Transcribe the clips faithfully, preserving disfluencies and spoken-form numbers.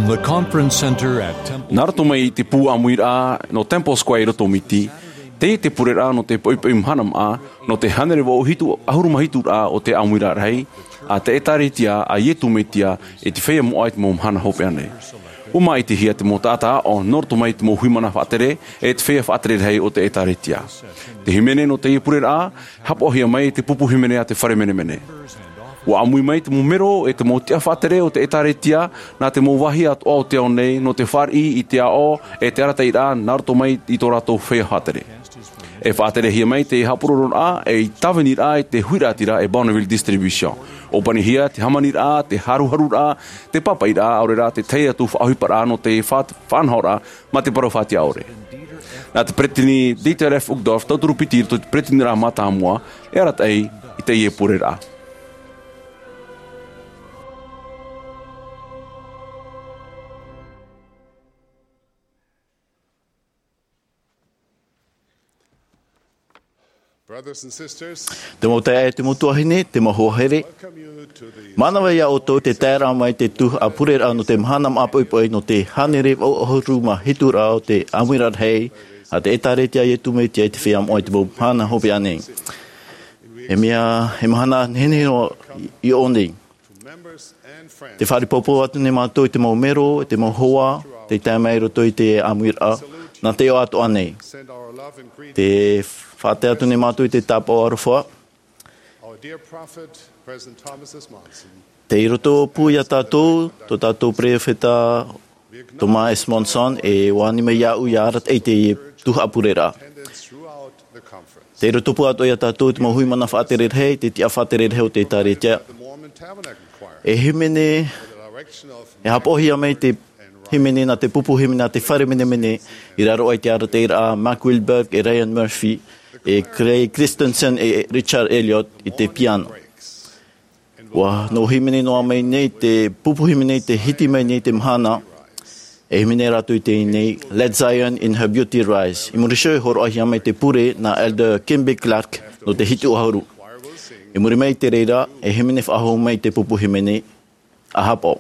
The Conference Center at Temple. Nā roto mai i te pū ʻāmuiraʻa nō Temple Square i roto o Miti, teie te pureraʻa nō te poʻipoʻi mahana māʻa, nō te hānere vaʻu hitu ʻahuru mā hituraʻa o te ʻāmuiraʻa rahi a te ʻĒtārētia a Iesu Mesia e te feiā moʻa i te mau mahana hopeʻa nei. ʻUa māʻitihia te mau taʻata aʻo nō roto mai i te mau huimana faʻatere e te feiā faʻatere rahi o te ʻĒtārētia. Te hīmene nō teie pureraʻa, haʻapaʻohia mai e te pupu hīmene a te fare menemene. ʻUa ʻāmui mai te mau mero e te mau tiʻa faʻatere o te ʻĒtārētia, nā te mau vāhi atoʻa o te ao nei, nō te fāriʻi i te aʻo e te arataʻiraʻa nā roto mai i tō rātou feiā faʻatere. E faʻaterehia mai te haʻapurororaʻa e i tāviniraʻa i te huiraʻatira e Bonneville Distribution. ʻUa ʻōpanihia te hāmaniraʻa, te haruharuraʻa, te pāpaʻiraʻa, ʻaore rā te tahi atu faʻaʻohiparaʻa nō te fa-, faʻanahoraʻa mā te parau faʻatiʻa ʻore. Nā te peretiteni Dieter F. Uchtdorf, tauturu piti i roto i te peretiteniraʻa mātāmua, e arataʻi i teie pureraʻa. Brothers and sisters, te mau taeaʻe, te mau tuahine, te mau hoa here, welcome you to the mānava ia ʻoutou te taeraʻa mai te tuhaʻa pureraʻa nō te mahana māʻa poʻipoʻi nō te hānere vaʻu ʻahuru mā hituraʻa o te ʻāmuiraʻa rahi a te ʻĒtārētia a Iesu Mesia i te feiā moʻa i te mau mahana hopeʻa nei. E mea, e mahana nehenehe noa i ʻō nei. Te fāriʻi poupou atu nei mātou i te mau mero, i te mau hoa, tei tae mai i roto i te ʻāmuiraʻa, nā te iʻoa atoʻa nei. Tē faʻatae atu nei mātou i te tāpaʻo aroha. Tei roto pū ia tātou, tō tātou peropheta Thomas S. Monson, e ʻua ani mai iāʻu ʻia arataʻi i teie tuhaʻa pureraʻa. Tei roto pū atoʻa ia tātou te mau huimana faʻatere rahi, te tiʻa faʻatere rahi o te ʻĒtārētia. E hīmene, e haʻapaʻohia mai te hīmene nā te pupu hīmene a te fare menemene, i raro aʻe i te arataʻiraʻa a Mark Wilberg e Ryan Murphy, e Craig Christensen e Richard Elliott i te piano. ʻUa nō hīmene noa mai nei te pupu hīmene i te hiti mai nei te mahana, e hīmene rātou i teie nei, Let Zion in Her Beauty Rise. I muri iho e hōroʻahia mai te pure nā Elder Kimby Clark nō te hitu ʻahuru. I muri mai i te reira, e hīmene faʻahou mai te pupu hīmene, ʻa haʻapaʻo.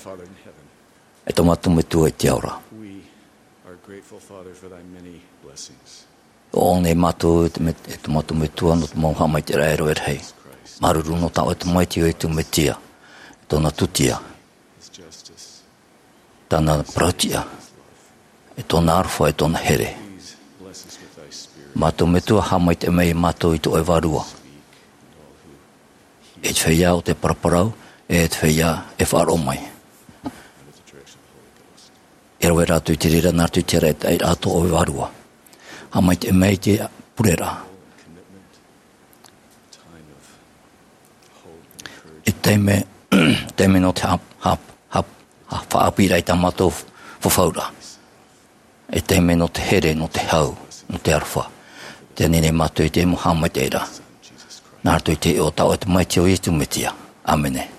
Father in heaven, e tō mātou Metua i te ao ra. We are grateful, Father, for thy many blessings. ʻO ʻoe nei mātou e te met-, e tō mātou Metua nō te mau haʻamaitaʻiraʻa e rahi. Māuruuru nō tā ʻoe tamaiti ʻo Iesu Mesia, tōna tūtia, his justice, tāna parauʻtiʻa, e tōna aroha, e tōna here. Please bless us with thy spirit. Mātou Metua, haʻamaitaʻi mai mātou i tō ʻoe Vārua. E te feiā ʻo tē paraparau, e te feiā e faʻaroʻo mai. E rave rātou i te reira, nā rātou i te reira, nā rātou i te reira, e tō ʻoe Vārua. Haʻamaitaʻi mai te pureraʻa. E taime, taime nō te hap-, hap-, hap-, ha-, faʻaʻāpīraʻa i tā mātou fafauraʻa. E taime nō te here, nō te hau, nō te aroha. Tē ani nei mātou i te mau haʻamaitaʻiraʻa. Nā roto i te iʻoa o tā ʻoe tamaiti ʻo Iesu Mesia. ʻĀmene.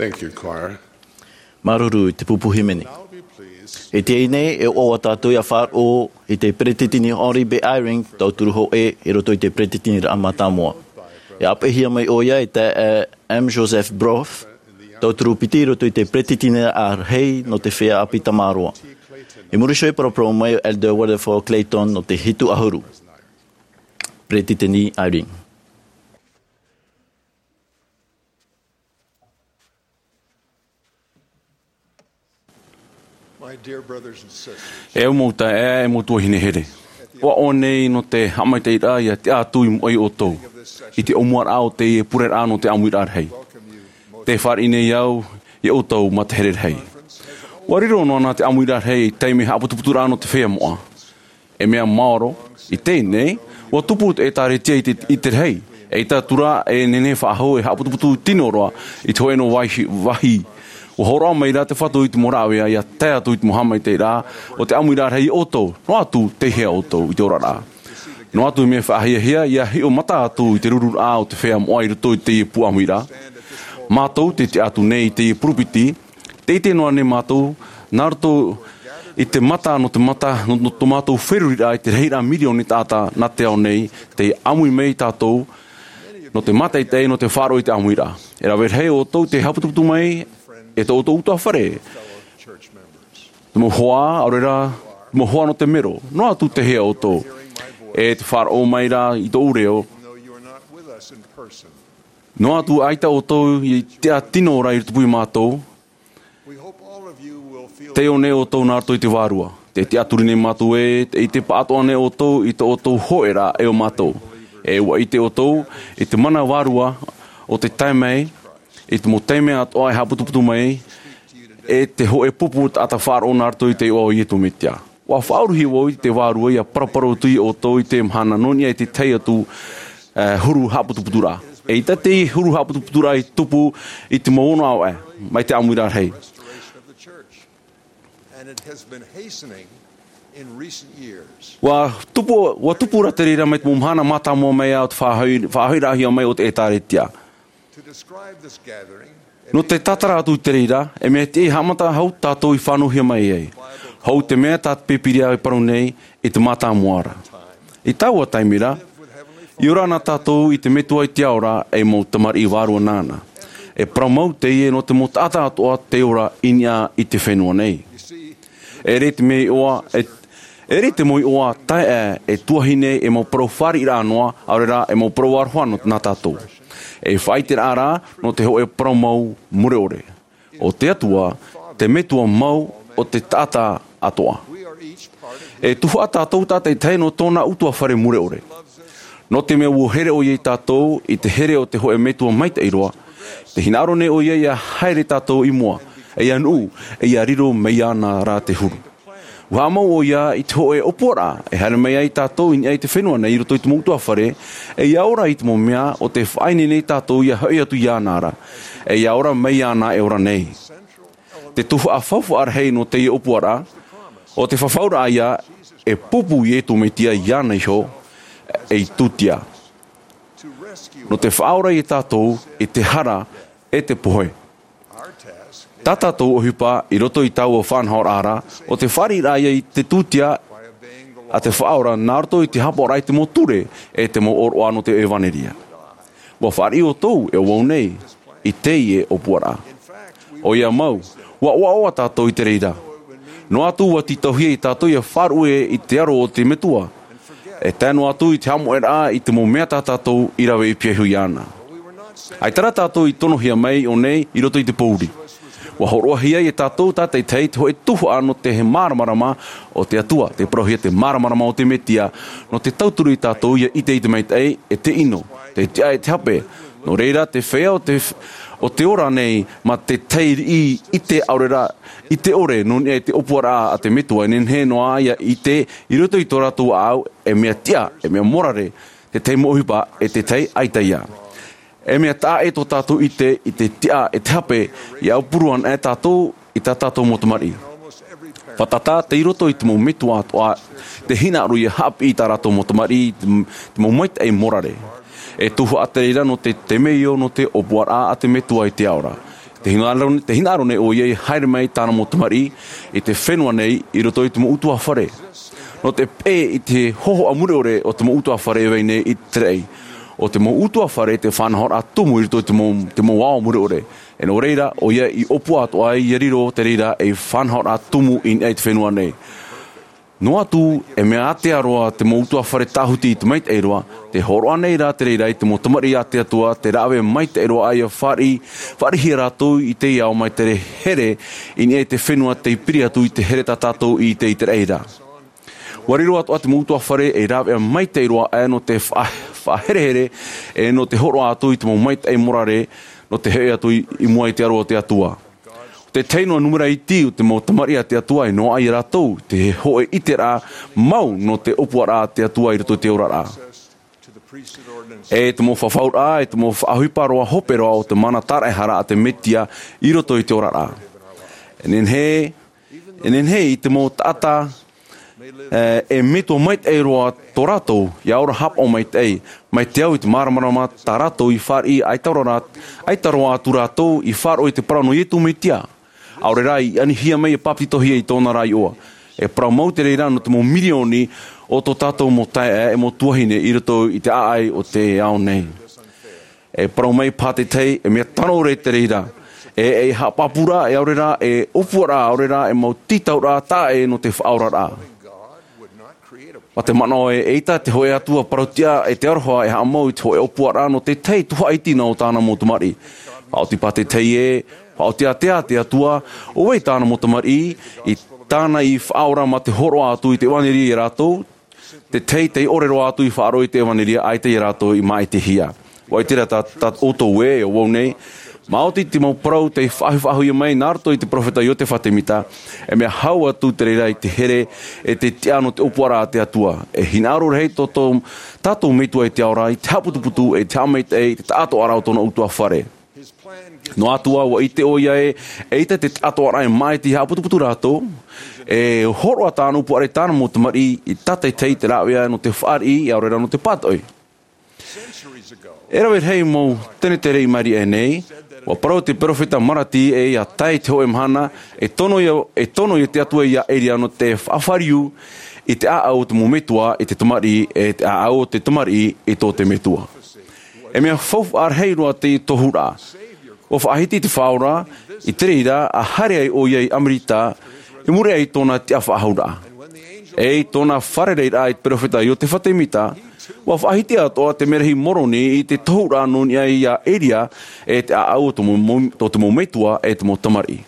Thank you, choir. Māuruuru i te pupu hīmene. I teie nei, e ʻoaʻoa tātou ʻia faʻaroʻo i te peretiteni Henry B. Eyring, tauturu hōʻē i roto i te peretiteniraʻa mātāmua. E ʻāpeʻehia mai ʻoia e te, e, M. Joseph Brough, tauturu piti i roto i te peretiteniraʻa rahi nō te feiā ʻāpī tamaroa. I muri iho e paraparau mai ʻo Elder Wilberforce Clayton nō te hitu ʻahuru. Peretiteni Eyring. My dear brothers and sisters, E au mau taeaʻe, e mau tuahine here. ʻOaʻoa nei nō te haʻamaitaʻiraʻa ʻia tiʻa atu i mua ia ʻoutou, i te ʻōmuaraʻa o teie pureraʻa nō te ʻāmuiraʻa rahi. Tē fāriʻi nei au ia ʻoutou mā te here rahi. ʻUa riro noa na te ʻāmuiraʻa rahi ei taime haʻaputuputuraʻa nō te feiā moʻa. E mea maoro, i teie nei, ʻua tupu te ʻĒtārētia i te, i te rahi, eʻita atu ra e nehenehe faʻahou e haʻaputuputu tino roa i te hōʻē noa vāhi, vāhi. ʻUa hōroʻa mai ra te Fatu i te mau rāveʻa ʻia tae atu i te mau haʻamaitaʻiraʻa o te ʻāmuiraʻa rahi ia ʻoutou, noa atu tei hea ʻoutou i te oraraʻa. Noa atu mea faʻahiahia ʻia hiʻo mata atu i te rururaʻa o te feiā moʻa i roto i teie pū ʻāmuiraʻa. Mātou tē tiʻa atu nei i teie pulpiti, tē ʻite noa nei mātou, nā roto i te mata, nō te mata, nō, nō tō mātou feruriraʻa i te rahiraʻa mirioni taʻata nā te ao nei, tē ʻāmui mai tātou, nō te mātaʻitaʻi, nō te faʻaroʻo i te ʻāmuiraʻa. E rave rahi ʻoutou tē haʻaputuputu mai, e tō ʻoutou ʻutuāfare, te mau hoa, ʻaore rā, te mau hoa nō te mero, noa atu tei hea ʻoutou, e tē faʻaroʻo mai ra i tōʻu reo, noa atu ʻaita ʻoutou i tiʻa tino ra i tupu ia mātou, tē ʻite nei ʻoutou nā roto i te vārua. Tē tiʻaturi nei mātou ē, tē ʻite pāʻatoʻa nei ʻoutou i tō ʻoutou hōʻēraʻa e ʻo mātou. E ʻua ʻite ʻoutou i te mana vārua o te tae mai, i te mau taime atoʻa e haʻaputuputu mai, e te hōʻē pupu taʻata faʻaroʻo nā roto i te iʻoa o Iesu Mesia. ʻUa faʻauruhia vau i te vārua ʻia paraparau atu ia ʻoutou i te mahana nō niʻa i te tahi atu, e, huru haʻaputuputuraʻa. Eʻita teie huru haʻaputuputuraʻa i tupu i te mau ono ʻāvaʻe, mai te ʻāmuiraʻa rahi. And it has been hastening in recent years. ʻUa tupu, ʻua tupu ra te reira mai te mau mahana mātāmua mai ā o te faʻahoʻi-, faʻahoʻiraʻahia mai o te ʻĒtārētia. To describe this gathering, Nō te tātara atu i te reira, e mea tiʻa haʻamata hou tātou i fānauhia mai ai. Hou te mea tā te Pīpīria e parau nei i te mātāmua ra. I taua taime ra, i ora na tātou i te Metua i te ao ra, ei mau tamariʻi vārua nāna. E parau mau teie nō te mau taʻata atoʻa tei ora i niʻa i te fenua nei. E ʻere te mau iʻoa, e, e ʻere te mau iʻoa taeaʻe, e tuahine, e mau parau fāriʻiraʻa noa, ʻaore rā, e mau parau aroha nō, nā tātou. E faʻaʻiteraʻa rā, nō te hōʻē parau mau mure ʻore. ʻO te Atua, te Metua mau o te taʻata atoʻa. E tuhaʻa tātou tātaʻitahi nō tōna ʻutuāfare mure ʻore. Nō te mea ʻua here ʻoia ia tātou i te here o te hōʻē Metua maitaʻi roa, tē hinaʻaro nei ʻoia ʻia haere tātou i mua, e ʻia nuʻu, e ʻia riro mai iāna rā te huru. ʻUa haʻamau ʻoia i te hōʻē ʻōpuaraʻa, e haere mai ai tātou i niʻa i te fenua nei i roto i te mau ʻutuāfare, e ʻia ora i te mau mea ʻo tē faʻaineine nei tātou ʻia hoʻi atu iāna ra, e ʻia ora mai iāna e ora nei. Te tuhaʻa faufaʻa rahi nō teie ʻōpuaraʻa, ʻo te fafauraʻa ïa, e pupu Iesu Mesia iāna iho, ei tūtia. Nō te faʻaora ia tātou i te hara e te pohe. Tā tātou ʻohipa i roto i taua faʻanahoraʻa ra, ʻo te fāriʻiraʻa ïa i te tūtia a te Faʻaora nā roto i te haʻapaʻoraʻa i te mau ture e te mau ʻōroʻa nō te ʻevanelia. ʻUa fāriʻi ʻoutou e ʻo vau nei i teie ʻōpuaraʻa. ʻOia mau, ʻua ʻoaʻoa tātou i te reira. Noa atu ʻua tītauhia ia tātou ʻia faʻaruʻe i te aro o te Metua. E tae noa atu i te haʻamoʻeraʻa i te mau mea tā tātou i rave i pīhaʻi iho iāna. ʻAita rā tātou i tonohia mai i ʻō nei i roto i te pōuri. ʻUa hōroʻahia ia tātou tātaʻitahi te hōʻē tuhaʻa nō te māramarama o te Atua, tē parauhia te māramarama o te Mesia, nō te tauturu ia tātou ʻia ʻite i te maitaʻi, e te ʻino, te tiʻa e te hape. Nō reira, te feiā o te, o te ora nei, mā te tahi riʻi ʻite ʻaore rā, ʻite ʻore, nō niʻa i te ʻōpuaraʻa a te Metua, e nehenehe noa ʻia ʻite, i roto i tō rātou ʻāʻau, e mea tiʻa, e mea morare, te tahi mau ʻohipa, e te tahi ʻaita ïa. E mea taʻa ʻē tō tātou ʻite i te tiʻa e te hape, ʻia aupuru ana e tātou i tā tātou mau tamariʻi. Fātata, tei roto i te mau metua atoʻa, tē hinaʻaro ʻia haʻapiʻi i tā rātou mau tamariʻi, te, te mau maitaʻi morare. E tuhaʻa te reira nō te temeio nō te ʻōpuaraʻa a te Metua i te ao ra. Te hinaʻaro nei ʻo ia i haere mai tāna mau tamariʻi i te fenua nei i roto i te mau ʻutuāfare. Nō te peʻe i te hōhoʻa mure ʻore o te mau ʻutuāfare e vai nei i te raʻi. ʻO te mau ʻutuāfare te faʻanahoraʻa tumu i roto i te mau ao mure ʻore. E nō reira ʻo ia i ʻōpua atoʻa ia riro te reira ei faʻanahoraʻa tumu i niʻa i te fenua nei. Noa atu e mea ātea roa te mau ʻutuāfare tāhuti i te maitaʻi roa, te hōroʻa nei rā te reira i te mau tamariʻi a te Atua te rāveʻa maitaʻi roa ʻaia fāriʻihia rātou i te ao mai te here i niʻa i te fenua tei piri atu i te here tā tātou i ʻite i te raʻi ra. Ua riro atoʻa te mau ʻutuāfare ei rāveʻa maitaʻi roa ʻaia nō te faʻaherehere e nō te hōroʻa atu i te mau maitaʻi morare nō te hoʻi atu i mua i te aro o te Atua. Te tahi noa numera iti o te mau tamariʻi a te Atua e noaʻa ia rātou te hoʻi ʻiteraʻa mau nō te ʻōpuaraʻa a te Atua i roto i te oraraʻa. E te mau faʻafauraʻa e te mau faʻaʻohipa roa hope roa o te mana tāraʻehara a te Mesia i roto i te oraraʻa. E nehenehe i te mau taʻata e metua maitaʻi roa tō rātou ia ora hāpaʻo maitaʻi mai te ao i te māramarama tā rātou i fāriʻi ʻaita roa atu rātou i faʻaroʻo i te parau nō iesu mesia. ʻAore rā i anihia mai e bapetizohia i tōna rā iʻoa. E parau mau te reira nō te mau mirioni o tō tātou mau taeaʻe e mau tuahine i roto i te ʻāʻai o te ao nei. E parau mai pātētahi e mea tano ʻore te reira e e haʻapāpūraʻa e ʻaore rā e ʻōpuaraʻa ʻaore rā e mau tītauraʻa taʻa ʻē nō te faʻaoraraʻa. Ma te manaʻo e ʻeita te hoʻe atua parauʻtiʻa e te aroha e haʻamau i te hoʻe ʻōpuaraʻa nō te tahi tuhaʻa iti nā o tāna mau tamariʻi. Faʻaoti pātētahi e faʻaoti ātea te atua ʻo vai tāna mau tamariʻi i tāna i faʻaora ma te hōroʻa atu i te ʻevanelia ia rātou. Te tahi tei ʻore roa atu i faʻaroʻo i te ʻevanelia ʻaita ia rātou i māʻitihia. Ua ʻite rā tā ʻoutou ē ʻo vau nei. Māoti te mau parau tei faʻahuifaʻahuia mai nā roto i te peropheta iosefa semita. E mea hau atu te reira i te here e te tiʻa nō te ʻōpuaraʻa a te atua. E hinaʻaro rahi tō tātou metua i te ao ra i te haʻaputuputu e te haʻamaitaʻi i te taʻatoʻaraʻa o tōna ʻutuāfare. Noa atu ā ua ʻite ʻo ia ē ʻeita te taʻatoʻaraʻa e māʻiti haʻaputuputu rātou. E hōroʻa tāna ʻōpuaraʻa i tāna mau tamariʻi i tātaitahi i te rāveʻa nō te fāriʻi ʻaore rā nō te pātoʻi. E rave rahi mau tenetere i maʻiri aʻe nei ua parau te peropheta malaki ē ia tae i te hoʻe mahana e tono ia te atua ia elia nō te faʻafāriu i te ʻāʻau o te mau metua i te tamariʻi e te ʻāʻau o te tamariʻi i tō te metua. E mea faufaʻa rahi roa te tohuraʻa. Ua faʻahiti te faʻaora i te reira a haere ai ʻo ia i amerika i muri aʻe i tōna tiʻa faʻahouraʻa e i tōna fārereiraʻa i te peropheta iosefa semita. Ua faʻahiti atoʻa te merahi moroni i te tohuraʻa nō niʻa ia elia e te ʻāʻau o tō te mau metua e te mau tamariʻi.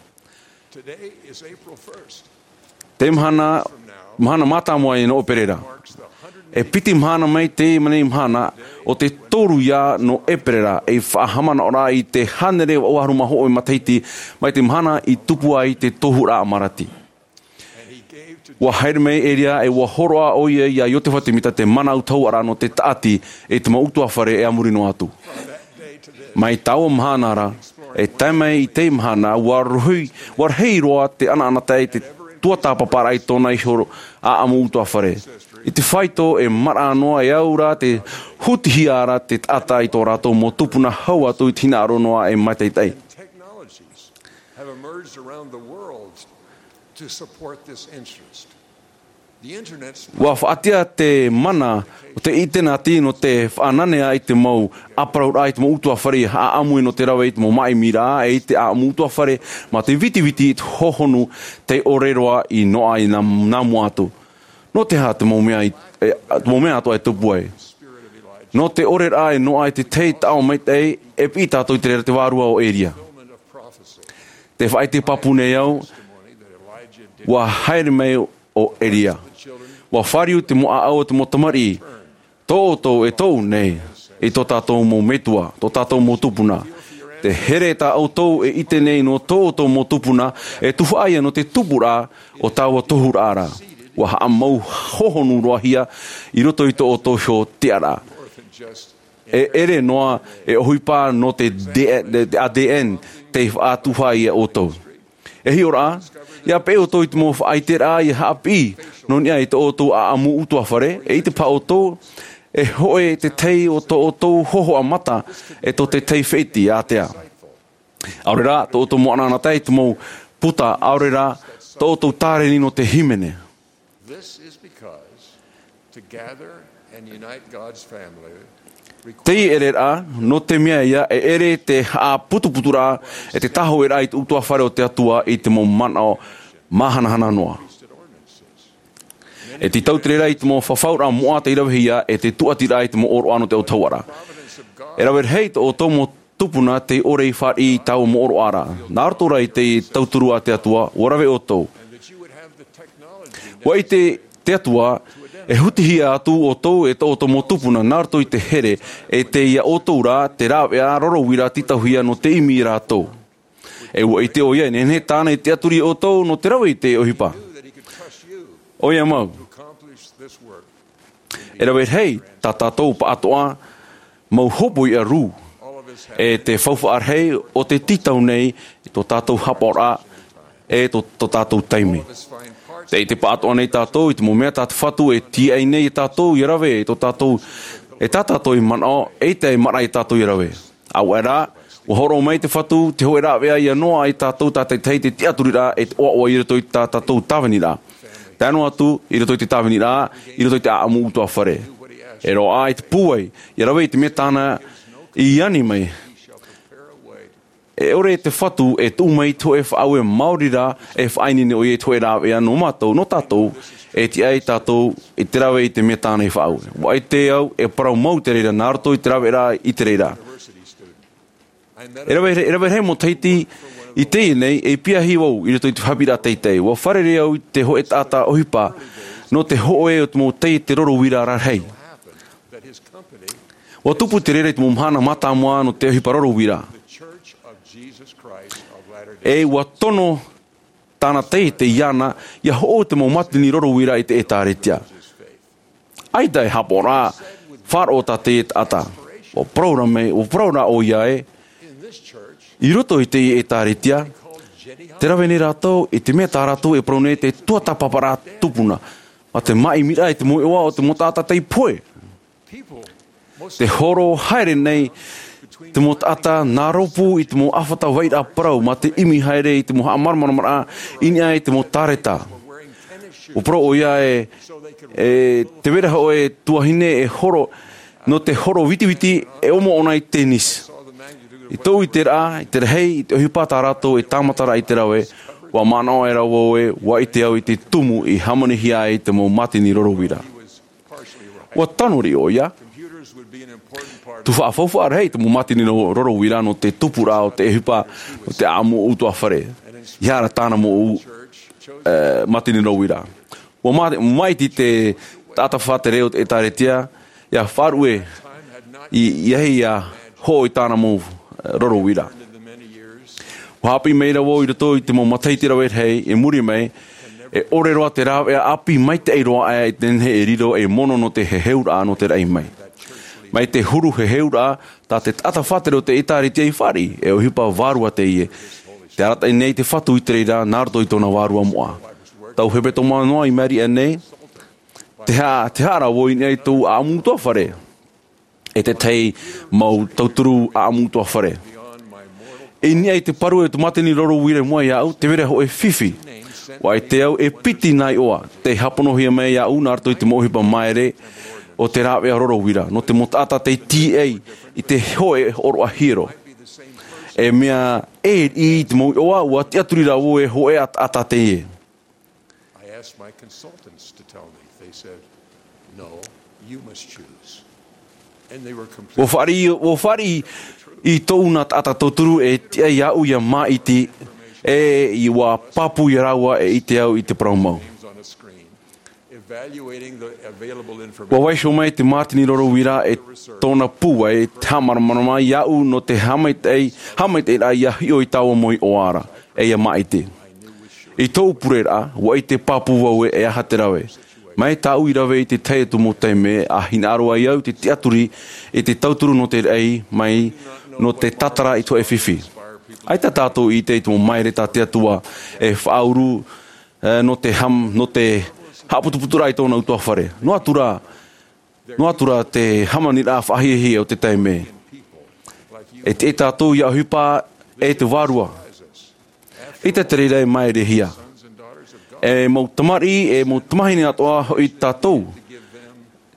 Te mahana mahana mātāmua i nō ʻeperēra. E piti mahana mai teie nei mahana o te toru ia nō ʻeperēra ei faʻahaʻamanaʻoraʻa i te hānere vaʻu ʻahuru mā hoʻe matahiti mai te mahana i tupu ai te tohuraʻa malaki. Ua haere mai elia e ua hōroʻa ʻo ia ia iosefa semita te mana autahuʻaraʻa nō te taʻati i te mau ʻutuāfare e a muri noa atu. Mai taua mahana ra e tae mai i teie mahana ua rahi roa te ʻanaʻanatae i te tuatāpaparaʻa i tōna iho ʻaʻamu ʻutuāfare. I te faito e maraʻa noa e au rā te hutihia ra te taʻata i tō rātou mau tupuna hau atu i te hinaʻaro noa e mātaʻitaʻi. Ua faʻaʻite te mana o te ʻinitēneti nō te faʻananea i te mau ʻāparauraʻa i te mau ʻutuāfare i haʻaʻamu nō te rave i te mau māʻimiraʻa e i te ʻāʻamu ʻutuāfare ma te vitiviti i te hohonu tei ʻore roa i noaʻa i nā mua atu. Nō te aha te mau mea atoʻa e tupu ai? Nō te ʻoreraʻa e noaʻa i te tahi taʻo maitaʻi e piʻi tātou i te reira te vārua o elia. Te faʻaʻite pāpū nei au ua haere mai ʻo elia. Ua fāriu te mau ʻāʻau o te mau tamariʻi tō ʻoutou e tōʻu nei i tō tātou mau metua tō tātou mau tupuna. Te here tā ʻoutou e ʻite nei nō tō ʻoutou mau tupuna e tuhaʻa ia nō te tupuraʻa o taua tohuraʻa ra. Ua haʻamau hohonu roahia i roto i tō ʻoutou iho tiʻaraʻa. E ʻere noa e ʻohipa nō te adn tei faʻatuhaʻa ia ʻoutou. E hiʻoraʻa ia peʻe ʻoutou i te mau faʻaiteraʻa ia haʻapiʻi nō niʻa i tō ʻoutou ʻaʻamu ʻutuāfare e ʻite paha ʻoutou e hoʻe te tahi o tō ʻoutou hōhoʻa mata e tō te tahi feʻeti ātea. ʻAore rā tō ʻoutou moʻanaʻanatae i te mau puta, ʻaore rā tō ʻoutou tāreni nō te hīmene. This is because to gather and unite God's family requires Tei ʻereraʻa, nō te mea ia, e ʻere te haʻaputuputuraʻa, e te tāhōʻēraʻa i te ʻutuāfare o te Atua i te mau manaʻo māhanahana noa. E tītau te reira i te mau fafauraʻa moʻa tei ravehia, e te tūʻatiraʻa i te mau ʻōroʻa nō te autahuʻaraʻa. E rave rahi tō ʻoutou mau tupuna tei ʻore i fāriʻi i taua mau ʻōroʻa ra. Nā roto rā i te tauturu a te Atua, ʻua rave ʻoutou. ʻUa ʻite te Atua, e hutihia atu ʻoutou e tō ʻoutou mau tupuna, nā roto i te here, e tei iā ʻoutou rā te rāveʻa roro uira tītauhia nō te ʻimi ia rātou. E ʻua ʻite ʻoia e nehenehe tāna i tiʻaturi iā ʻoutou nō te rave i te ʻohipa. ʻOia mau. E rave rahi tā tātou pāʻatoʻa mau hōpoiʻa rū, e te faufaʻa rahi o te tītau nei i tō tātou hapaʻoraʻa, e tō, tō tātou taime. Tē ʻite pāʻatoʻa nei tātou i te mau mea tā te Fatu e tīaʻi nei iā tātou ʻia rave, e tō tātou, e tā tātou e manaʻo, eʻita e maraʻa iā tātou ʻia rave. ʻAuaʻe rā, ʻua hōroʻa mai te Fatu te hōʻē rāveʻa ʻia noaʻa iā tātou tātaʻitahi te tiʻaturiraʻa e te ʻoaʻoa i roto i tā tātou tāviniraʻa. Tae noa atu, i roto i te tāviniraʻa, i roto i te ʻāʻamu ʻutuāfare. E roaʻa i te pūai, ʻia rave i te mea tāna i ani mai. E ʻore te Fatu e tuʻu mai i te hōʻē faʻaue maori rā, e faʻaineine ʻoia i te hōʻē rāveʻa nō mātou, nō tātou, e tiʻa ai tātou i te rave i te mea tāna i faʻaue. ʻUa ʻite au, e parau mau te reira, nā roto i te rāveʻa i te reira. E rave, e rave rahi mau matahiti i teie nei, e piahi vau i roto i te haʻapiʻiraʻa teitei. ʻUa fārerei au i te hōʻē taʻata ʻohipa, nō te hōʻē o te mau tei te roro uira rarahi. ʻUa tupu te reira i te mau mahana mātāmua nō te ʻohipa roro uira. E ʻua tono tāna taiete iāna, ʻia hoʻo te mau mātini roro uira i te ʻētāretia. ʻAita e haʻapaʻo ra, faʻaroʻo tā te taʻata. ʻUa parau ra mai, ʻua parau ra ʻoia ē, i roto i te ʻētāretia, tē rave nei rātou i te mea tā rātou e parau nei te tuatāpaparaʻa tupuna. Mā te māʻimiraʻa i te mau iʻoa o te mau taʻata tei pohe. Te horo haere nei te mau taʻata nā rōpū i te mau ʻāfata vairaʻa parau, mā te ʻimi haere i te mau haʻamāramaramaraʻa i niʻa i te mau tāreta. ʻUa parau ʻoia ē, e tē vai ra hōʻē tuahine e horo, nō te horo vitiviti e ʻomo ʻōna i tennis. I tōʻu ʻiteraʻa, i te rahi, i te ʻohipa tā rātou e tāmata ra i te rave, ʻua manaʻo aʻera vau ē, ʻua ʻite au i te tumu i hāmanihia ai te mau mātini roro uira. ʻUa tano riʻi ʻoia. Tē faʻafaufaʻa rahi te mau mātini ro-, roro uira nō te tupuraʻa o te ʻohipa, nō te ʻāʻamu ʻutuāfare. ʻEiaha rā tāna mau, e, mātini roro uira. ʻUa mā-, māʻiti te taʻata faʻatere o te ʻētāretia, ʻia faʻaruʻe i, i ʻahi ʻia hoʻo i tāna mau, e, roro uira. ʻUa haʻapiʻi mai ra vau i roto i te mau matahiti rave rahi i muri mai, e ʻore roa te rāveʻa ʻāpī maitaʻi roa aʻe i te nehenehe e riro ei mono nō te heheuraʻa nō te raʻi mai. Mai te huru heheuraʻa, tā te taʻata faʻatere o te ʻētāretia i fāriʻi, e ʻohipa vārua teie. Tē arataʻi nei te Fatu i te reira, nā roto i tōna vārua moʻa. Tau hepetoma noa i maʻiri aʻe nei, tē haʻa-, tē haʻa ra vau i niʻa i tōʻu ʻāʻamu ʻutuāfare. E te tahi mau tauturu ʻāʻamu ʻutuāfare. I niʻa i te parau o te mātini roro uira i mua iāʻu, tē vai ra hōʻē fifi. ʻUa ʻite au e piti nā iʻoa, tei hāponohia mai iāʻu nā roto i te mau ʻohipa māere o te rāveʻa roro uira, nō te mau taʻata tei tīaʻi i te hōʻē hōroʻa hiero. E mea e riʻi i te mau iʻoa, ʻua tiʻaturi ra vau e hōʻē taʻata teie. I asked my consultants to tell me. They said, "No, you must choose." And they were completely ʻUa fāriʻi, ʻua fāriʻi i tōʻu nā taʻata tauturu e tiʻa iāʻu ʻia māʻiti, e ʻua pāpū ia rāua e ʻite au i te parau mau. Evaluating the available information. ʻUa vaiiho mai te mātini roro uira e tōna pūai, e te haʻamāramarama iāʻu nō te haʻamaitaʻi, haʻamaitaʻiraʻa ʻia hiʻo i taua mau iʻoa ra, e ʻia māʻiti. I tōʻu pureraʻa, ʻua ʻite pāpū vau ē e aha te rave. Mai tāʻu i rave i te tahi atu mau taime, ʻa hinaʻaro ai au i te tiʻaturi i te tauturu nō te raʻi mai, nō te tātara i te hōʻē fifi. ʻAita tātou i ʻite i te mau māere tā te Atua e faʻauru, e, nō te ham-, nō te haʻaputuputuraʻa i tōna ʻutuāfare. Noa atu rā, noa atu rā te hāmaniraʻa faʻahiahia o te taime. E tiʻa tātou ʻia ʻohipa e te vārua. ʻIte te reira e māerehia. E mau tamariʻi, e mau tamahine atoʻa hoʻi tātou.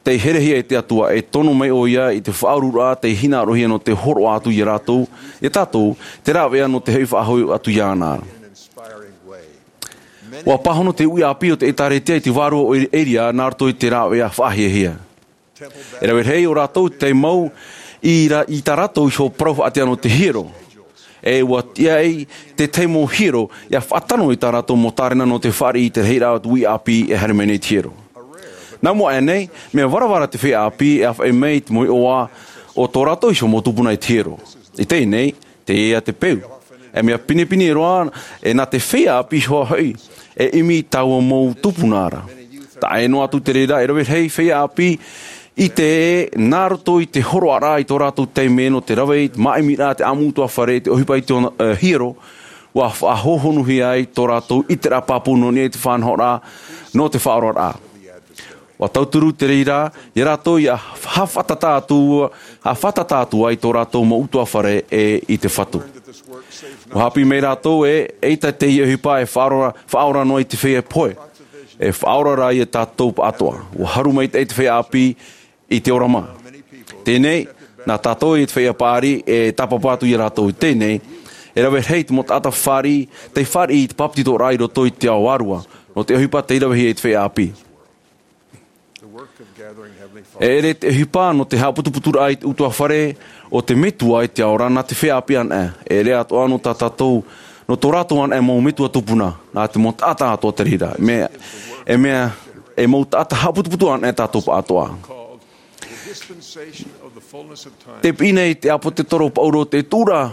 Tei herehia e te Atua, e tono mai ʻoia i te faʻaururaʻa tei hinaʻarohia nō te hōroʻa atu ia rātou, ia tātou, te rāveʻa nō te hoʻi faʻahou atu iāna. ʻUa pāhono te uʻi ʻāpī o te ʻĒtārētia i te vārua o Eria nā roto i te rāveʻa faʻahiahia. E rave rahi ʻo rātou tei mau i, ra, i tā rātou iho parau faʻaʻite nō te hiero. E ʻua tiʻa ai te tahi mau hiero, ʻia faʻatano i tā rātou mau tārena nō te fāriʻi i te rahiraʻa o te uʻi ʻāpī e haere mai nei te hiero. Nā mua aʻe nei, mea varavara te feiā ʻāpī e ʻāfaʻi mai i te mau iʻoa o tō rātou iho mau tupuna i te hiero. I teie nei, teie te peu. E mea pinepine roa, e nā te feiā ʻāpī iho hoʻi, e ʻimi taua mau tupuna ra. Taʻa ʻē noa atu te reira, e rave rahi feiā ʻāpī, ʻite ē, nā roto i te hōroʻaraʻa i tō rātou taime nō te rave i te māʻimiraʻa, te ʻāmuʻa ʻutuāfare, te ʻohipa i te ona, e, hiero, ʻua faʻahohonuhia ai tō rātou ʻiteraʻa pāpū nō niʻa i te faʻanahoraʻa, nō te faʻaoraraʻa. ʻUa tauturu te reira, ia rātou ʻia haʻafātata atu, haʻafātata atu ai tō rātou mau ʻutuāfare e i te Fatu. ʻUa haʻapiʻi mai rātou ē, eʻita te ʻohipa e faʻaora, faʻaora noa i te feiā pohe. E faʻaora rā ia tātou pāʻatoʻa. ʻUa haru maitaʻi te feiā ʻāpī i te ora mā. Teie nei, nā tātou e te feiā paʻari e tāpapa atu ia rātou i teie nei, e rave rahi te mau taʻata fāriʻi, tei fāriʻi i te papetitoraʻa i roto i te ao vārua, nō te ʻohipa tei ravehia e te feiā ʻāpī. E ʻere te ʻohipa nō te haʻaputuputuraʻa i te ʻutuāfare o te Metua i te ao ra nā te feiā ʻāpī anaʻe. E ʻere atoʻa nō tā tātou, nō tō rātou anaʻe mau metua tupuna, nā te mau taʻata atoʻa te reira. Mea, e mea, e mau taʻata haʻaputuputu anaʻe tātou pāʻatoʻa. Te piʻi nei te ʻāpōsetolo Paulo te tuʻuraʻa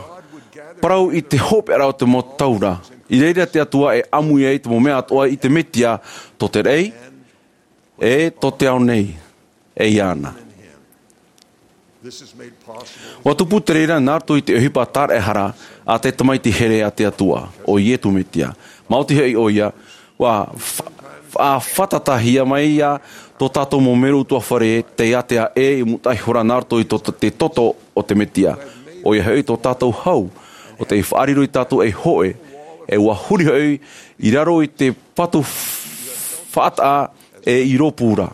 parau i te hopeʻa o te mau taura. I reira te Atua e ʻāmui ai te mau mea atoʻa i te Metia, tō te raʻi, e tō te ao nei, e iāna. ʻUa tupu te reira nā roto i te ʻohipa tāraʻehara a te Tamaiti here a te Atua, ʻo Iesu Mesia. Maoti hoʻi ʻoia, ʻua fa-, fa-, faʻatātaʻihia mai ia tō tātou mau mero ʻutuāfare tei ātea ʻē i mūtaʻa ihora nā roto i tō, te toto o te Mesia. ʻOia hoʻi tō tātou hau, ʻo tei faʻariro ia tātou ei hōʻē, e ʻua huri hoʻi i raro i te patu faʻataʻa e i rōpū ra.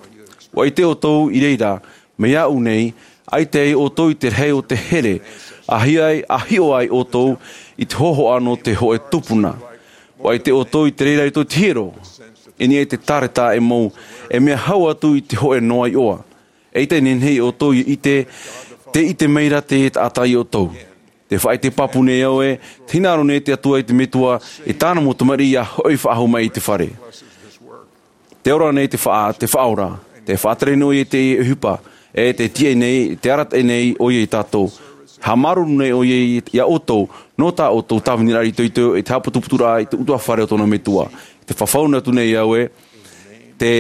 ʻUa ʻite ʻoutou i reira, mai iāʻu nei, ʻaita ai ʻoutou i te rahi o te here, ʻa hiʻo ai, ʻa hiʻo ai ʻoutou i te hōhoʻa nō te hōʻē tupuna. ʻUa ʻite ʻoutou i te reira i tō te hiero, i niʻa i te tāreta e mau, e mea hau atu i te hōʻē noa iʻoa. ʻAita e nehenehe ʻoutou i ʻite, tē ʻite mai ra te taʻata iā ʻoutou. Tē faʻaʻite pāpū nei au ē, tē hinaʻaro nei te Atua i te Metua, i tāna mau tamariʻi ʻia hoʻi faʻahou mai i te fare. Tē ora nei te faʻa-, te Faʻaora, tē faʻatere nei ʻoia i te ʻohipa, e tē tiaʻi nei, tē arataʻi nei ʻoia ia tātou. Haʻamāuruuru nei ʻoia i, iā ʻoutou, nō tā ʻoutou tāviniraʻa itoito, i te haʻaputuputuraʻa i te ʻutuāfare o tōna Metua. Tē fafau atu nei au ē, tē,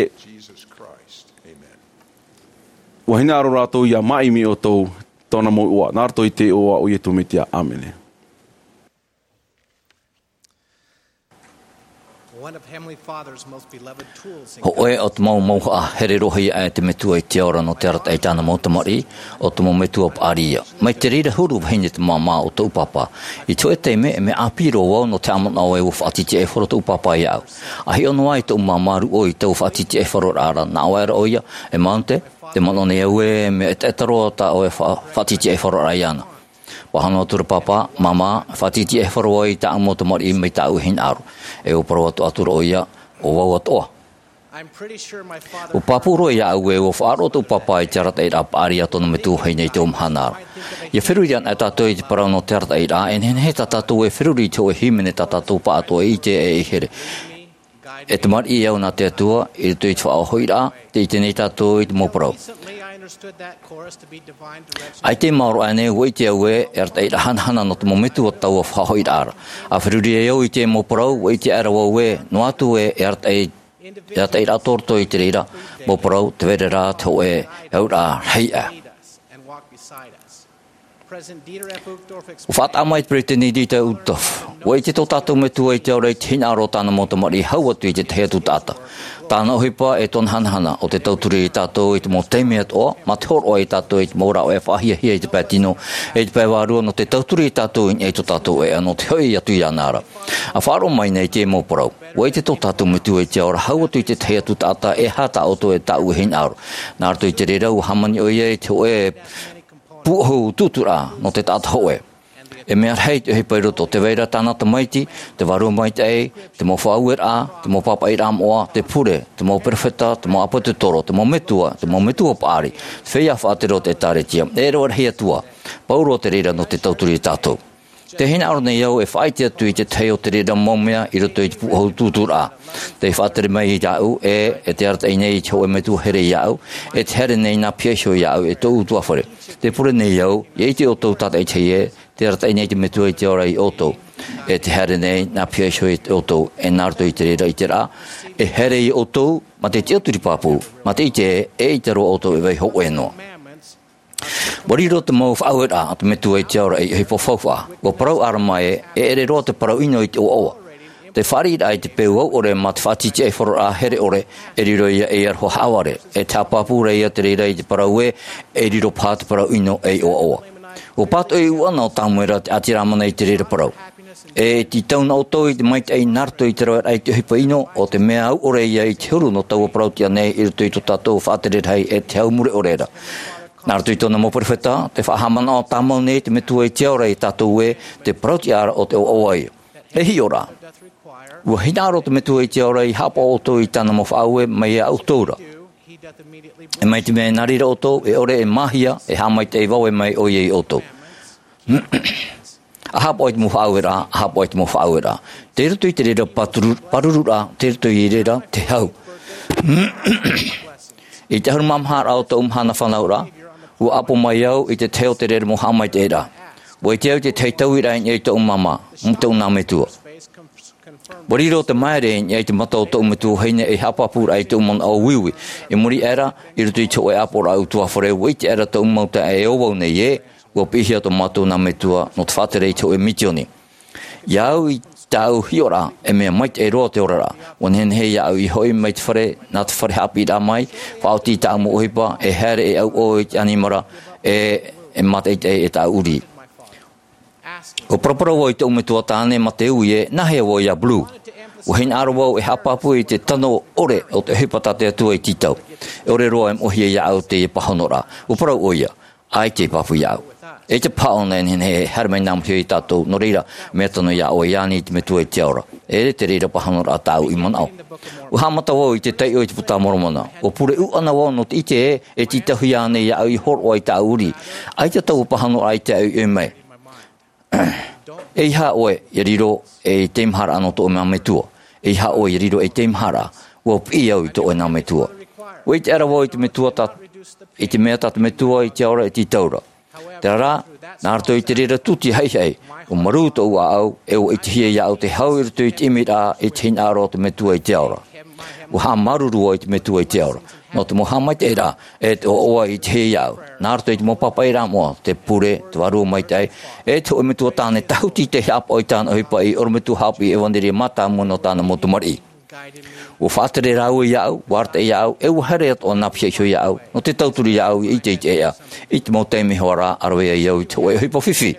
ʻua hinaʻaro rātou ʻia māʻimi ʻoutou, tōna mau iʻoa, nā roto i te iʻoa o Iesu Mesia. ʻĀmene. One of Heavenly Father's most beloved tools in Hōʻē o te mau mauhaʻa here roa aʻe te Metua i te ao ra nō te arataʻi i tāna mau tamariʻi, ʻo te mau metua paʻari ia. Mai te reira huru vahine te māmā o tōʻu pāpā. I te hōʻē taime, e mea ʻāpī roa vau nō te haʻamanaʻo ē ʻua faʻatiʻetiʻaifaro tōʻu pāpā iāʻu. ʻA hiʻo noa ai tōʻu māmā rūʻau i taua faʻatiʻetiʻaifaroraʻa ra, nā ʻō aʻera ʻoia, e Mountain, tē manaʻo nei au ē, mea ʻetaʻeta roa tā ʻoe fa-, faʻatiʻetiʻaifaroraʻa iāna. Pāhono atu ra pāpā, māmā, faʻatiʻetiʻaifaro ai tāʻu mau tamariʻi mai tāʻu e hinaʻaro. E ʻua parau atoʻa atu ra ʻoia, ʻo vau atoʻa. I'm pretty sure my father ʻUa pāpū roa iāʻu ē ʻua faʻaroʻo tōʻu pāpā i te arataʻiraʻa paʻari a tōna metua vahine i taua mahana ra. ʻIa feruri anaʻe tātou i te parau nō te arataʻiraʻa, e nehenehe tā tātou e feruri i te hōʻē hīmene tā tātou pāʻatoʻa e ʻite e i here. E tamariʻi au nā te Atua, i roto i te faʻahoʻiraʻa, tē ʻite nei tātou i te mau parau. ʻAita e maoro aʻe nei, ʻua ʻite au ē, e arataʻiraʻa hanahana nō te mau metua taua faʻahoʻiraʻa ra. ʻA feruri ai au i te mau parau, ʻua ʻite aʻera vau ē, noa atu ē, e arataʻi-, e arataʻiraʻa tō roto i te reira, mau parau, tē vai ra te hōʻē, e auraʻa rahi aʻe. ʻUa faʻataʻa mai te Peresideni Dieter F. Uchtdorf, Ua ʻite tō tātou Metua i te ao ra i te hinaʻaro o tāna mau tamariʻi hau atu i te tahi atu taʻata. Tāna ʻohipa e tōna hanahana ʻo te tauturu iā tātou i te mau taime atoʻa, mā te hōroʻa iā tātou i te mau rāveʻa faʻahiahia i te pae tino, e i te pae vārua nō te tauturu iā tātou i niʻa i tō tātou ʻēʻa nō te hoʻi atu iāna ra. ʻA faʻaroʻo mai nei te mau parau. Ua ʻite tō tātou Metua i te ao ra hau atu i te tahi atu taʻata e aha tā ʻoutou e tāʻu e hinaʻaro. Nā roto i te reira ua hāmani ʻoia i te hōʻē pūʻohu tūtūraʻa nō te taʻata hōʻē. E mea rahi te ʻohipa i roto, tē vai ra tāna tamaiti, te Vārua Maitaʻi, te mau faʻaueraʻa, te mau pāpaʻiraʻa moʻa, te pure, te mau perofeta, te mau ʻāpōsetolo, te mau metua, te mau metua paʻari, te feiā faʻatere o te ʻĒtārētia, e rave rahi atu ā. Pauroa te reira nō te tauturu iā tātou. Tē hinaʻaro nei au e faʻaʻite atu i te tahi o te reira mau mea i roto i te pūʻohu tūtūraʻa. Tē faʻatere mai iāʻu, e, e tē arataʻi nei te hōʻē metua here iāʻu, e tē haere nei nā piha iho iāʻu e tōʻu ʻutuāfare. Tē pure nei au, ʻia ʻite ʻoutou tātaʻitahi ē, tē arataʻi nei te Metua i te ao ra iā ʻoutou. E tē haere nei nā piha iho iā ʻoutou, e nā roto i te reira ʻiteraʻa, e haere iā ʻoutou, mā te tiʻaturi pāpū, mā te ʻite ē, eʻita roa ʻoutou e vai hōʻē noa. Ua riro te mau faʻaueraʻa a te Metua i te ao ra ei ʻohipa faufaʻa. Ua parau ʻĀrama ē, e ʻere roa te parau ʻino i te ʻoaʻoa. Te fāriʻiraʻa i te peu auʻore mā te faʻatītīʻaifaro here ʻore, e riro ia ei aroha haʻavare. E te haʻapāpū ra ia te reira i te parau ē, e riro paha te parau ʻino ei ʻoaʻoa. Ua pātoʻi ʻuʻana ʻo Tāmuera te ʻāti Rāmana i te reira parau. E tītau na ʻoutou i te maitaʻi nā roto i te raveraʻa i te ʻohipa ʻino, ʻo te mea auʻore ia i te huru nō taua parau tiʻa nei i roto i tō tātou faʻatere rahi e te hau mure ʻore ra. Nā roto i tōna mau perofeta, tē faʻahaʻamanaʻo tāmau nei te Metua i te ao ra iā tātou ē, te parau tiʻa ra ʻo te ʻoaʻoa ia. E hiʻo rā. Ua hinaʻaro te Metua i te ao ra ʻia haʻapaʻo ʻoutou i tāna mau faʻaue mai iā ʻoutou ra. E mai te mea e nā reira ʻoutou, e ʻore e māhia, e haʻamaitaʻi vave mai ʻoia iā ʻoutou. ʻA haʻapaʻo i te mau faʻaueraʻa, ʻa haʻapaʻo i te mau faʻaueraʻa. Tei roto i te reira pāturu-, pāruruʻraʻa, tei roto i reira te hau. I te ʻahuru mā maha ra o tōʻu mahana fānauraʻa, ua ʻapo mai au i te tahi o te reira mau haʻamaitaʻiraʻa. Ua ʻite au i te tahi tauiraʻa i niʻa i tōʻu māmā, tōʻu nā metua. Ua riro te māere i niʻa i te mata o tōʻu metua vahine ei haʻapāpūraʻa i tōʻu manaʻo uiui. I muri aʻe ra, i roto i te hōʻē ʻāpoʻoraʻa ʻutuāfare, ua ʻite aʻera tōʻu mau taeaʻe e ʻōvau nei ē, ua piʻihia tō mātou nā metua nō te faʻatere i te hōʻē misioni. Iā au i tāʻu hiʻoraʻa, e mea maitaʻi roa te oraraʻa. Ua nehenehe iāʻu ʻia hoʻi mai te fare, nā te fare haʻapiʻiraʻa mai, faʻaoti i tāʻu mau ʻohipa, e haere e ʻauʻau i te ʻanimara, e, e mātaʻitaʻi e tāʻu ʻurī. Ua paraparau vau i tōʻu metua tāne mā te ui ē, nāhea vau iā Blue? Ua hinaʻaro vau e haʻapāpū i te tano ʻore o te ʻohipa tā te Atua i tītau. E ʻore roa e moʻehia iāʻu teie pāhonoraʻa. Ua parau ʻoia, ʻaita e pāpū iāʻu. E te paha ʻōna e nehenehe e haere mai nā mua iho iā tātou, nō reira, mea tano iā ʻoe iāna i te Metua i te ao ra. E te reira pāhonoraʻa tāʻu i manaʻo. Ua haʻamata vau i te taiʻo i te Puta a Moromona. Ua pure ʻuʻana vau nō te ʻite ē, e tītauhia ānei iāʻu ʻia hōroʻa i tāʻu ʻurī. ʻAita taua pāhonoraʻa i te ʻoe mai. ʻEiaha ʻoe ʻia riro ei teimaharaʻa nō tō ʻoe mau metua. ʻEiaha ʻoe ʻia riro ei teimaharaʻa. Ua piʻi au i tō ʻoe nā metua. Ua ʻite aʻera vau i te metua tā, i te mea tā te Metua i te ao ra e tītau ra. Terā rā, nā roto i te reira tūtia haʻihaʻi, ua marū tōʻu ʻāʻau, e ua ʻitehia iāʻu te hau i roto i te ʻimiraʻa i te hinaʻaro o te Metua i te ao ra. Ua haʻamāuruuru vau i te Metua i te ao ra. Nō te mau haʻamaitaʻiraʻa, e te ʻoaʻoa i ʻitehia iāʻu. Nā roto i te mau pāpaʻiraʻa moʻa, te pure, te Vārua Maitaʻi, e te hōʻē metua tāne tāhuti tei haʻapaʻo i tāna ʻohipa ei ʻorometua haʻapiʻi ʻevanelia mātāmua nō tāna mau tamariʻi. Ua faʻatere rāua iāʻu, ua arataʻi iāʻu, e ua haere atoʻa nā piha iho iāʻu, nō te tauturu iāʻu ʻia ʻite i te ʻēʻa, i te mau taime hoʻi ra, ʻa rave ai au i te hōʻē ʻohipa fifi.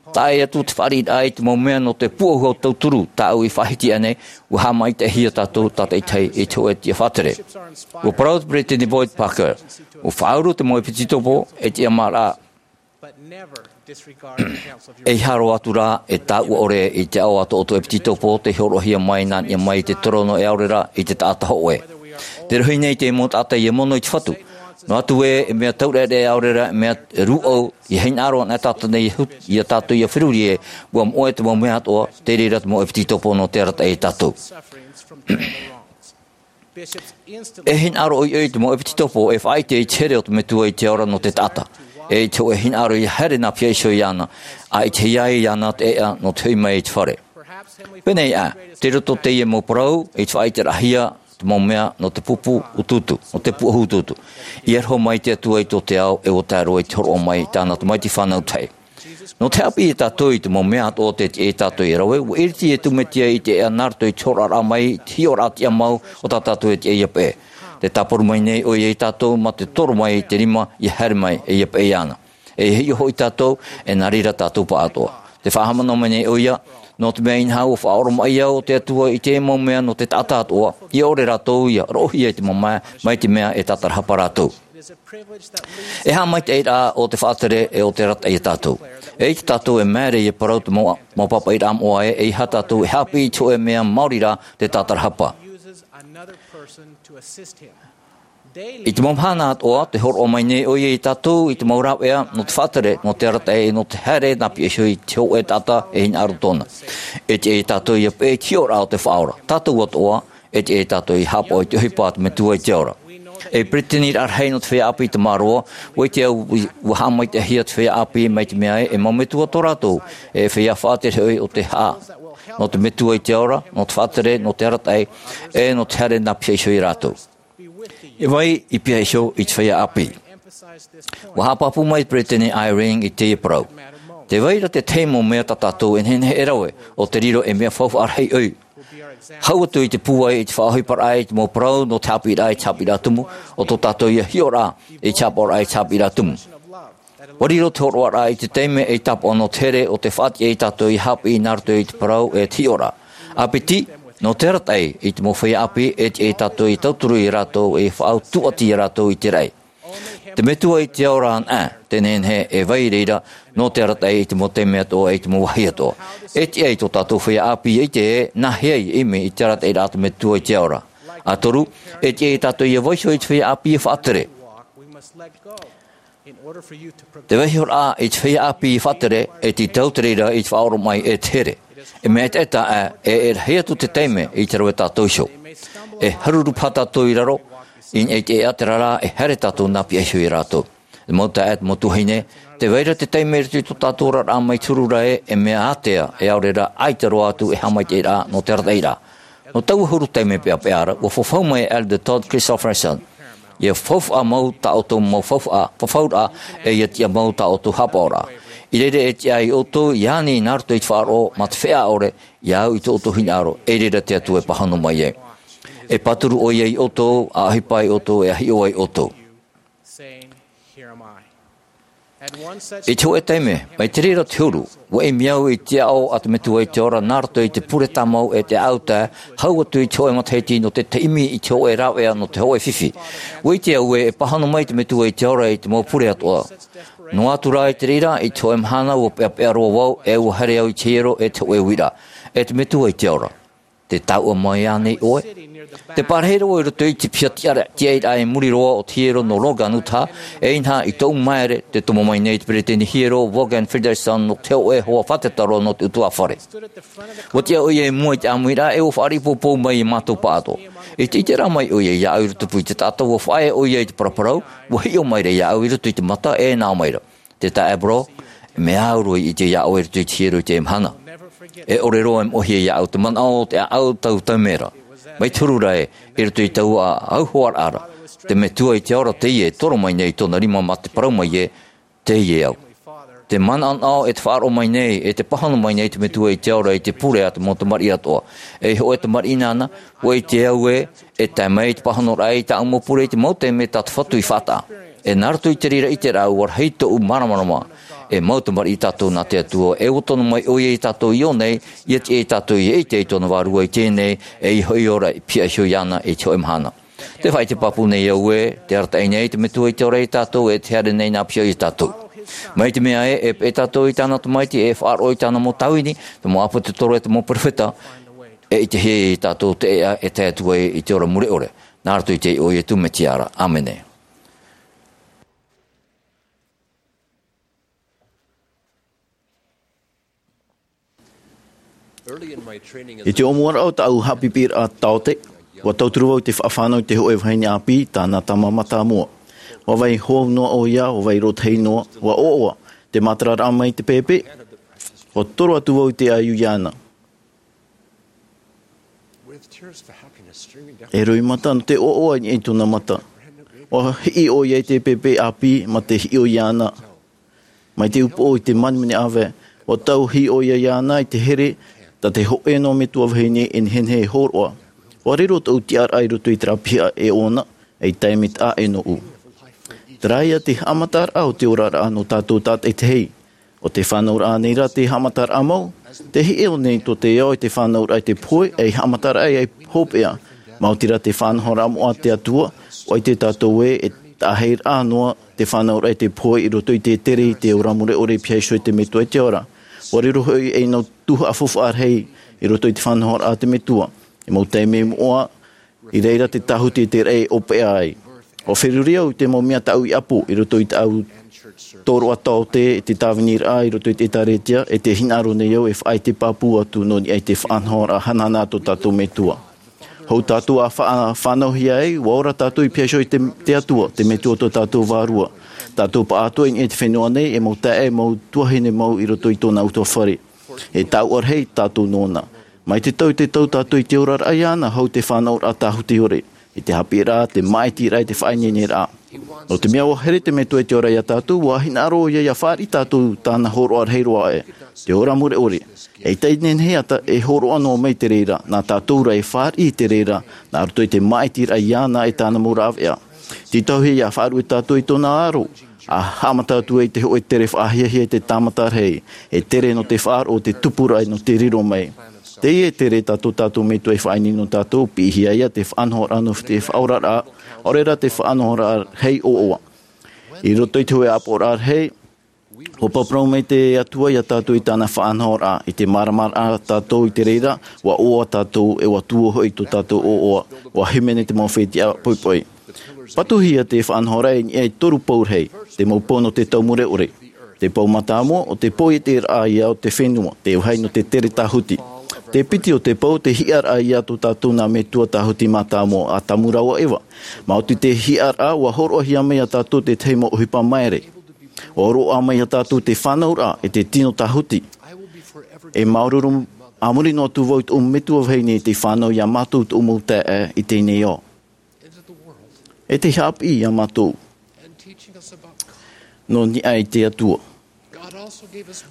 Taʻa ʻē atu te fāriʻiraʻa i te mau mea nō te pūʻohu tauturu tāʻu i faʻahiti aʻenei, ua haʻamaitaʻihia tātou tātaʻitahi i te hōʻē tiʻa faʻatere. Ua parau te Peresideni Boyd Packer, ua faʻauru te mau ʻepitopo, e tiʻamāraʻa, ʻeiaha roa atu rā e tāuʻa ʻore i te aʻo a tō ʻoutou ʻepitopo tei hōroʻahia mai nā niʻa mai i te torono e ʻaore ra i te taʻata hōʻē. Tē rohi nei te mau taʻata ʻia mono i te Fatu. Noa atu ē, e mea taureʻareʻa ʻaore ra, e mea rūʻau, ʻia hinaʻaro ana tātou nei, ʻia hut-, ʻia tātou ʻia feruri ē, ua moʻe te mau mea atoʻa, tei reira te mau ʻepitopo nō te arataʻi iā tātou. E hinaʻaro ʻoiʻoi te mau ʻepitopo e faʻaʻite i te here o te Metua i te ao ra nō te taʻata. E i te hōʻē hinaʻaro ʻia haere nā piha iho iāna, ʻa ʻitehia ai iāna te ʻēʻa nō te hoʻi mai i te fare. Pēneiaʻe, tei roto teie mau parau, i te faʻaʻiteraʻahia te mau mea nō te pupu utuutu, nō te pūʻohu utuutu. I aroha mai te Atua i tō te ao, e ua tae roa i te hōroʻa mai i tāna Tamaiti fānau tahi. Nō te haʻapiʻi iā tātou i te mau mea atoʻa tē tiʻa iā tātou ia rave, ua ʻiriti Iesu Mesia i te ʻēʻa nā roto i te hōroʻaraʻa mai, te hiʻoraʻa tiʻamau o tā tātou e tiʻa ia peʻe. Tē tāparu mai nei ʻoia iā tātou mā te toro mai i te rima ia haere mai e ia peʻe iāna. E hiʻo hoʻi tātou, e nā reira tātou pāʻatoʻa. Tē faʻahaʻamanaʻo mai nei ʻoia, nō te mea inaha ua faʻaoromaʻi au o te Atua i te mau mea nō te taʻata atoʻa, ʻia ʻore rātou ia roʻohia i te mamae, mai te mea e tātarahapa rātou. E haʻamaitaʻiraʻa o te faʻatere e o te arataʻi iā tātou. E ʻaita tātou e māere ia parau te mau, mau pāpaʻiraʻa moʻa ē, ʻeiaha tātou e haʻapiʻi i te hōʻē mea maori rā tē tātarahapa. I te mau mahana atoʻa, tē hōroʻa mai nei ʻoia iā tātou i te mau rāveʻa nō te faʻatere, nō te arataʻi, nō te haere nā piha iho i te hōʻē taʻata e hinaʻaro tōna. E tiʻa iā tātou ia peʻe i te hiʻoraʻa o te Faʻaora. Tātou atoʻa, e tiʻa iā tātou ia haʻapaʻo i te ʻohipa a te Metua i te ao ra. E peretiteniraʻa rahi nō te feiā ʻāpī i Tamaroa, ʻua ʻite au ua haʻamaitaʻihia te feiā ʻāpī mai te mea ē, e mau metua tō rātou, e feiā faʻatere hoʻi o te haʻa. Nō te Metua i te ao ra, nō te faʻatere, nō te arataʻi, e nō te haere nā piha iho ia rātou. E vai i piha iho i te feiā ʻāpī. ʻUa haʻapāpū mai te peretiteni Eyring i teie parau. Tē vai ra te tahi mau mea tā tātou e nehenehe e rave, ʻo te riro ei mea faufaʻa rahi ʻoe. Hau atu i te pūai i te faʻaʻohiparaʻa i te mau parau nō te haʻapiʻiraʻa i te haʻapiʻiraʻa tumu, ʻo tō tātou ia hiʻoraʻa i te haʻapaʻoraʻa i te haʻapiʻiraʻa tumu. ʻUa riro te hōroʻaraʻa i te taime ei tāpaʻo nō te here ʻo tē faʻatiʻa iā tātou ia haʻapiʻi nā roto i te parau e te hiʻoraʻa. ʻA piti, nō te arataʻi i te mau feiā ʻāpī e tiʻa iā tātou ia tauturu ia rātou e faʻaʻau tūʻati ia rātou i te raʻi. Te Metua i te ao ra anaʻe, tē nehenehe e vai i reira, nō te arataʻi i te mau taime atoʻa, i te mau vāhi atoʻa. E tiʻa i tō tātou feiā ʻāpī ia ʻite ē, nāhea ia ʻimi i te arataʻiraʻa a te Metua i te ao ra. ʻA toru, e tiʻa iā tātou ia vaiiho i te feiā ʻāpī ia faʻatere. Te vaiihoraʻa i te feiā ʻāpī ia faʻatere, e tītau te reira i te faʻaoromaʻi e te here. E mea ʻetaʻeta ā, e, e rahi atu te taime i te rave tātou iho. E haruru paha tātou i raro, i niʻa i te ʻēʻa terā rā, e haere tātou nā piha iho ia rātou. Te mau taeaʻe, te mau tuahine, tē vai ra te taime i roto i tō tātou oraraʻa mai te huru ra ē, e mea ātea, e ʻaore rā, ʻaita roa atu e haʻamaitaʻiraʻa nō te arataʻiraʻa. Nō taua huru taime peʻapeʻa ra, ʻua fafau mai e Elder Todd Christofferson. ʻIa faufaʻa mau tā ʻoutou mau faufaʻa, fafauraʻa, e ʻia tiʻa mau tā ʻoutou haʻapaʻoraʻa. I reira e tiʻa ai ʻoutou, ʻia ani nā roto i te faʻaroʻo, mā te feiā ʻore, ʻia au i tō ʻoutou hinaʻaro, e reira te Atua e pāhono mai ai. E pāturu ʻoia ia ʻoutou, ʻa ʻohipa ia ʻoutou, e ʻa hiʻo ai ʻoutou. I te hōʻē taime, mai te reira te huru, ʻua ʻimi au i te aʻo a te Metua i te ao ra nā roto i te pure tāmau e te ʻāʻau tae, hau atu i te hōʻē matahiti nō te taime i te hōʻē rāveʻa nō te hōʻē fifi. ʻUa ʻite au ē, e pāhono mai te Metua i te ao ra i te mau pure atoʻa. Noa atu rā i te reira, i te hōʻē mahana ʻua peʻapeʻa roa vau, e ʻua haere au i te hiero e te hōʻē uiraʻa. E te Metua i te ao ra. Tē taʻua mai ānei ʻoe? Tē pārahi roa i roto i te piha tiʻaraʻa, tiʻairaʻa i muri roa o te hiero nō Logan, Utah, e inaha i tōʻu māere, tē tomo mai nei te peretiteni hiero, Vaughan Frederickson, nō te hōʻē hoa fātata roa nō te ʻutuāfare. ʻUa tiʻa ʻoia i mua i te ʻāmuiraʻa, e ʻua faʻaripopo mai ia mātou pāʻatoʻa. I te ʻiteraʻa mai ʻoia iāʻu i rotopū i te taʻata, ʻua faʻaea ʻoia i te paraparau, ʻua hiʻo maira iāʻu i roto i te mata, e nā ʻō maira. Te taeaʻe Brock, e mea au roa i ʻite iā ʻoe i roto i te hiero i teie mahana. E ʻore roa e moʻehia iāʻu te manaʻo o te ʻāʻau tau taime ra. Mai te huru ra ē, i roto i taua ʻāʻau hoaraʻa ra, te Metua i te ao ra teie e toro mai nei i tōna rima mā te parau mai ē, teie au. Te manaʻonaʻo e te faʻaroʻo mai nei, e te pāhono mai nei te Metua i te ao ra i te pure a te mau tamariʻi atoʻa. E hōʻē tamariʻi nāna, ʻua ʻite au ē, e tae mai te pāhonoraʻa i tāʻu mau pure i te mau taime tā te Fatu i faʻataʻa. E nā roto i te reira ʻiteraʻa ʻua rahi tōʻu māramarama. E mau tamariʻi tātou nā te Atua, e ʻua tono mai ʻoia iā tātou i ʻō nei, ʻia tiʻa ia tātou ʻia ʻite i tōna vārua i teie nei, e ʻia hoʻi ora i piha iho iāna i te hōʻē mahana. Tē faʻaʻite pāpū nei au ē, tē arataʻi nei te Metua i te ao ra iā tātou, e tē haere nei nā piha iho iā tātou. Mai te mea ē, e peʻe tātou i tāna tamaiti, e faʻaroʻo i tāna mau tāvini, te mau ʻāpōsetolo e te mau perofeta, e ʻitehia ia tātou te ʻēʻa e tae atu ai i te ora mure ʻore. Nā roto i te iʻoa o Iesu Mesia ra. ʻĀmene. I te ʻōmuaraʻa o tāʻu haʻapiʻiraʻa taote, ʻua tauturu vau i te faʻafānau i te hōʻē vahine ʻāpī, tāna tama mātāmua. ʻUa vai hou noa ʻoia, ʻua vai rōtahi noa, ʻua ʻoaʻoa te mātararaʻa mai te pēpē. ʻUa toro atu vau i te ʻaiū iāna. E roimata nō te ʻoaʻoa i tōna mata. ʻUa hiʻo ʻoia i te pēpē ʻāpī, mā te hiʻo iāna. Mai te upoʻo i te manimani ʻāvae, ua tauhi ʻoia iāna i te here, tā te hōʻē noa metua vahine e nehenehe e hōroʻa. Ua riro tōʻu tiʻaraʻa i roto i te rāpiʻa e ʻōna, ei taime taʻa ʻē nōʻu. Terā ia te haʻamataraʻa o te oraraʻa nō tātou tātaʻitahi. ʻO te fānauraʻa nei rā te haʻamataraʻa mau, te hiʻo nei tō te ao i te fānauraʻa i te pohe, ei haʻamataraʻa ia hopeʻa. Maoti rā te faʻanahoraʻa moʻa a te Atua, ʻua ʻite tātou ē, e taʻahiraʻa noa te fānauraʻa i te pohe i roto i te tere i te ora mure ʻore e pihaʻi iho i te Metua i te ao ra. Ua riro hoʻi ei nau tuhaʻa faufaʻa rahi i roto i te faʻanahoraʻa a te Metua. I mau taime moʻa, i reira te tāhuti i te raʻi ʻōpeʻa ai. ʻUa feruri au i te mau mea tāʻu i ʻapo i roto i tāʻu tōroʻa taote i te tāviniraʻa i roto i te ʻĒtārētia, e tē hinaʻaro nei au e faʻaʻite pāpū atu nō niʻa i te faʻanahoraʻa hanahana a tō tātou Metua. Hou tātou ʻa fa-, fānauhia ai, ua ora tātou i pihaʻi iho i te, te Atua, te Metua o tō tātou Vārua. Tātou pāʻatoʻa i niʻa i te fenua nei, e mau taeaʻe, mau tuahine mau i roto i tōna ʻutuāfare. E tāuʻa rahi tātou nōna. Mai te tau i te tau tātou i te oraraʻa iāna, hou te fānauraʻa tāhuti ʻore. I te haʻapiʻiraʻa, te māʻitiraʻa, te faʻaineineraʻa. Nō te mea ʻua here te Metua i te ao ra iā tātou, ʻua hinaʻaro ʻoia ʻia fāriʻi tātou tāna hōroʻa rahi roa aʻe, te ora mure ʻore. E ʻaita e nehenehe atu e hōroʻa noa mai i te reira, nā tātou rā e fāriʻi i te reira, nā roto i te māʻitiraʻa iāna e tāna mau rāveʻa. Tītauhia ʻia faʻaruʻe tātou i tōna aro, ʻa haʻamata atu ai i te hōʻē tere faʻahiahia i te tāmata rahi, e tere nō te faʻaroʻo, te tupuraʻa nō te riro mai. Teie e tere tā tō tātou Metua i faʻaineine nō tātou, piʻihia ia te faʻanahoraʻa nō te faʻaoraraʻa, ʻaore rā te faʻanahoraʻa rahi ʻoaʻoa. I roto i te hōʻē ʻāpoʻoraʻa rahi, ʻua paraparau mai te Atua iā tātou i tāna faʻanahoraʻa, i te māramarama tātou i te reira, ʻua ʻoaʻoa tātou, e ʻua tuō hoʻi tō tātou ʻoaʻoa, ʻua hīmene te mau fetiʻa poʻipoʻi. Patuhia te faʻanahoraʻa i niʻa i toru pou rahi, te mau pou nō te tau mure ʻore. Te pou mātāmua, ʻo te poieteraʻa ia o te fenua, te vāhi nō te tere tāhuti. Te piti o te pou, te hiʻaraʻa ia tō tātou nā metua tāhuti mātāmua, ʻĀtamu rāua ʻo ʻEva. Maoti te hiʻaraʻa, ʻua hōroʻahia mai iā tātou te tahi mau ʻohipa maere. ʻUa hōroʻa mai iā tātou te fānauraʻa, e te tino tāhuti. E māuruuru a muri noa atu vau i tōʻu metua vahine i te fānau iā mātou tōʻu mau taeaʻe i teie nei ao. E te haʻapiʻi iā mātou. Nō niʻa i te Atua.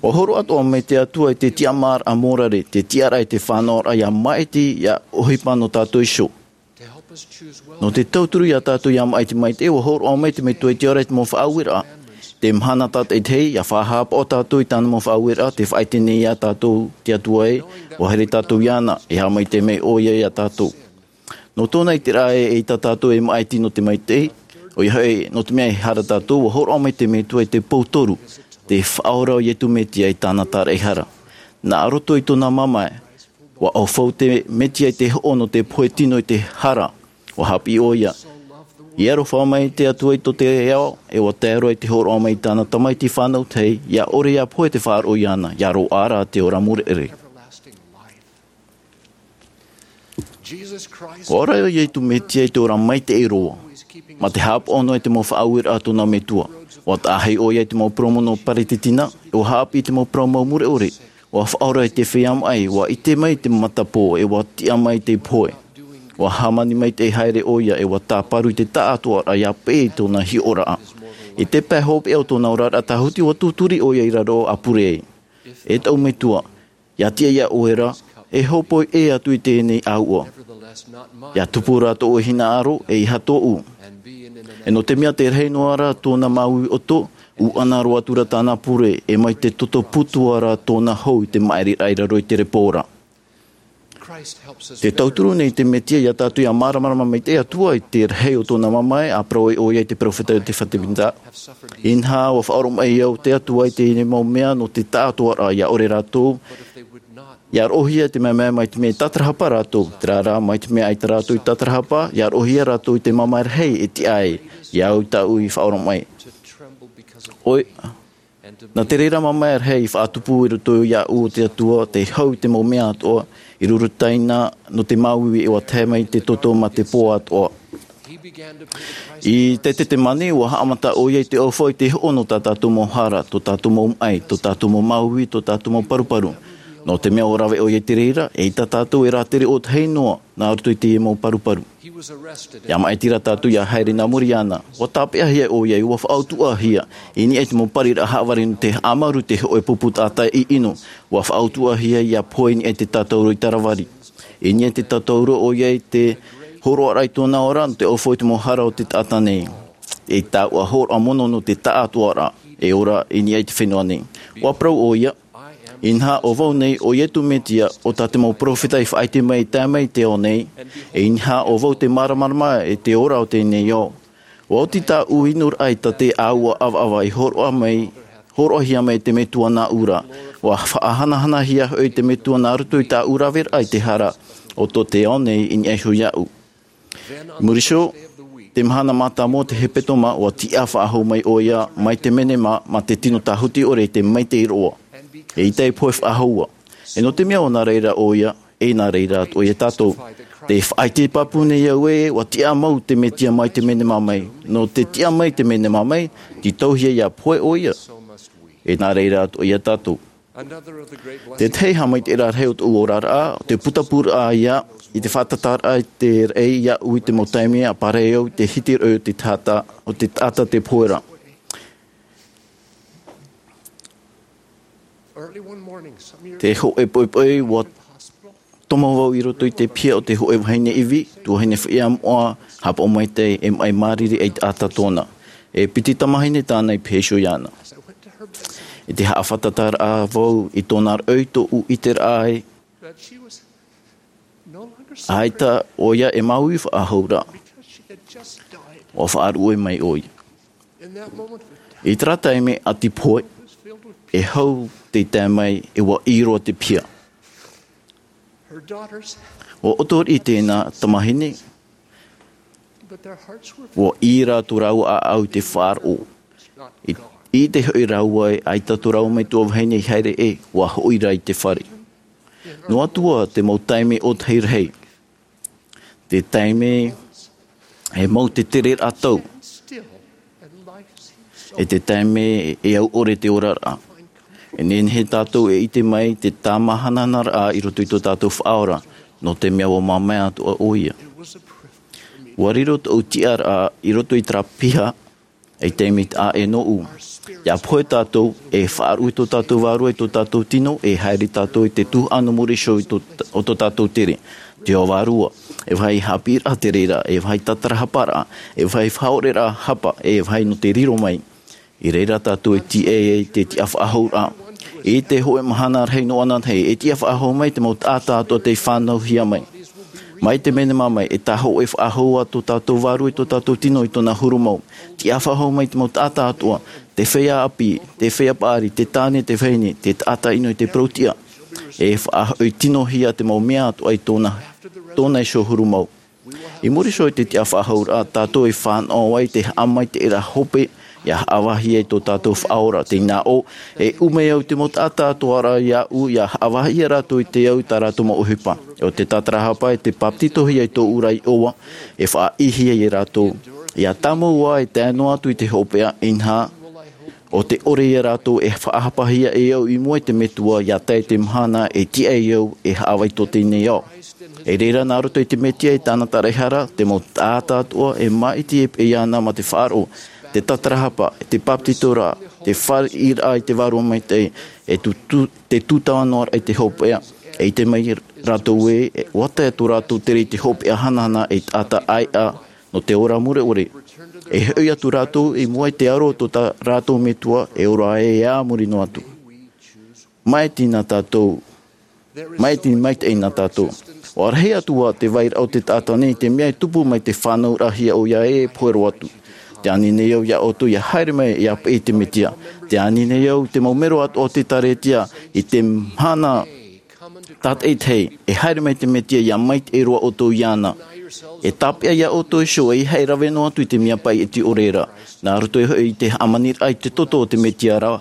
ʻUa hōroʻa atoʻa mai te Atua i te tiʻamāraʻa mōrare, te tiʻaraʻa i te fānauraʻa ʻia maʻiti, ʻia ʻohipa nō tātou iho. Nō te tauturu iā tātou ʻia maʻiti maitaʻi, ʻua hōroʻa mai te Metua i te ao ra i te mau faʻaueraʻa. Te mahana tātaʻitahi, ʻia faʻahāpaʻo tātou i tāna mau faʻaueraʻa, tē faʻaʻite nei iā tātou te Atua ē, ʻua here tātou iāna, e haʻamaitaʻi mai ʻoia iā tātou. Nō tōna ʻiteraʻa ē, eʻita tātou e maʻiti nō te maitaʻi, ʻoia hoʻi, nō te mea e hara tātou, ʻua hōroʻa mai te Metua i te pou toru, te Faʻaora o Iesu Mesia i tāna tāraʻehara. Nā roto i tōna mamae, ʻua ʻaufau te Mesia i te hoʻo nō te pohe tino i te hara, ʻua haʻapiʻi ʻoia. I aroha mai te Atua i tō te ao, e ʻua tae roa i te hōroʻa mai i tāna Tamaiti fānau tahi, ʻia ʻore ʻia pohe te faʻaroʻo iāna, ʻia roaʻa rā te ora mure ʻore. ʻUa ora ʻo Iesu Mesia i te ora maitaʻi roa, mā te haʻapaʻo noa i te mau faʻaueraʻa a tōna Metua. ʻUa taʻahi ʻoia i te mau parau nō Paretitina, e ʻua haʻapiʻi i te mau parau mau mure ʻore. ʻUa faʻaora i te feiā maʻi, ʻua ʻite mai te matapō, e ʻua tiʻa mai te pohe. ʻUa hāmani maitaʻi haere ʻoia, e ʻua tāparu i te taʻatoʻaraʻa ʻia peʻe i tōna hiʻoraʻa. I te pae hopeʻa o tōna oraraʻa tāhuti, ʻua tūturi ʻoia i raro ʻa pure ai. E tōʻu Metua, ʻia tiʻa ia ʻoe ra, e hōpoi ʻē atu i teie nei ʻāuʻa. ʻIa tupu rā tōʻu hinaʻaro, e ʻeiaha tōʻu. E nō te mea tē rahi noa ra tōna māuiui ʻoto, ʻuʻana roa atu ra tāna pure, e mai te toto putu ra tōna hau i te maʻiriraʻa i raro i te repo ra. Tē tauturu nei te Mesia iā tātou ʻia māramarama mai te Atua i te rahi o tōna mamae, ʻa parau ai ʻoia i te peropheta Iosefa Sāmita. Inaha, ʻua faʻaoromaʻi au te Atua i teie mau mea nō te taʻatoʻaraʻa, ʻia ʻore rātou ʻia roʻohia i te mamae, mai te mea i tātarahapa rātou. Terā rā, mai te mea ʻaita rātou i tātarahapa, ʻia roʻohia rātou i te mamae rahi e tiʻa ai, ʻia au tāʻu i faʻaoromaʻi. ʻOia, nā te reira mamae rahi i faʻatupu i roto iāʻu o te Atua, tei hau i te mau mea atoʻa, i rurutaina nō te māuiui, e ʻua tae mai te toto mā te pō atoʻa. I te Tetemane, ʻua haʻamata ʻoia i te ʻaufau i te hoʻo nō tā tātou mau hara, tō tātou mau maʻi, tō tātou mau māuiui, tō tātou mau paruparu. Nō te mea ʻua rave ʻoia i te reira, eʻita tātou e rātere ʻōtahi noa nā roto i teie mau paruparu. Ia maʻitiraʻa tātou ia haere nā muri iāna. ʻUa tāpeʻahia ʻoia, ʻua faʻautuʻahia i niʻa i te mau pariraʻa haʻavare nō te haʻamaru i te hōʻē pupu taʻata ʻino. ʻUa faʻautuʻahia ia pohe i niʻa i te tātauro i Taravari. I niʻa i te tātauro ʻoia i te hōroʻaraʻa i tōna ora nō te ʻaufau i te mau hara o te taʻata nei. E taua hōroʻa mono nō te taʻatoʻaraʻa e ora i niʻa i te fenua nei. ʻUa parau ʻoia, inaha ʻo vau nei ʻo Iesu Mesia, ʻo tā te mau peropheta i faʻaʻite mai i tae mai i te ao nei, e inaha ʻo vau te māramarama i te ora o teie nei ao. ʻUa oti tāʻu inuraʻa i tā te ʻāua ʻavaʻava i hōroʻa mai, hōroʻahia mai e te Metua nāʻu ra. ʻUa faʻahanahanahia hoʻi e te Metua nā roto i tāʻu raveraʻa i te hara o tō te ao nei i niʻa iho iāʻu. I muri iho, te mahana mātāmua o te hepetoma, ʻua tiʻa faʻahou mai ʻoia mai te menema mā te tino tāhuti ʻore i te maitaʻi roa. Eʻita e pohe faʻahou ā. E nō te mea ʻua nā reira ʻoia, e nā reira atoʻa ia tātou. Tē faʻaʻite pāpū nei au ē, ʻua tiʻa mau te Mesia mai te menema mai. Nō te tiʻa mai te menema mai, tītauhia ia pohe ʻoia. E nā reira atoʻa ia tātou. Te tahi haʻamaitaʻiraʻa rahi o tōʻu oraraʻa, te putapūraʻa ia, i te faʻatataraʻa i te raʻi iāʻu i te mau taime ʻa pārahi au i te hiti raʻi o te taʻata, o te taʻata tē pohe ra. Te hōʻē poʻipoʻi ʻua tomo vau i roto i te piha o te hōʻē vahine ivi, tuahine feiā moʻa, haʻapaʻo maitaʻi e maʻi māriri ʻaita tōna. E piti tamāhine tāna i pēheo iāna. I te haʻafātataraʻa vau i tōna raʻi tōʻu ʻiteraʻa ai, ʻaita ʻoia e māuiui faʻahou ra. ʻUa faʻaruʻe mai ʻoia. I terā taime ʻati pohe, e hau tei tae mai e ʻua ʻī roa te piha. ʻUa ʻoto riʻi tēnā tamāhine, ʻua ʻī rā tō rāua ʻāʻau i te faʻaroʻo. I, ʻite hoʻi rāua ē, ʻaita tō rāua metua vahine i haere ē, ʻua hoʻi rā i te fare. Noa atu ā te mau taime ʻōtahi rahi. Te taime e mau te tereraʻa tau. E te taime e au ʻore te oraraʻa. E nehenehe tātou e ʻite mai te tāmāhanahanaraʻa i roto i tō tātou Faʻaora, nō te mea ʻua māmae atoʻa ʻoia. ʻUa riro tōʻu tiʻaraʻa i roto i terā piha, ei taime taʻa ʻē nōʻu. ʻIa pohe tātou, e faʻaruʻe tō tātou vārua i tō tātou tino, e haere tātou i te tuhaʻa nō muri iho i tō, o tō tātou tere. Te ao vārua, e vāhi haʻapiʻiraʻa te reira, e vāhi tātarahaparaʻa, e vāhi faʻaoreraʻa hapa, e vāhi nō te riro mai. I reira tātou e tīaʻi ai te tiʻafaʻahouraʻa. I te hōʻē mahana rahi noa anaʻe, e tiʻafaʻahou mai te mau taʻata atoʻa tei fānauhia mai. Mai te menema mai, e tāhōʻē faʻahou ā tō tātou vārua i tō tātou tino i tōna huru mau. Tiʻafaʻahou mai te mau taʻata atoʻa, te feiā ʻāpī, te feiā paʻari, te tāne, te vahine, te taʻata ʻino i te parau-tiʻa. E faʻahoʻi tinohia te mau mea atoʻa i tōna, tōna iho huru mau. I muri iho i te tiʻafaʻahouraʻa, tātou e fānaʻo ai te haʻamaitaʻiraʻa hope, ʻia haʻavāhi ai tō tātou Faʻaora, tē nā ʻō, e ʻume au te mau taʻata atoʻa ra iāʻu, ʻia haʻavāhi ia rātou i te au i tā rātou mau ʻohipa. ʻO te tātarahapa e te bāpetizohia i tōʻu ra iʻoa, e faʻaʻīhia ia rātou. ʻIa tāmau ā e tae noa atu i te hopeʻa, inaha, ʻo te ʻore ia rātou e faʻahapahia e au i mua i te Metua, ʻia tae te mahana e tiʻa ai au e haʻavāhi i tō teie nei ao. E reira nā roto i te Mesia e tāna taraehara, te mau taʻata atoʻa e māʻiti e peʻe iāna mā te faʻaroʻo, te tātarahapa, te bāpetizoraʻa, te fāriʻiraʻa i te Vārua Maitaʻi, e tū, tū, te tūtava noa raʻa i te hopeʻa. E ʻite mai rātou ē, ʻua tae tō rātou tere i te hopeʻa hanahana ei taʻata ʻāiʻa, nō te ora mure ʻore. E hoʻi atu rātou i mua i te aro o tō tā rātou Metua, e ora ai e a muri noa atu. Māʻiti nā tātou. Māʻiti maitaʻi nā tātou. ʻUa rahi atu ā te vairaʻa o te taʻata nei i te mea e tupu mai te fānauraʻahia ʻoia ē e pohe roa atu. Tē ani nei au iā ʻoutou ʻia haere mai ʻia peʻe i te Mesia. Tē ani nei au te mau mero atoʻa o te ʻĒtārētia i te mahana tātaʻitahi, e haere mai te Mesia ʻia maitaʻi roa ʻoutou iāna. E tāpeʻa iā ʻoutou iho, ʻeiaha e rave noa atu i te mea paʻi e tiʻa ʻore ra. Nā roto iho i te hāmaniraʻa i te toto o te Mesia ra,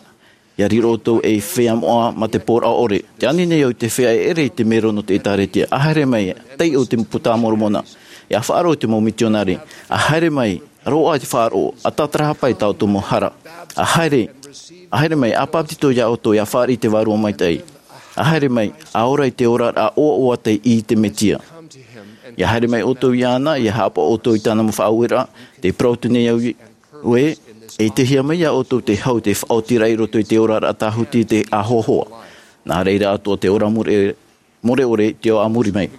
ʻia riro ʻoutou ei feiā moʻa mā te pōraʻa ʻore. Tē ani nei au i te feiā e ʻere i te mero nō te ʻĒtārētia. ʻA haere mai, taiʻo te Puta a Moromona. ʻIa faʻaroʻo i te mau mitionare. ʻA haere mai, roaʻa i te faʻaroʻo, ʻa tātarahapa i tā ʻoutou mau hara. ʻA haere, ʻa haere mai, ʻa bāpetizo iā ʻoutou, ʻia fāriʻi i te Vārua Maitaʻi. ʻA haere mai, ʻa ora i te oraraʻa ʻoaʻoa tei ʻī i te Mesia. ʻIa haere mai ʻoutou iāna, ʻia haʻapaʻo ʻoutou i tāna mau faʻaueraʻa, tē parau atu nei au ē, ʻe tei hea mai iā ʻoutou te hau, te faʻaotiraʻa i roto i te oraraʻa tāhuti, te ʻāhoahoa. Nā reira atoʻa te ora mure, mure ʻore i te ao a muri mai.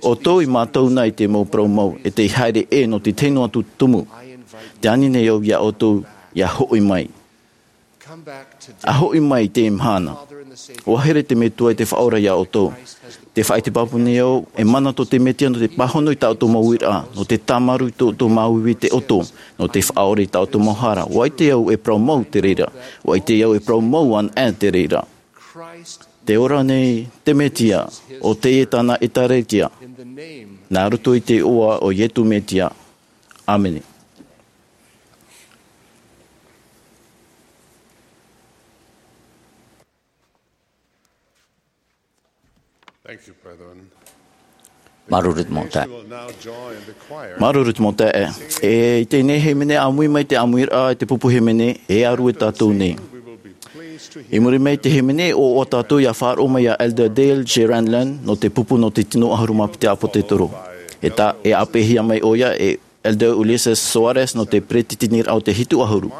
ʻOutou i mātau na i te mau parau mau, ʻe tei haere ʻē nō te tino atu tumu. Tē ani nei au iā ʻoutou, ʻia hoʻi mai. ʻA hoʻi mai i te mahana. ʻUa here te Metua i te Faʻaora iā ʻoutou. Tē faʻaʻite pāpū nei au, e mana tō te Mesia nō te pāhono i tā ʻoutou mau uiraʻa, nō te tāmarū i tō ʻoutou māuiui i te ʻoto, nō te faʻaʻore i tā ʻoutou mau hara. ʻUa ʻite au e parau mau te reira. ʻUa ʻite au e parau mau ana ʻē te reira. Tē ora nei te Mesia, ʻo teie tāna ʻĒtārētia. Nā roto i te iʻoa o Iesu Mesia. ʻĀmene. Thank you, brethren. Māuruuru te mau taeaʻe. Māuruuru te mau taeaʻe. E, i teie nei hīmene, ʻāmui mai te ʻāmuiraʻa i te pupu hīmene, e ʻārue tātou nei. I muri mai i te hīmene, ʻoaʻoa tātou ʻia faʻaroʻo mai iā Elder Dale J. Renlund, nō te pupu nō te tino ʻahuru mā piti ʻāpōsetolo. E tā, e āpeʻehia mai ʻoia e Elder Ulisses Soares nō te peretiteniraʻa o te hitu ʻahuru.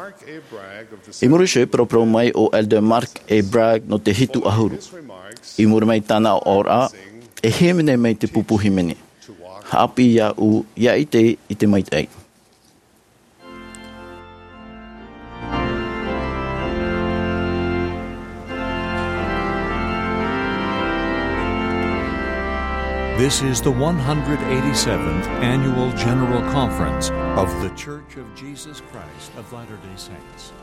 I muri iho, paraparau mai ʻo Elder Mark A. Bragg nō te hitu ʻahuru. I muri mai i tāna aʻoraʻa, e hīmene mai te pupu hīmene. Haʻapiʻi iāʻu, ʻia ʻite i te maitaʻi. This is the one hundred eighty-seventh Annual General Conference of The Church of Jesus Christ of Latter-day Saints.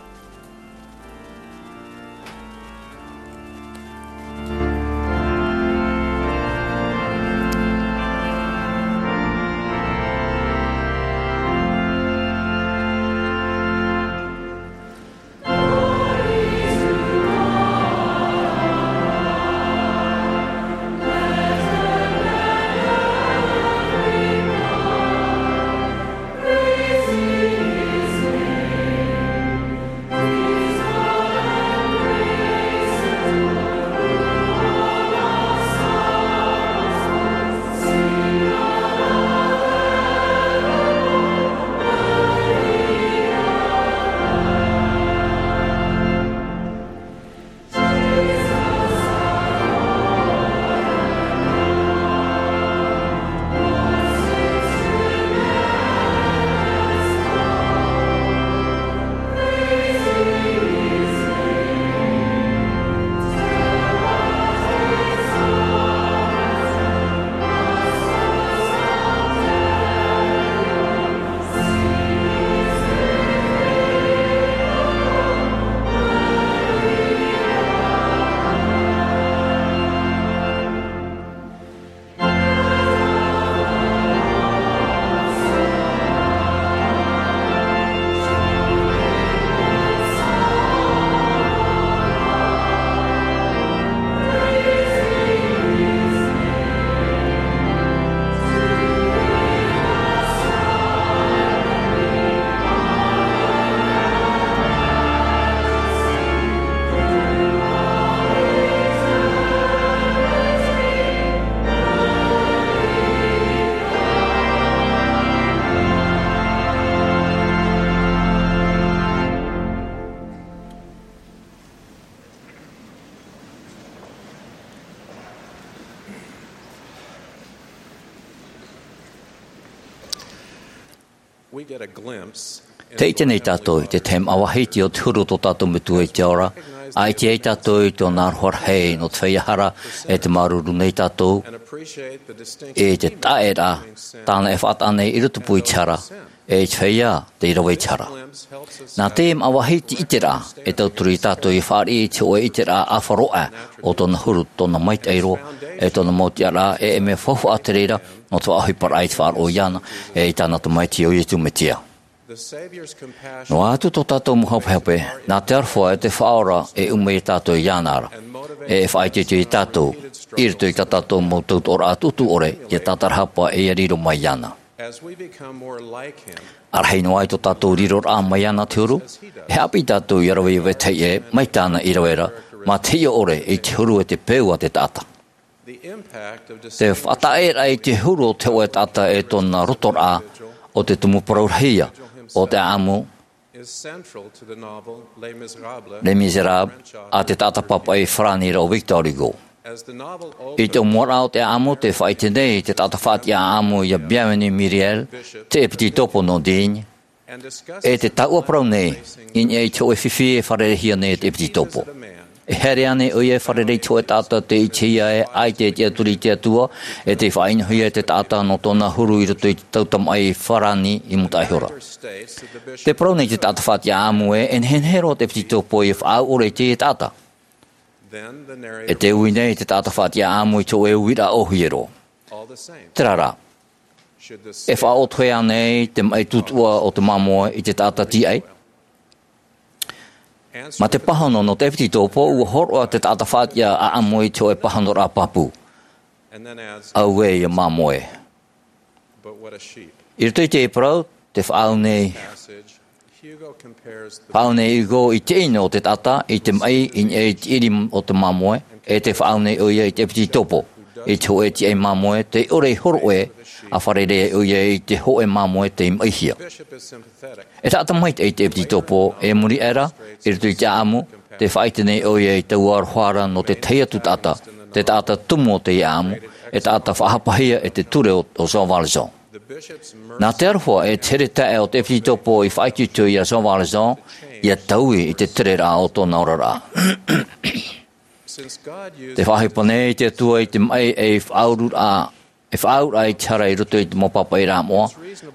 Tē ʻite nei tātou i te tahi māʻa vāhi o te huru o tō tātou Metua i te ao ra, ʻa ʻite ai tātou i tōna aroha rahi nō te feiā hara, ʻe te māuruuru nei tātou i te taʻeraʻa tāna e faʻataʻa nei i rotopū i te hara, ʻe i te feiā tei rave i te hara. Nā te māʻa vāhi te ʻiteraʻa e tauturu ia tātou ʻia fāriʻi i te hōʻē ʻiteraʻa ʻāfaʻi roa o tōna huru, tōna maitaʻi roa, ʻe tōna mau tiʻaraʻa, ʻe e mea faufaʻa te reira nō te faʻaʻohiparaʻa i te faʻaroʻo iāna, ʻe i tāna Tamaiti ʻo Iesu Mesia. Noa atu tō tātou mau hapehape, nā te aroha e te Faʻaora e ʻuma ia tātou iāna ra, ʻe e faʻaitoito ia tātou i roto i tā tātou mau tautoʻoraʻa tuʻutuʻu ʻore, ʻia tātarahapa ʻe ʻia riro mai iāna. ʻA rahi noa i tō tātou riroraʻa mai iāna te huru, e haʻapiʻi tātou ʻia rave ʻia vetahi ʻē mai tāna i rave ra, Mā te hiʻo ʻore i te huru e te peu a te taʻata. Te faʻataʻeraʻa i te huru o te hōʻē taʻata e tōna rotoraʻa o te tumu parau rahi ia o te ʻaʻamu Les Misérables a te taʻata pāpaʻi farāni ra o Victor Hugo. I te ʻōmuaraʻa o te ʻaʻamu, te faʻaʻite nei te taʻata faʻatiʻa ʻaʻamu ia Bienvenu Muriel, te ʻepititopo nō Digne, e te taua parau nei i niʻa i te hōʻē fifi e fārereihia nei e te ʻepititopo. E haere ānei ʻoia e fārerei i te hōʻē taʻata tei ʻitehia ē ʻaita e tiʻaturi i te Atua, e tei faʻaʻinohia e te taʻata nō tōna huru i roto i te tau tamaʻi farāni i mūtaʻa ihora? Tē parau nei te taʻata faʻatiʻa ʻaʻamu ē e nehenehe roa te ʻepititopo ia faʻaau ʻore i te taʻata. E tē ui nei te taʻata faʻatiʻa ʻaʻamu i te hōʻē uiraʻa ʻōhie roa. Terā rā, e faʻaʻotohia ānei te maʻi tūtuʻa o te māmoe i te taʻata tīaʻi? Mā te pāhono nō te ʻepititopo, ʻua hōroʻa te taʻata faʻatiʻa ʻaʻamu i te hōʻē pāhonoraʻa pāpū: Auē ia māmoe! I roto i te parau, tē faʻaau nei, faʻaau nei Hugo i te ʻino o te taʻata i te maʻi i niʻa i te ʻiri o te māmoe, e tē faʻaau nei ʻoia i te ʻepititopo i te hōʻē tīaʻi māmoe tei ʻore i hōroʻa ʻe fārerei ai ʻoia i te hōʻē māmoe tei maʻihia. E taʻata maitaʻi te ʻepititopo, e muri aʻe ra, i roto i te ʻaʻamu, tē faʻaʻite nei ʻoia i taua aroha ra nō te tahi atu taʻata, te taʻata tumu o te ʻaʻamu, e taʻata faʻahapahia e te ture o, o Jean Valjean. Nā te aroha e te here taeaʻe o te ʻepititopo i faʻaitoito ia Jean Valjean, ia taui i te tereraʻa o tōna oraraʻa. Tē faʻaʻohipa nei te Atua i te maʻi ei faʻaururaʻa, e faʻaauraʻa i te hara i roto i te mau pāpaʻiraʻa moʻa.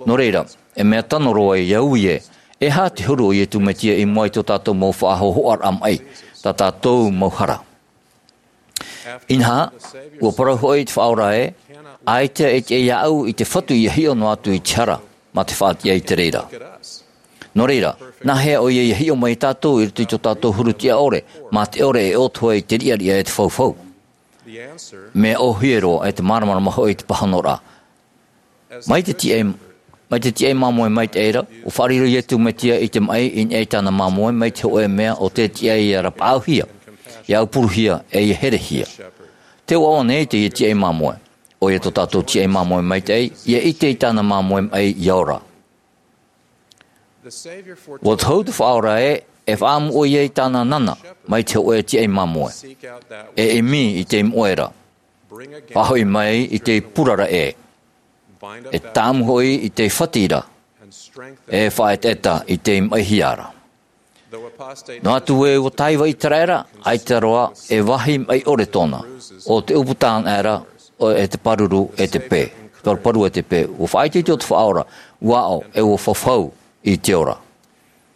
Nō reira, e mea tano roa ia ui ē, e aha te huru o Iesu Mesia i mua i tō tātou mau faʻahōhoʻaraʻa maʻi, tā tātou mau hara? Inaha, ʻua parau hoʻi te Faʻaora ē, ʻaita e tiʻa iāʻu i te Fatu ia hiʻo noa atu i te hara, mā te faʻatiʻa i te reira. Nō reira, nāhea ʻoia ia hiʻo mai iā tātou i roto i tō tātou huru tiʻa ʻore, mā te ʻore e ʻōtohe i te riʻariʻa e te faufau? Mea ʻōhie roa, e te māramarama hoʻi te pāhonoraʻa. Mai te tiʻai, mai te tiʻai māmoe maitaʻi ra, ʻua faʻariro Iesu Mesia i te maʻi i niʻa i tāna māmoe mai te hōʻē mea ʻo tē tiʻa ia rapaʻauhia, ia aupuruhia, e ia herehia. Tē ʻoaʻoa nei teie tiʻai māmoe. ʻOia tō tātou tiʻai māmoe maitaʻi, ia ʻite i tāna māmoe maʻi ia ora. ʻUa tohu te Faʻaora ē, e faʻaʻamu ʻoia i tāna nana mai te hōʻē tiʻai māmoe. E ʻimi i te moʻe ra. Faʻahoʻi mai i te purara ʻē. E tāʻamu hoʻi i te fati ra. E faʻaetaeta i te maʻihia ra. Noa atu ē ʻua tāiva ʻĪteraʻera, ʻaita roa e vāhi maʻi ʻore tōna, ʻo te ʻūputa anaʻe ra, ʻo, e te pāruru, e te pē, paruparu e te pē. ʻUa faʻaitoito te Faʻaora, ʻua aʻo, e ʻua fafau i te ora.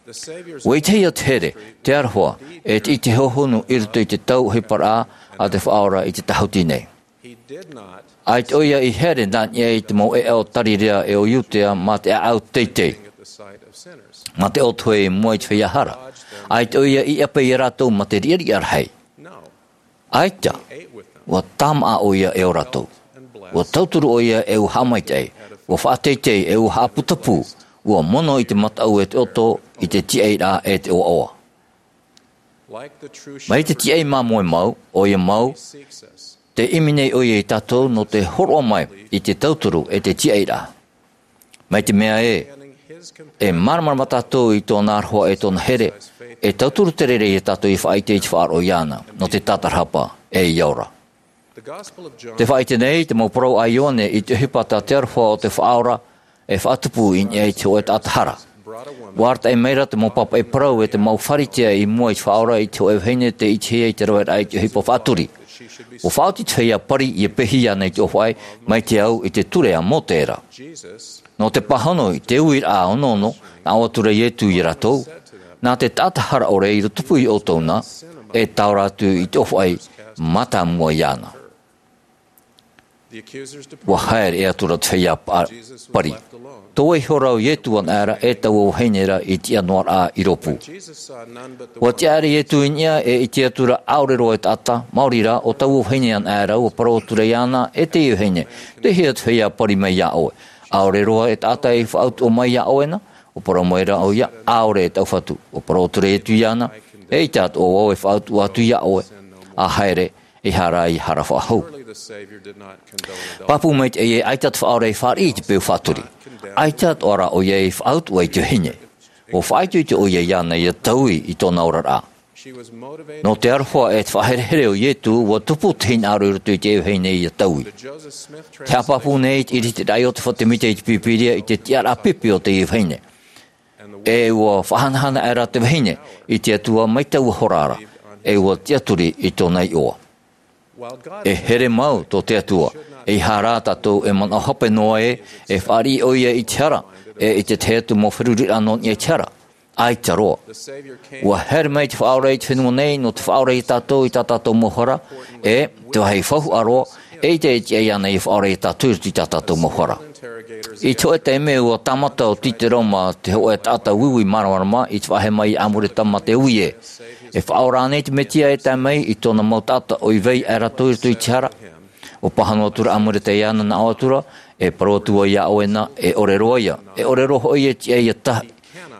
ʻUa ʻitehia te here, te aroha, e te ʻite hōhonu i roto i te tau ʻohiparaʻa a te Faʻaora i te tāhuti nei. ʻAita ʻoia i haere nā niʻa i te mau ʻēʻa o Tarirea e o Iudea mā te ʻāʻau teitei, mā te ʻōtohe i mua i te feiā hara. ʻAita ʻoia i ʻape iā rātou mā te riʻariʻa rahi. ʻAita, ʻua tāmāʻa ʻoia e ō rātou. ʻUa tauturu ʻoia e ʻua haʻamaitaʻi. ʻUa faʻateitei e ʻua haʻaputapū. ʻUa mono i te mataʻu e te ʻoto, i te tiʻairaʻa e te ʻoaʻoa. Mai te tiʻai māmoe mau, ʻoia mau, tē ʻimi nei ʻoia iā tātou nō te hōroʻa mai i te tauturu e te tiʻairaʻa. Mai te mea ē, e māramarama tātou i tōna aroha e tōna here, e tauturu te reira iā tātou i faʻaʻite i te faʻaroʻo iāna, nō te tātarahapa, e ia ora. Tē faʻaʻite nei te mau parau a Ioane i te ʻohipa tā te aroha o te Faʻaora e faʻatupu i niʻa i te hōʻē taʻata hara. ʻUa arataʻi mai ra te mau pāpaʻi parau e te mau Pharisea i mua i te Faʻaora i te hōʻē vahine tei ʻitehia i te raveraʻa i te ʻohipa faʻaturi. ʻUa faʻaoti te feiā pari ia pehe iāna i te ʻōfaʻi, mai te au i te ture a Mōse ra. Nō te pāhono i te uiraʻa onoono, nā ʻō atu ra Iesu iā rātou, nā te taʻata hara ʻore i tupu iā ʻoutou na, e taora atu i te ʻōfaʻi, mātāmua iāna. ʻUa haere atu ra te feiā pa-, pari. Tō vaiiho ra ʻo Iesu anaʻe ra e taua vahine ra i tiʻa noa ra i rōpū. ʻUa tiʻa ra Iesu i niʻa e ʻite atu ra ʻaore roa e taʻata, maori rā, ʻo taua vahine anaʻe ra, ʻua parau atu ra iāna, e teie vahine, tei hea te feiā pari mai iā ʻoe? ʻAore roa e taʻata i faʻautuʻa mai iā ʻoe na? ʻUa parau mai ra ʻoia, ʻaore e taʻu fatu. ʻUa parau atu ra Iesu iāna, E ʻaita atoʻa vau e faʻautuʻa atu iā ʻoe, ʻa haere, e haere i hara faʻahou. Pāpū maitaʻi ē, ʻaita te Faʻaora i fāriʻi i te peu faʻaturi. ʻAita atoʻa rā ʻoia i faʻautuʻa i te vahine. ʻUa faʻaitoito ʻoia iāna ʻia taui i tōna oraraʻa. Nō te aroha e te faʻaherehere o Ietu, ʻua tupu te hinaʻaro i roto i te vahine ʻia taui. Tē haʻapāpū nei te ʻiritiraʻa o te faʻaʻite i te Pīpīria i te tiʻaraʻa pipi o te vahine. E ʻua faʻahanahana aʻera te vahine i te Atua mai taua hora ra, e ʻua tiʻaturi i tōna iʻoa. E here mau tō te Atua, ʻeiaha rā tātou e manaʻo hape noa ē, e fāriʻi ʻoia i te hara, e i te tahi atu mau feruriraʻa nō niʻa i te hara. ʻAita roa. ʻUa haere mai te Faʻaora i te fenua nei, nō te faʻaora iā tātou i tā tātou mau hara, e te vāhi faufaʻa roa, e ʻaita e tiʻa iāna ʻia faʻaora iā tātou i roto i tā tātou mau hara. I te hōʻē taime ʻua tāmata ʻo Titero mā te hōʻē taʻata uiui māramarama i te faʻaʻite mai iā Amuleta mā te ui ē. E faʻaora ānei te Metia e tae mai i tōna mau taʻata ʻoi vai aʻe rātou i roto i te hara? ʻUa pāhono atu ra Amuleta iāna, nā ʻō atu ra, e parau atu vau iā ʻoe na, e ʻore roa ia, e ʻore roa hoʻi e tiʻa ʻia ta-,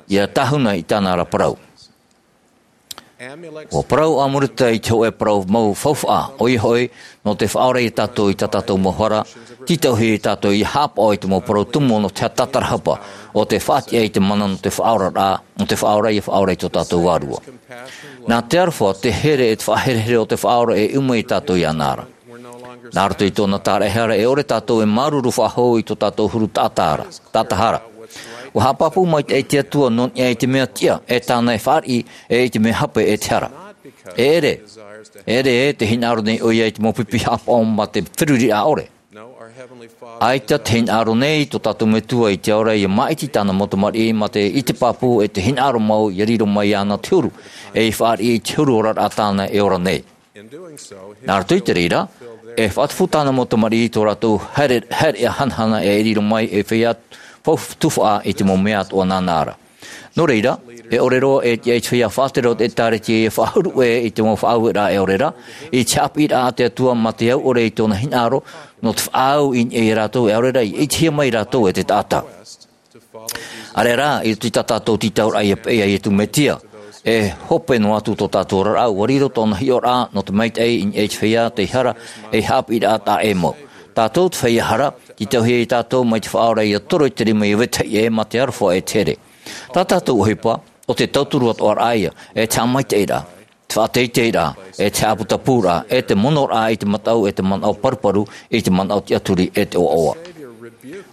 ʻia tāhuna i tāna ra parau. ʻUa parau Amuleta i te hōʻē parau mau faufaʻa, ʻoia hoʻi, nō te faʻaora iā tātou i tā tātou mau hara, tītauhia tātou ʻia haʻapaʻo i te mau parau tumu nō te haʻatātarahapa, ʻo tē faʻatiʻa i te mana nō te faʻaoraraʻa, nō te Faʻaora ʻia faʻaora i tō tātou vārua. Nā te aroha, te here e te faʻaherehere o te Faʻaora e ʻuma iā tātou iāna ra. Nā roto i tōna tāraʻehara e ʻore tātou e māuruuru faʻahou i tō tātou huru taʻata ra, taʻata hara. ʻUa haʻapāpū maitaʻi te Atua nō niʻa i te mea tiʻa, e tāna e fāriʻi, e i te mea hape e te hara. E ʻere, e ʻere ē tē hinaʻaro nei ʻoia i te mau pipi haʻapaʻo mā te feruriraʻa ʻore. ʻAita tē hinaʻaro nei tō tātou Metua i te ao ra ʻia māʻiti i tāna mau tamariʻi mā te ʻite pāpū e te hinaʻaro mau ʻia riro mai iāna te huru, e ʻia fāriʻi i te huru oraraʻa tāna e ora nei. Nā roto i te reira, e faʻatupu tāna mau tamariʻi i tō rātou haere-, haereʻa hanahana e riro mai ei feiā fau-, tufaʻa i te mau mea atoʻa nāna ra. Nō reira, e ʻore roa e tiʻa i te feiā faʻatere o te ʻĒtārētia ʻia faʻahuru ʻē i te mau faʻaueraʻa e ʻore ra, i te haʻapiʻiraʻa a te Atua mā te au ʻore i tōna hinaʻaro, nō te faʻaau i niʻa ia rātou e ʻaore ra ʻia ʻitehia mai rātou e te taʻata. ʻĀreʻa rā, i roto i tā tātou tītauraʻa ʻia peʻe iā Ietu Metia, e hope noa atu tō tātou oraraʻa, ʻua riro tōna hiʻoraʻa nō te maitaʻi i niʻa i te feiā tei hara, ei haʻapiʻiraʻa taʻa ʻē mau. Tātou te feiā hara, tītauhia ia tātou mai te Faʻaora ʻia toro i te rima ʻia vetahi ʻē mā te aroha e te here. Tā tātou ʻohipa, ʻo te tauturu atoʻa ra ia, e te haʻamaitaʻiraʻa, te faʻateiteiraʻa, e te haʻaputapūraʻa, e te monoraʻa i te mataʻu, e te manaʻo paruparu, i te manaʻo tiʻaturi, e te ʻoaʻoa.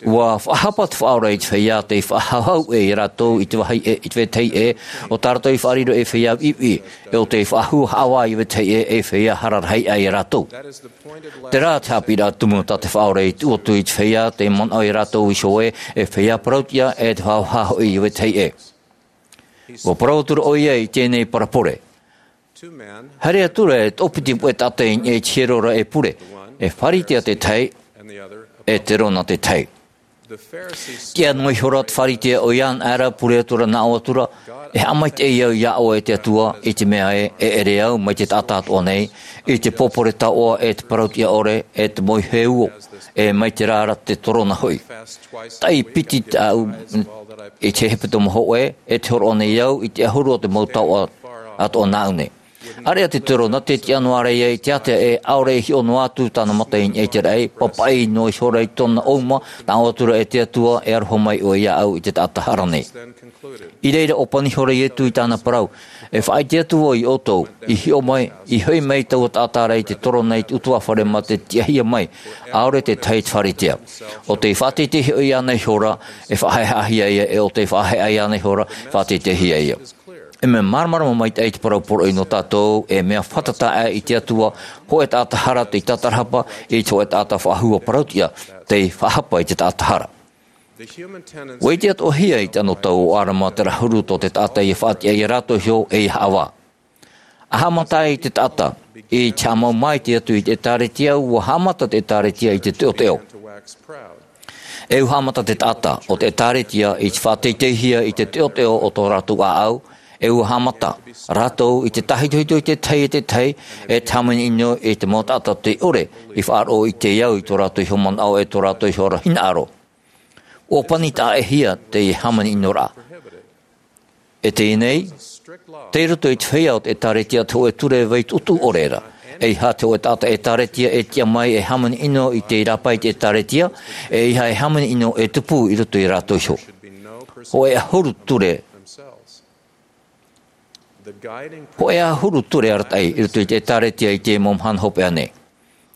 ʻUa faʻahapa te Faʻaora i te feiā tei faʻahauhau ʻē ia rātou i te vāhi ʻē, i te vetahi ʻē, ʻo tā rātou i faʻariro ei feiā viʻiviʻi, e ʻo tei faʻahua haʻavā i vetahi ʻē, ei feiā hara rahi aʻe ia rātou. Terā te haʻapiʻiraʻa tumu tā te Faʻaora i tuʻu atu i te feiā tei manaʻo ia rātou iho ē, e feiā parauʻtiʻa, e te faʻahauhau hoʻi i vetahi ʻē. ʻUa parau atu ra ʻoia i teie nei parabole. Haere atu ra e toʻopiti puʻe taʻata i niʻa i te hiero ra e pure, e Pharisea te tahi, e terona te tahi. Tiʻa noa ihora te Pharisea ʻoia anaʻe ra, pure atu ra, nā ʻō atu ra, e haʻamaitaʻi au iā ʻoe e te Atua, i te mea ē, e ʻere au mai te taʻata atoʻa nei, i te pōpore taoʻa, e te parauʻtiʻa ʻore, e te moihe uo, e mai terā ra te torona hoʻi. Taʻi piti tāʻu i te hepetoma hōʻē, e te hōroʻa nei au i te ʻahuru o te mau taoʻa atoʻa nāʻu nei. ʻĀreʻa te torona tē tiʻa noa ra ia i te ātea ē, ʻaore e hiʻo noa atu tāna mata i niʻa i te raʻi, papaʻi noa ihora i tōna ʻouma, nā ʻō atu ra e te Atua, e aroha mai ʻoe iāʻu i te taʻata hara nei. I reira ʻōpani ihora Ietu i tāna parau, e faʻaʻite atu vau iā ʻoutou, i hiʻo mai, i hoʻi mai taua taʻata ra i te torona i te ʻutuāfare mā te tiʻahia mai, ʻaore te tahi te Pharisea. ʻO tei faʻateitei hoʻi iāna ihora, e faʻaheʻahia ia, e ʻo tei faʻaheʻa iāna ihora, faʻateiteihia ia. E mea māramarama maitaʻi te parau poroʻi nō tātou, e mea fātata aʻe i te Atua, hōʻē taʻata hara tei tātarahapa, i te hōʻē taʻata faʻahua parauʻtiʻa, tei faʻahapa i te taʻata hara. ʻUa ʻite atoʻahia i te anotau o ʻĀdama terā huru tō te taʻata ʻia faʻatiʻa ia rātou iho, e ʻia haʻavā. ʻA haʻamata i te taʻata, i te haʻamau maitaʻi atu i te ʻĒtārētia, ʻua haʻamata te ʻĒtārētia i te teʻoteʻo. E ʻua haʻamata te taʻata, ʻo te ʻĒtārētia, i te faʻateiteihia i te teʻoteʻo o tō rātou ʻāʻau, e ʻua haʻamata rātou i te tāhitohito i te tahi e te tahi, e te hāmani ʻino i te mau taʻata tei ʻore i faʻaroʻo i te au i tō rātou iho manaʻo, e tō rātou iho ra hinaʻaro. ʻUa pani taʻa-ʻē-hia teie hāmani ʻino ra. E teie nei, tei roto i te feiā o te ʻĒtārētia te hōʻē ture vai tuʻutuʻu ʻore ra. ʻEiaha te hōʻē taʻata ʻĒtārētia e tiʻa mai e hāmani ʻino i te rāpae i te ʻĒtārētia, ʻeiaha e hāmani ʻino e tupu i roto ia rātou iho. Hōʻē ʻahuru ture. Hōʻē ʻahuru ture arataʻi i roto i te ʻĒtārētia i te mau mahana hopeʻa nei.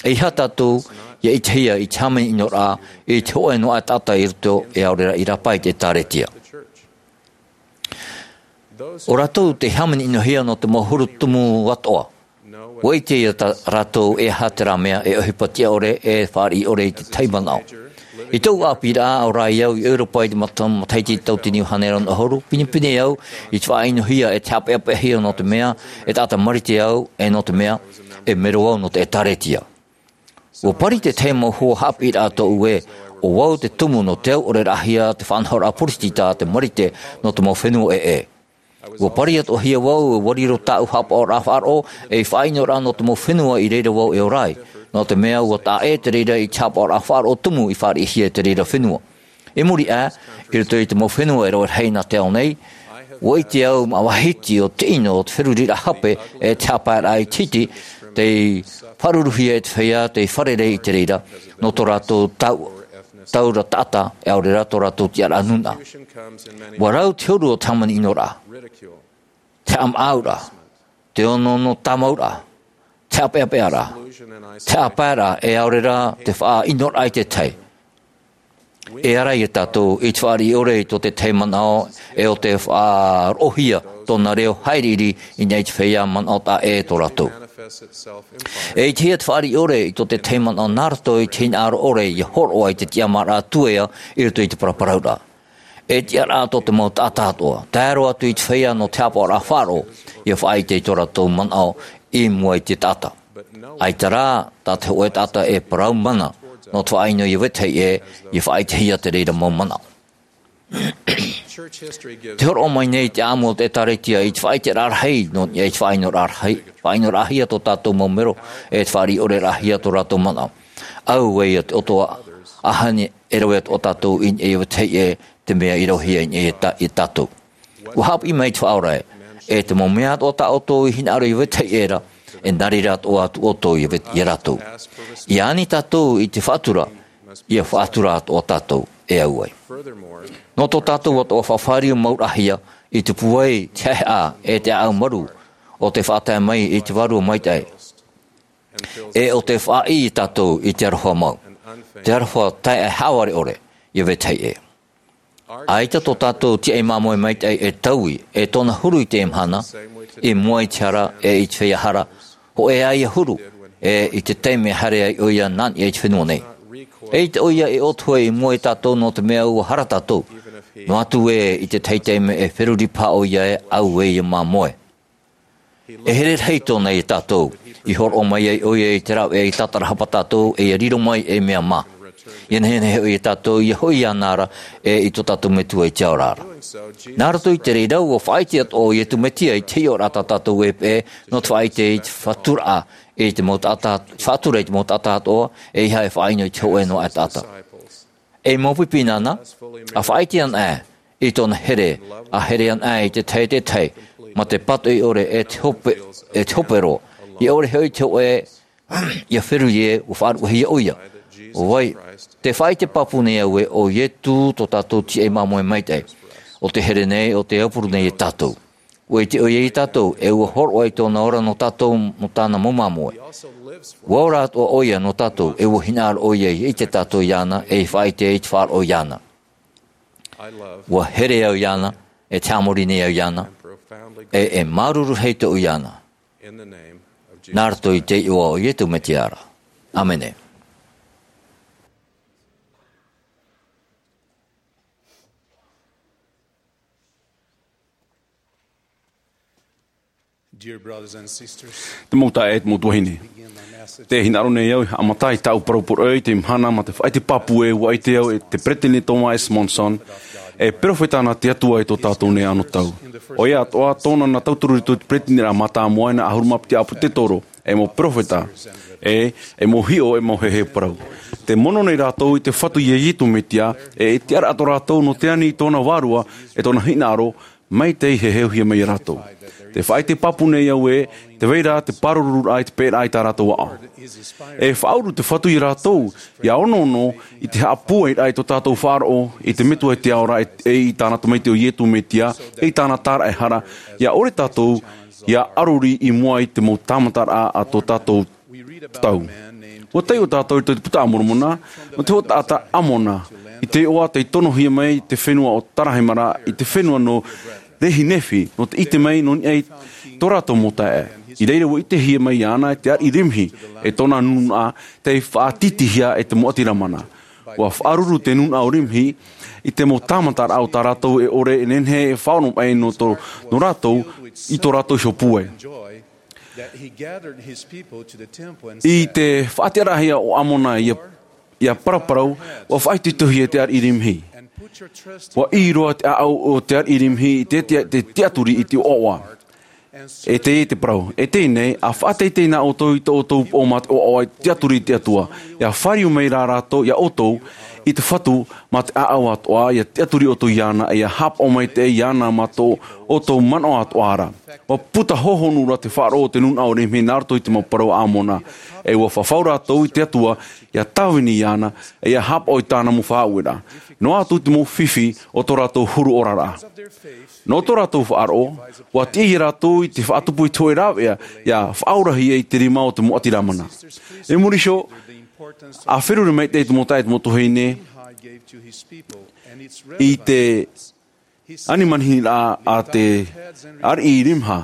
ʻEiaha tātou ia ʻitehia i te hāmani ʻino ra i te hōʻē noa taʻata i roto e ʻaore ra i rāpae i te ʻĒtārētia. ʻO rātou tei hāmani ʻinohia nō te mau huru tumu atoʻa. ʻUa ʻite ia tā rātou ʻeiaha terā mea e ʻohipa tiʻa ʻore, e fāriʻi ʻore i te tahi manaʻo. I tōʻu ʻāpīraʻa, ʻo rā au i ʻEuropa i te mata-, matahiti tauatini iva hānere ono ʻahuru, pinepine au i te faʻaʻinohia e te haʻapeʻapeʻahia nō te mea e taʻata marite au, e nō te mea e mero au nō te ʻĒtārētia. ʻUa pari te tahi mau hoa haʻapiʻiraʻa tōʻu ē, ʻo vau te tumu nō te au ʻore raʻahia te faʻanahoraʻa poritita te marite nō te mau fenua ʻē. ʻUa pari atoʻahia vau, ʻua riro tāʻu haʻapaʻoraʻa faʻaroʻo ei faʻaʻinoraʻa nō te mau fenua i reira vau e ora ai, nō te mea ʻua taʻa ʻē te reira i te haʻapaʻoraʻa faʻaroʻo tumu i fāriʻihia e te reira fenua. I muri aʻe, i roto i te mau fenua e rave rahi nā te ao nei, ʻua ʻite au māʻa vahiti ʻo te ʻino o te feruriraʻa hape e te haʻapaeraʻa i te hiti, tei faʻaruruhia e te feiā, tei fārerei i te reira, nō tō rātou tau-, taura taʻata, e ʻaore ra tō rātou tiʻaraʻa nūnaʻa. ʻUa rau te huru o te hāmani ʻinoraʻa, te haʻamaʻauraʻa, te onoono tāmauraʻa, te haʻapeʻapeʻaraʻa, te haʻapaeraʻa, e ʻaore ra te faʻaʻinoraʻa i te tahi. E ara ia tātou i te fāriʻi ʻore i tō te tahi manaʻo, e ʻo te faʻaroʻohia tōna reo haʻiriʻiri i niʻa i te feiā manaʻo taʻa ʻē tō rātou. E ʻitehia te fāriʻi ʻore i tō te tahi manaʻo nā roto i te hinaʻaro ʻore ia hōroʻa i te tiʻamāraʻa tuea i roto i te paraparauraʻa. E tiʻaraʻa tō te mau taʻata atoʻa, tae roa atu i te feiā nō te haʻapaʻoraʻa faʻaroʻo, ia faʻaʻite i tō rātou manaʻo i mua i te taʻata. ʻAita rā, tā te hōʻē taʻata e parau mana nō te faʻaʻino ia vetahi ʻē, ia faʻaʻitehia te reira mau manaʻo. Te hōroʻa mai nei te ʻāʻamu o te ʻĒtārētia i te faʻaʻiteraʻa rahi, nō niʻa i te faʻaʻinoraʻa rahi, faʻaʻinoraʻahia tō tātou mau mero, e te fāriʻi ʻore raʻahia tō rātou manaʻo. Auē ia te ʻoto ʻaʻaha e rave atoʻa tātou i niʻa ia vetahi ʻē, te mea i ravehia i niʻa ia tā-, ia tātou. ʻUa haʻapiʻi mai te Faʻaora ē, e te mau mea atoʻa tā ʻoutou i hinaʻaro ia vetahi ʻē ra, e nā reira atoʻa atu ʻoutou ia vet-, ia rātou. ʻIa ani tātou i te faʻatura, ʻia faʻatura atoʻa tātou e au ai. Nō tō tātou atoʻa faʻafāriu mauraʻahia i te pūai, te haʻehaʻa, e te ʻāʻau marū, ʻo tē faʻatae mai i te Vārua Maitaʻi. E ʻo tē faʻaʻī ia tātou i te aroha mau, te aroha taeaʻe haʻavare ʻore, ia vetahi ʻē. ʻAita tō tātou tīaʻi māmoe maitaʻi e taui, e tōna huru i teie mahana, i mua i te hara, e i te feiā hara, hōʻē ā ia huru, e i te taime e haere ai ʻoia nā niʻa i te fenua nei. E ʻaita ʻoia e ʻōtohe i mua ia tātou nō te mea ʻua hara tātou, noa atu ē i te tahi taime e feruri paha ʻoia ē, auē ia māmoe. E here rahi tōna ia tātou. I hōroʻa mai ai ʻoia i te rāveʻa i tātarahapa tātou, e ʻia riro mai ei mea mā. ʻIa nehenehe hoʻi ia tātou, ʻia hoʻi iāna ra, e i tō tātou Metua i te ao ra. Nā roto i te reira, ʻua faʻaʻite atoʻa ʻo Iesu Mesia i te hiʻoraʻa tā tātou e peʻe, nō te faʻaʻite i te faʻatura, i te mau taʻata, faʻatura i te mau taʻata atoʻa, ʻeiaha e faʻaʻino i te hōʻē noa aʻe taʻata. E mau pipi nāna, ʻa faʻaʻite ana aʻe i tōna here, ʻa here ana aʻe i te tahi e te tahi, mā te pātoʻi ʻore e te hope, e te hope roa, ʻia ʻore hoʻi te hōʻē, ʻia feruri ē, ʻua faʻaruʻehia ʻoia. ʻO vai, tē faʻaʻite pāpū nei au ē, ʻo Iesu tō tātou tīaʻi māmoe maitaʻi, ʻo tē here nei, ʻo tē aupuru nei ia tātou. ʻUa ʻite ʻoia ia tātou, e ʻua hōroʻa i tōna ora nō tātou, nō tāna mau māmoe. ʻUa ora atoʻa ʻoia nō tātou, e ʻua hinaʻaro ʻoia ʻia ʻite tātou iāna, e ʻia faʻaʻite i te faʻaroʻo iāna. ʻUa here au iāna, e te haʻamori nei au iāna, e, e māuruuru rahi tōʻu iāna. Nā roto i te iʻoa o Iesu Mesia ra. ʻĀmene. Dear brothers and sisters, te mau taeaʻe, te mau tuahine. Te hinaʻaro nei au e haʻamata i tāʻu parau poroʻi i teie mahana mā te faʻaʻite pāpū ē, ʻua ʻite au ē te Peresideni Thomas S. Monson, e perofeta nā te Atua i tō tātou nei anotau. ʻOia atoʻa, tōna nā tauturu i te peresideniraʻa mātāmua i nā ʻahuru mā piti ʻāpōsetolo, e mau perofeta, e, e mau hiʻo, e mau heheu parau. Tē mono nei rātou i te Fatu ia Iesu Mesia, e, e tiʻaraʻa tō rātou nō te ani i tōna vārua, e tōna hinaʻaro, Mai te heheuhia mai iā rātou. Te faʻaite pāpū nei au ē, te vai ra te pārururuʻa i te pēraʻa i tā rātou aʻo. E faʻauru te Fatu iā rātou, ia onoono i te haʻapūairaʻa i tō tātou faʻaroʻo i te Metua i te ao ra, e, e i tāna Tamaiti ʻo Iesu Mesia, e i tāna tāraʻehara, ia ʻore tātou ia ʻaruri i mua i te mau tāmataraʻa a tō tātou tau. ʻUa taiʻo tātou i te Puta a Moromona, nō te hōʻē taʻata ʻĀmona, i te iʻoa tei tonohia mai te fenua ʻo Zarahemla, i te fenua nō Lehi-Nephi, nō te ʻite mai nō niʻa i tō rātou mau taeaʻe. I reira ʻua ʻitehia mai iāna e te ariʻi Limhi, e tōna nūnaʻa, tei faʻatītīhia e te mau ʻāti Lamana. ʻUa faʻaruru te nūnaʻa ʻo Limhi i te mau tāmataraʻa o tā rātou e ʻore e nehenehe e faʻaoromaʻi nō tō, nō rātou, i tō rātou iho pūai. I te faʻatiʻaraʻahia ʻo ʻĀmona ia, ia paraparau, ʻua faʻaitoitohia e te ariʻi Limhi. ʻUa ʻī roa te ʻāʻau o te ariʻi Limhi i te, te, te tiʻaturi i te ʻoaʻoa. E teie te parau, e teie nei, ʻa faʻateitei na ʻoutou i tō ʻoutou upoʻo mā te ʻoaʻoa i te tiʻaturi i te Atua. ʻIa fāriu mai rā rātou iā ʻoutou i te Fatu mā te ʻāʻau atoʻa, ʻia tiʻaturi ʻoutou iāna, e ʻia haʻapaʻo maitaʻi iāna mā tō ʻoutou manaʻo atoʻa ra. ʻUa puta hōhonu ra te faʻaroʻo o te nūnaʻa ʻo Limhi nā roto i te mau parau a ʻĀmona. E ʻua fafau rātou i te Atua, ʻia tāvini iāna, e ʻia haʻapaʻo i tāna mau faʻaueraʻa. Noa atu te mau fifi o tō rātou huru oraraʻa. Nō tō rātou faʻaroʻo, ʻua tiʻa iā rātou i te faʻatupu i te hōʻē rāveʻa, ʻia faʻaorahia i te rima o te mau ʻāti Lamana. I muri iho, ʻa feruri maitaʻi te mau taeaʻe, te mau tuahine, i te ani manihini ra a te ariʻi Limhi.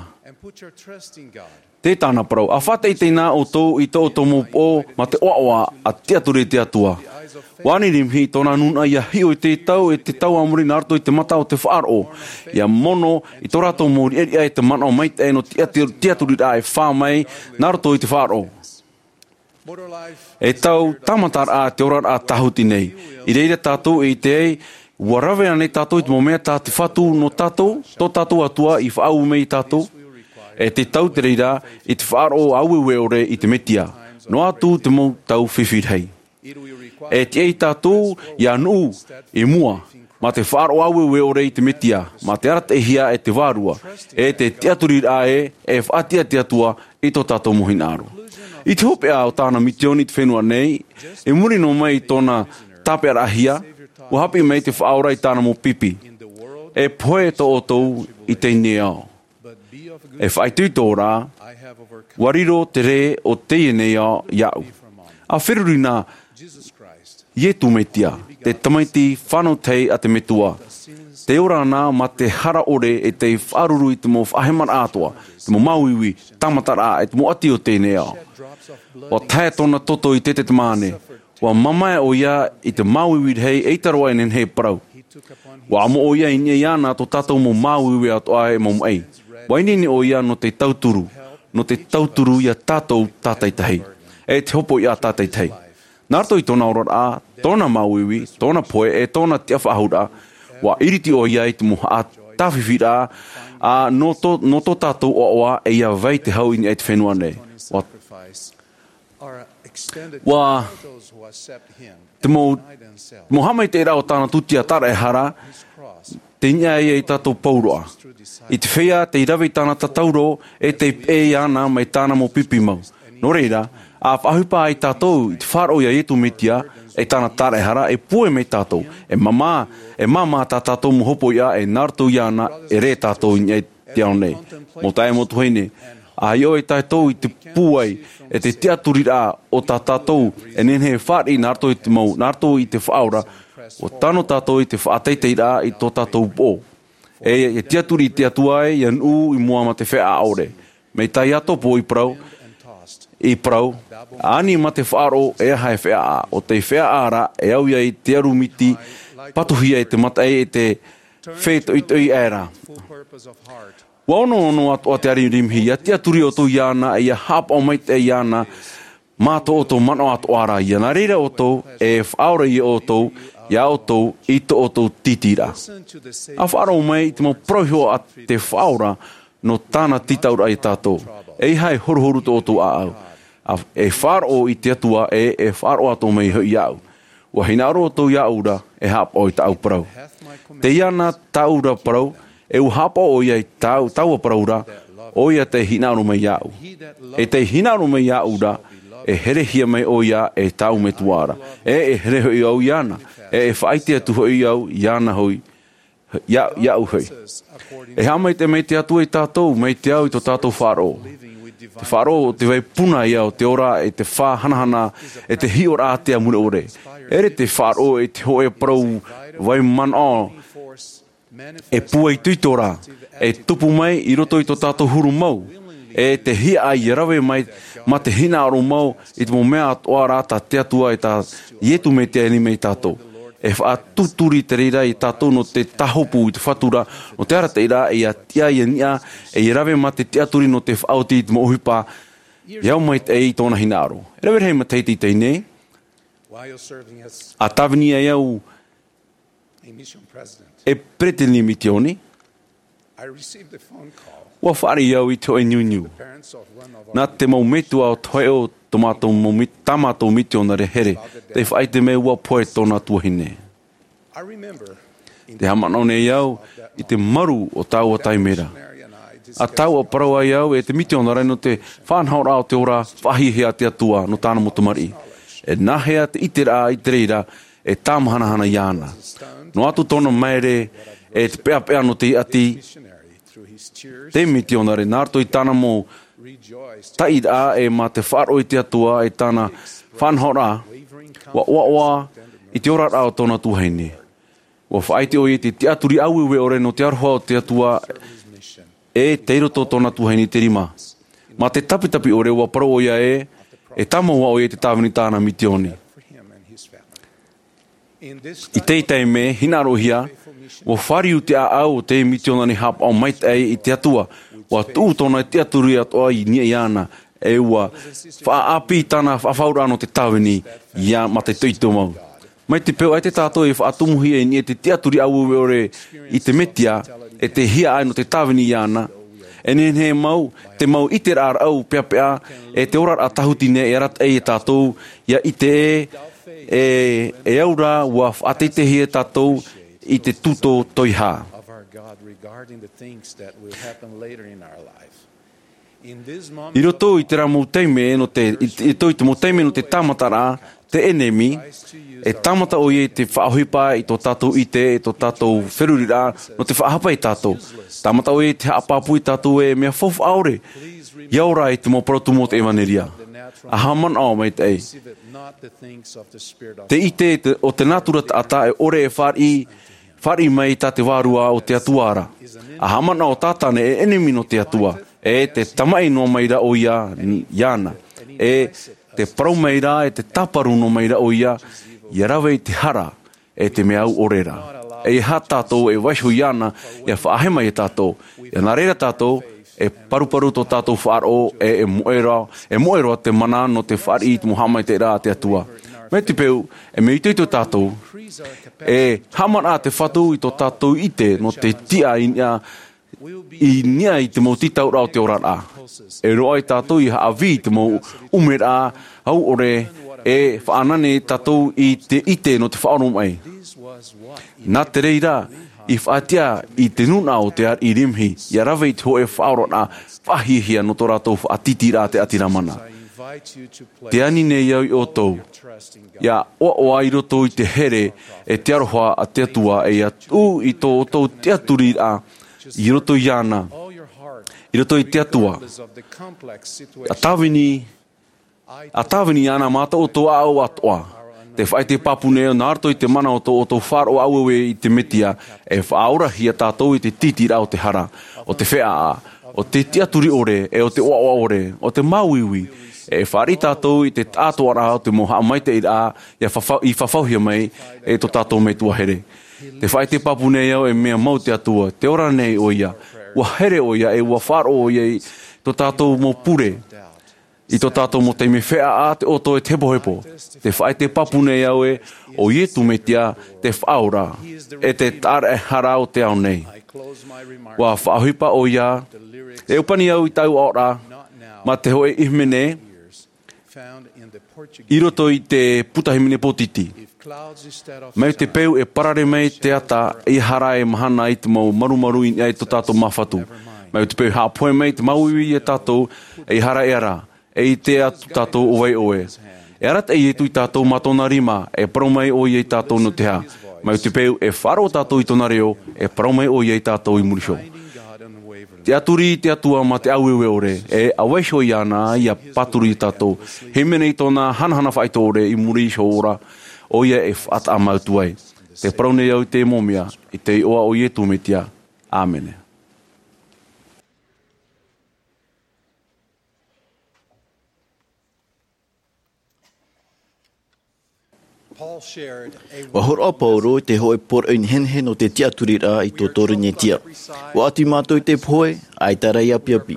Tē tāna parau, ʻa faʻateitei na ʻoutou i tō ʻoutou mau upoʻo mā te ʻoaʻoa, ʻa tiʻaturi i te Atua. ʻUa ani Limhi i tōna nūnaʻa ʻia hiʻo i te tau, e te tau a muri nā roto i te mata o te faʻaroʻo. ʻIa mono i tō rātou mau riʻariʻa e te manaʻo maitaʻi nō te tiʻa-, tiʻaturiraʻa e fā mai nā roto i te faʻaroʻo. E tau tāmataraʻa te oraraʻa tāhuti nei. I reira tātou e ʻite ai, ʻua rave ānei tātou i te mau mea tā te Fatu nō tātou, tō tātou Atua i faʻaue mai iā tātou? E te tau te reira, i te faʻaroʻo ʻāueue ʻore i te Mesia. Noa atu te mau tau fifi rahi. E tiʻa ia tātou ʻia nuʻu i mua, mā te faʻaroʻo ʻāueue ʻore i te Mesia, mā te arataʻihia e te Vārua, e te tiʻaturiraʻa ē, e faʻatiʻa te Atua i tō tātou mau hinaʻaro. I te hopeʻa o tāna misioni i te fenua nei, i muri noa mai i tōna tāpeʻaraʻahia, ʻua haʻapiʻi mai te Faʻaora i tāna mau pipi. E pohe tō iesu i teie nei ao. E faʻaitoito rā, ʻua riro te rē o teie nei ao iāʻu. ʻA feruri na iesu mesia, te tamaiti fānau tahi a te metua. Tē ora ana mā te hara ʻore e tei faʻaruru i te mau faʻahemaraʻa atoʻa, te mau māuiui, tāmataraʻa, e te mau ʻati o teie nei ao. ʻUa tahe tōna toto i te tetemane. ʻUa mamae ʻoia i te māuiui rahi, ʻeita roa e nehenehe e parau. ʻUa amo ʻoia i niʻa iāna tō tātou mau māuiui atoʻa e mau maʻi. ʻUa ineine ʻoia nō te tauturu, nō te tauturu ia tātou tātaitahi, e te hopoiʻa tātaitahi. Nā roto i tōna oraraʻa, tōna māuiui, tōna pohe, e tōna tiʻafaʻahouraʻa, ʻua iriti ʻoia i te mau haʻa tāfifiraʻa, ā, nō tō, nō tō tātou ʻoaʻoa, e ʻia vai te hau i niʻa i te fenua nei. ʻUa, ʻua, te mau, mau haʻamaitaʻiraʻa o tāna tūtia taraehara, tei niʻa ia i tātou pauroa. I te feiā tei rave i tāna tatauro, e tei peʻe iāna mai tāna mau pipi mau. Nō reira, ʻa faʻaʻohipa ai tātou i te faʻaroʻo ia iesu mesia, e tāna taraehara, e pūai mai tātou, e māmā, e māmā tā tātou mau hopoiʻa, e nā roto iāna, e rē tātou i niʻa i te ao nei. Mau taeaʻe, mau tuahine, ʻa hiʻo e tātou i te pūai, e te tiʻaturiraʻa o tā tātou, e nehenehe e fāriʻi nā roto i te mau, nā roto i te Faʻaora, ʻua tano tātou i te faʻateiteiraʻa i tō tātou upoʻo. E, e tiʻaturi i te Atua ē, ʻia nuʻu i mua mā te feiā ʻore. Mai tā Iakobo i parau, i parau, ani mā te faʻaroʻo e aha e feiā, ʻo tei feiā ra, e au ia i te aru miti, patuhia e te mataʻi e te fētoʻitoʻi aʻera. ʻUa onoono atoʻa te ariʻi Limhi, ʻia tiʻaturi ʻoutou iāna, e ʻia haʻapaʻo maitaʻi iāna, mā tō ʻoutou manaʻo atoʻa ra ia. Nā reira ʻoutou, e faʻaora ia ʻoutou, ia ʻoutou, i tō ʻoutou tītīraʻa. ʻA faʻaroʻo mai i te mau parau iho a te Faʻaora, nō tāna tītauraʻa ia tātou. ʻEiaha e horuhoru tō ʻoutou ʻāʻau. ʻA, e faʻaroʻo i te Atua, e, e faʻaroʻo atoʻa mai hoʻi iāʻu. ʻUa hinaʻaro ʻoutou iāʻu ra, e haʻapaʻo i tāʻu parau. Teie na tāʻu ra parau, E ua haʻapaʻo ʻoia i tāu, taua parau ra, ʻoia tei hinaʻaro mai iāʻu. E tei hinaʻaro mai iāʻu ra, e herehia mai ʻoia e tāu Metua ra. E, e here hoʻi au iāna. E, e faʻaʻite atu hoʻi au iāna hoʻi. Ia, iāʻu hoʻi. E haʻamaitaʻi mai te Atua iā tātou, mai te ao i tō tātou faʻaroʻo. Te faʻaroʻo o te vai puna ia o te ora e te faʻahanahana, e te hiʻoraʻa ātea mure ʻore. ʻEʻere te faʻaroʻo i te hōʻē parau vai manaʻo e pūai itoito ra, e tupu mai i roto i tō tātou huru mau, e te hiaʻai e rave mai, mā te hinaʻaro mau i te mau mea atoʻa ra tā te Atua e tā Iesu Mesia e ani mai iā tātou. E faʻatūturi te reira iā tātou nō te tāhopu i te Fatu ra, nō te arataʻi ra, e ia tiʻa, ia niʻa, e ia rave mā te tiʻaturi nō te faʻaoti i te mau ʻohipa, e au maitaʻi i tōna hinaʻaro. E rave rahi matahiti i teie nei, ʻa tāvini ai au e peretiteni misioni, ʻua fāriʻi au i te hōʻē niuniu. Nā te mau metua o te hōʻē o tō mātou mau mi-, tā mātou misionare here, tei faʻaʻite mai ʻua pohe tōna tuahine. Tē haʻamanaʻo nei au i te maru o taua taime ra. ʻA taua parau ai au e te misionare nō te faʻanahoraʻa o te ora faʻahiahia a te Atua nō tāna mau tamariʻi. E nāhea te ʻiteraʻa i te reira e tāmahanahana iāna. Noa atu tōna maere e te peʻapeʻa nō te ʻati, te misionare nā roto i tāna mau taʻiraʻa e mā te faʻaroʻo i te Atua e tāna faʻanahoraʻa, ʻua ʻoaʻoa i te oraraʻa o tōna tuahine. ʻUa faʻaʻite ʻoia i te tiʻaturi ʻāueue ʻore nō te aroha o te Atua e tei roto tōna tuahine i te rima. Mā te tapitapi ʻore ʻua parau ʻoia e, e tāmau ʻoia i te tāvini tāna misioni. I teie taime, hinaʻarohia, ʻua fāriu te ʻāʻau o te misionare haʻapaʻo maitaʻi i te Atua, ʻua tuʻu tōna tiʻaturi atoʻa i niʻa iāna, e ʻua faʻaʻāpī tāna faʻafauraʻa nō te tāvini, ia mā te itoito mau. Mai te peu ʻaita tātou e faʻatumuhia i niʻa i te tiʻaturi ʻāueue ʻore i te Mesia, e te hiaʻai nō te tāvini iāna, e nehenehe mau, te mau ʻiteraʻa raʻau peʻapeʻa, e te oraraʻa tāhuti nei e arataʻi iā tātou, ia ʻite ē, e, e au ra ʻua faʻateiteihia tātou i te tumu toiha. I roto i terā mau taime nō te, i, i roto i te mau taime nō te tāmataraʻa, te ʻenemi, e tāmata ʻoia i te faʻaʻohipa i tō tātou ʻite, i tō tātou feruriraʻa, nō te faʻahapa iā tātou. Tāmata ʻoia i te haʻapāpū iā tātou e mea faufaʻa ʻore, ʻia ora i te mau parau tumu o te ʻevanelia. ʻA haʻamanaʻo maitaʻi. Te ʻite te, o te nātura taʻata e ʻore e fāriʻi, fāriʻi mai tā te Vārua o te Atua ra. ʻA haʻamanaʻo Tātane e ʻenemi nō te Atua, e te tamaʻi noa mai ra ʻoia n-, iāna. E te parau mai ra, e te tāparu noa mai ra ʻoia, ʻia rave i te hara, e te mea au ʻore ra. E ʻeiaha tātou e vaiiho iāna, ʻia faʻahema iā tātou. ʻIa nā reira tātou, e paruparu tō tātou faʻaroʻo, e, e moʻe roa, e moʻe roa te mana nō te fāriʻi i te mau haʻamaitaʻiraʻa a te Atua. Mai te peu, e mea itoito tātou, e haʻamanaʻo te Fatu i tō tātou ʻite, nō te tiʻa i niʻa, i niʻa i te mau tītauraʻa o te oraraʻa. E roaʻa tātou ʻia haʻavī i te mau ʻumeraʻa, au ʻore, e faʻanane tātou i te ʻite nō te faʻaoromaʻi. Nā te reira, i faʻatiʻa i te nūnaʻa o te ariʻi Limhi, ʻia rave i te hōʻē faʻaoraraʻa, faʻahiahia nō tō rātou faʻatītīraʻa te ʻati Lamana. Tē ani nei au iā ʻoutou, ʻia ʻoaʻoa i roto i te here, e te aroha a te Atua, e ʻia tuʻu i tō ʻoutou tiʻaturiraʻa, i roto iāna, i roto i te Atua. ʻA tāvini, ʻa tāvini iāna mā tō ʻoutou ʻāʻau atoʻa. Tē faʻaʻite pāpū nei au nā roto i te mana o tō ʻoutou faʻaroʻo ʻāueue i te Mesia, e faʻaorahia tātou i te tītīraʻa o te hara, o te feʻaʻa, o te tiʻaturi ʻore, e o te ʻoaʻoa ʻore, o te māuiui, e fāriʻi tātou i te taʻatoʻaraʻa o te mau haʻamaitaʻiraʻa, ʻia fafau-, i fafauhia mai, e tō tātou Metua here. Tē faʻaʻite pāpū nei au e mea mau te Atua, tē ora nei ʻoia, ʻua here ʻoia, e ʻua faʻaroʻo ʻoia i tō tātou mau pure, i tō tātou mau taime feʻaʻa, te ʻoto e te hepohepo. Tē faʻaʻite pāpū nei au ē, ʻo Iesu Mesia, te Faʻaora, e te Taʻata Raʻehara o te ao nei. ʻUa faʻaʻohipa ʻoia, e ʻōpani au i tāʻu aʻoraʻa, mā te hōʻē ʻīmene, i roto i te puta hīmene pōtiti. Mai te peu e parare mai te ata, ʻeiaha rā e mahana i te mau marumaru i niʻa i tō tātou māfatu. Mai te peu e haʻapohe mai te māuiui ia tātou, ʻeiaha rā e ara, e ʻite atu tātou ʻo vai ʻoe. E arataʻi Ietu ia tātou mā tōna rima, e parau mai ʻoia ia tātou nō te aha. Mai te peu e faʻaroʻo tātou i tōna reo, e parau mai ʻoia ia tātou i muri iho. Tiʻaturi i te Atua mā te ʻāueue ʻore, e ʻa vaiiho iāna ia pāturu ia tātou. Hīmene i tōna hanahana faʻaitoito ʻore i muri iho ra, ʻoia e faʻataʻa mau atu ai. Te parau nei au i teie mau mea, i te iʻoa o Ietu Metia. ʻĀmene. Ua horoʻa Paulo i te hōʻē poroʻi nehenehe nō te tiʻaturiraʻa i tō Korinetia. Ua ʻati mātou i te pohe, ʻaita rā i ʻapiʻapi.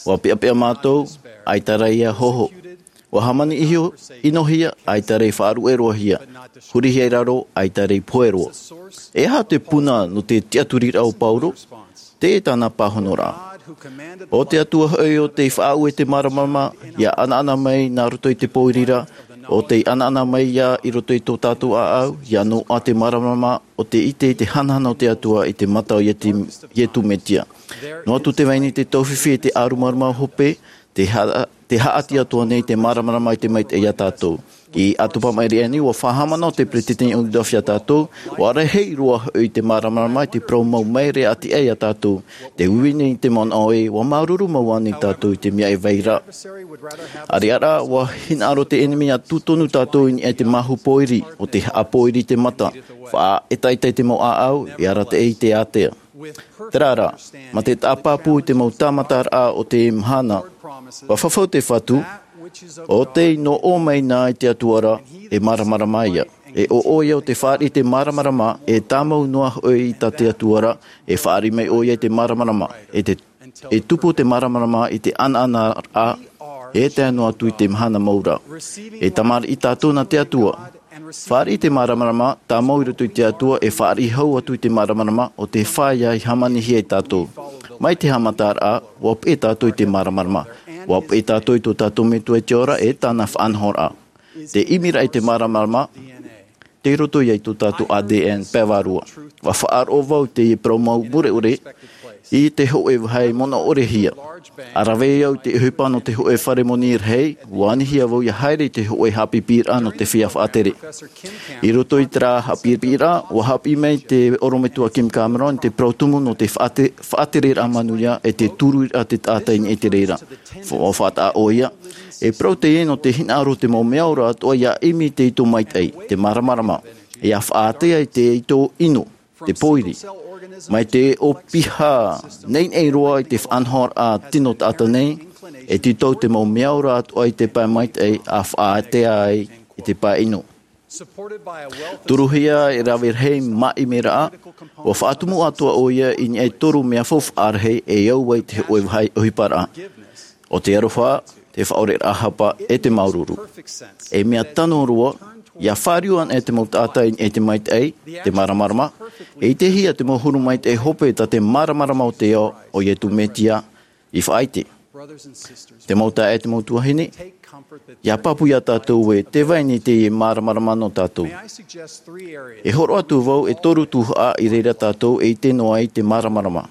Ua peʻapeʻa mātou, ʻaita rā i hōhō. Ua hāmani iho, ʻinohia, ʻaita rā i faʻaruʻeruʻahia. Hurihia i raro, ʻaita rā i pohe roa. E aha te puna nō te tiʻaturiraʻa o Paulo? Teie tāna pāhonoraʻa. ʻO te Atua hoʻi ʻo tei faʻaue te māramarama, ʻia ʻanaʻana mai nā roto i te pōiri ra, ʻo tei ʻanaʻana mai ïa i roto i tō tātou ʻāʻau, ʻia noaʻa te māramarama, ʻo tei ʻite i te hanahana o te Atua i te mata o Ietu, Ietu Metia. Noa atu te vai nei te taufifi e te ʻārumaruma hope, te ha-, te haʻati atoʻa nei te māramarama i te maitaʻi ia tātou. I ʻAtopa Maʻiri aʻenei, ua faʻahaʻamanaʻo te peretiteni ʻo Rudolf ia tātou, ua rahi roa hoʻi te māramarama i te parau mau maere ʻati aʻe ia tātou. Tē uiui nei i te manaʻo ē, ua māuruuru mau ānei tātou i te mea e vai ra. ʻAreʻa rā, ua hinaʻaro te ʻenemi ʻia tū tonu tātou i niʻa i te māhu pōiri, ʻo tei haʻapōiri i te mata, faʻaʻetaʻeta i te mau ʻāʻau, e arataʻi i te ātea. Terā rā, mā te tāpapū i te mau tāmataraʻa o te mahana, ua fafau te Fatu, ʻo tei nō ʻō mai na i te Atua ra, e māramarama ïa. E ʻo ʻoia ʻo tē fāriʻi i te māramarama, e tāmau noa hoʻi i tā te Atua ra, e fāriʻi mai ʻoia i te māramarama, e te, e tupu te māramarama i te ʻanaʻanaraʻa, e tae noa atu i te mahana mau ra. E tamariʻi tātou nā te Atua. Fāriʻi i te māramarama, tāmau i roto i te Atua, e fāriʻi hau atu i te māramarama, ʻo tē fāʻia i hāmanihia ia tātou. Mai te haʻamataraʻa, ua peʻe tātou i te māramarama. Ua peʻe tātou i tō tātou Metua i te ora, e tāna faʻanahoraʻa. Te ʻimiraʻa i te māramarama, tei roto ïa i tō tātou A D N pae vārua. Ua faʻaroʻo vau i te parau mau mure ʻore, i te hōʻē vāhi manaʻo ʻore hia. ʻA rave au i te ʻohipa nō te hōʻē fare moni rahi, ua anihia vau ʻia haere i te hōʻē haʻapiʻiraʻa nō te feiā faʻatere. I roto i terā haʻapiʻiraʻa, ua haʻapiʻi mai te ʻorometua Kim Cameron i te parau tumu nō te faʻate-, faʻatereraʻa manuia e te turuiraʻa te taʻata i niʻa i te reira. Fa-, ua faʻataʻa ʻoia. E parau teie nō te hinaʻaro te mau mea ora atoʻa ʻia ʻimi i te ito maitaʻi, te māramarama. ʻIa faʻaātea i te ito ʻino, te pōiri. Mai te ʻopiha neinei roa i te faʻanahoraʻa tino taʻata nei, e tītau te mau mea ora atoʻa i te pae maitaʻi ʻa faʻaātea ai i te pae ʻino. Turuhia e rave rahi māʻimiraʻa, ua faʻatumu atoʻa ʻoia i niʻa i toru mea faufaʻa rahi e au ai te hōʻē vāhi ʻohiparaʻa. ʻO te aroha, te faʻaoreraʻa hapa, e te māuruuru. E mea tano roa, ʻia fāriu anaʻe te mau taʻata i niʻa i te maitaʻi, te māramarama, e ʻitehia te mau huru maitaʻi hope tā te māramarama o te ao, ʻo Ietu Metia, i faʻaʻite. Te mau taeaʻe, te mau tuahine, ʻia pāpū ia tātou ē, tē vai nei te māramarama nō tātou. E hōroʻa atu vau e toru tuhaʻa i reira tātou e ʻite noa ai te māramarama.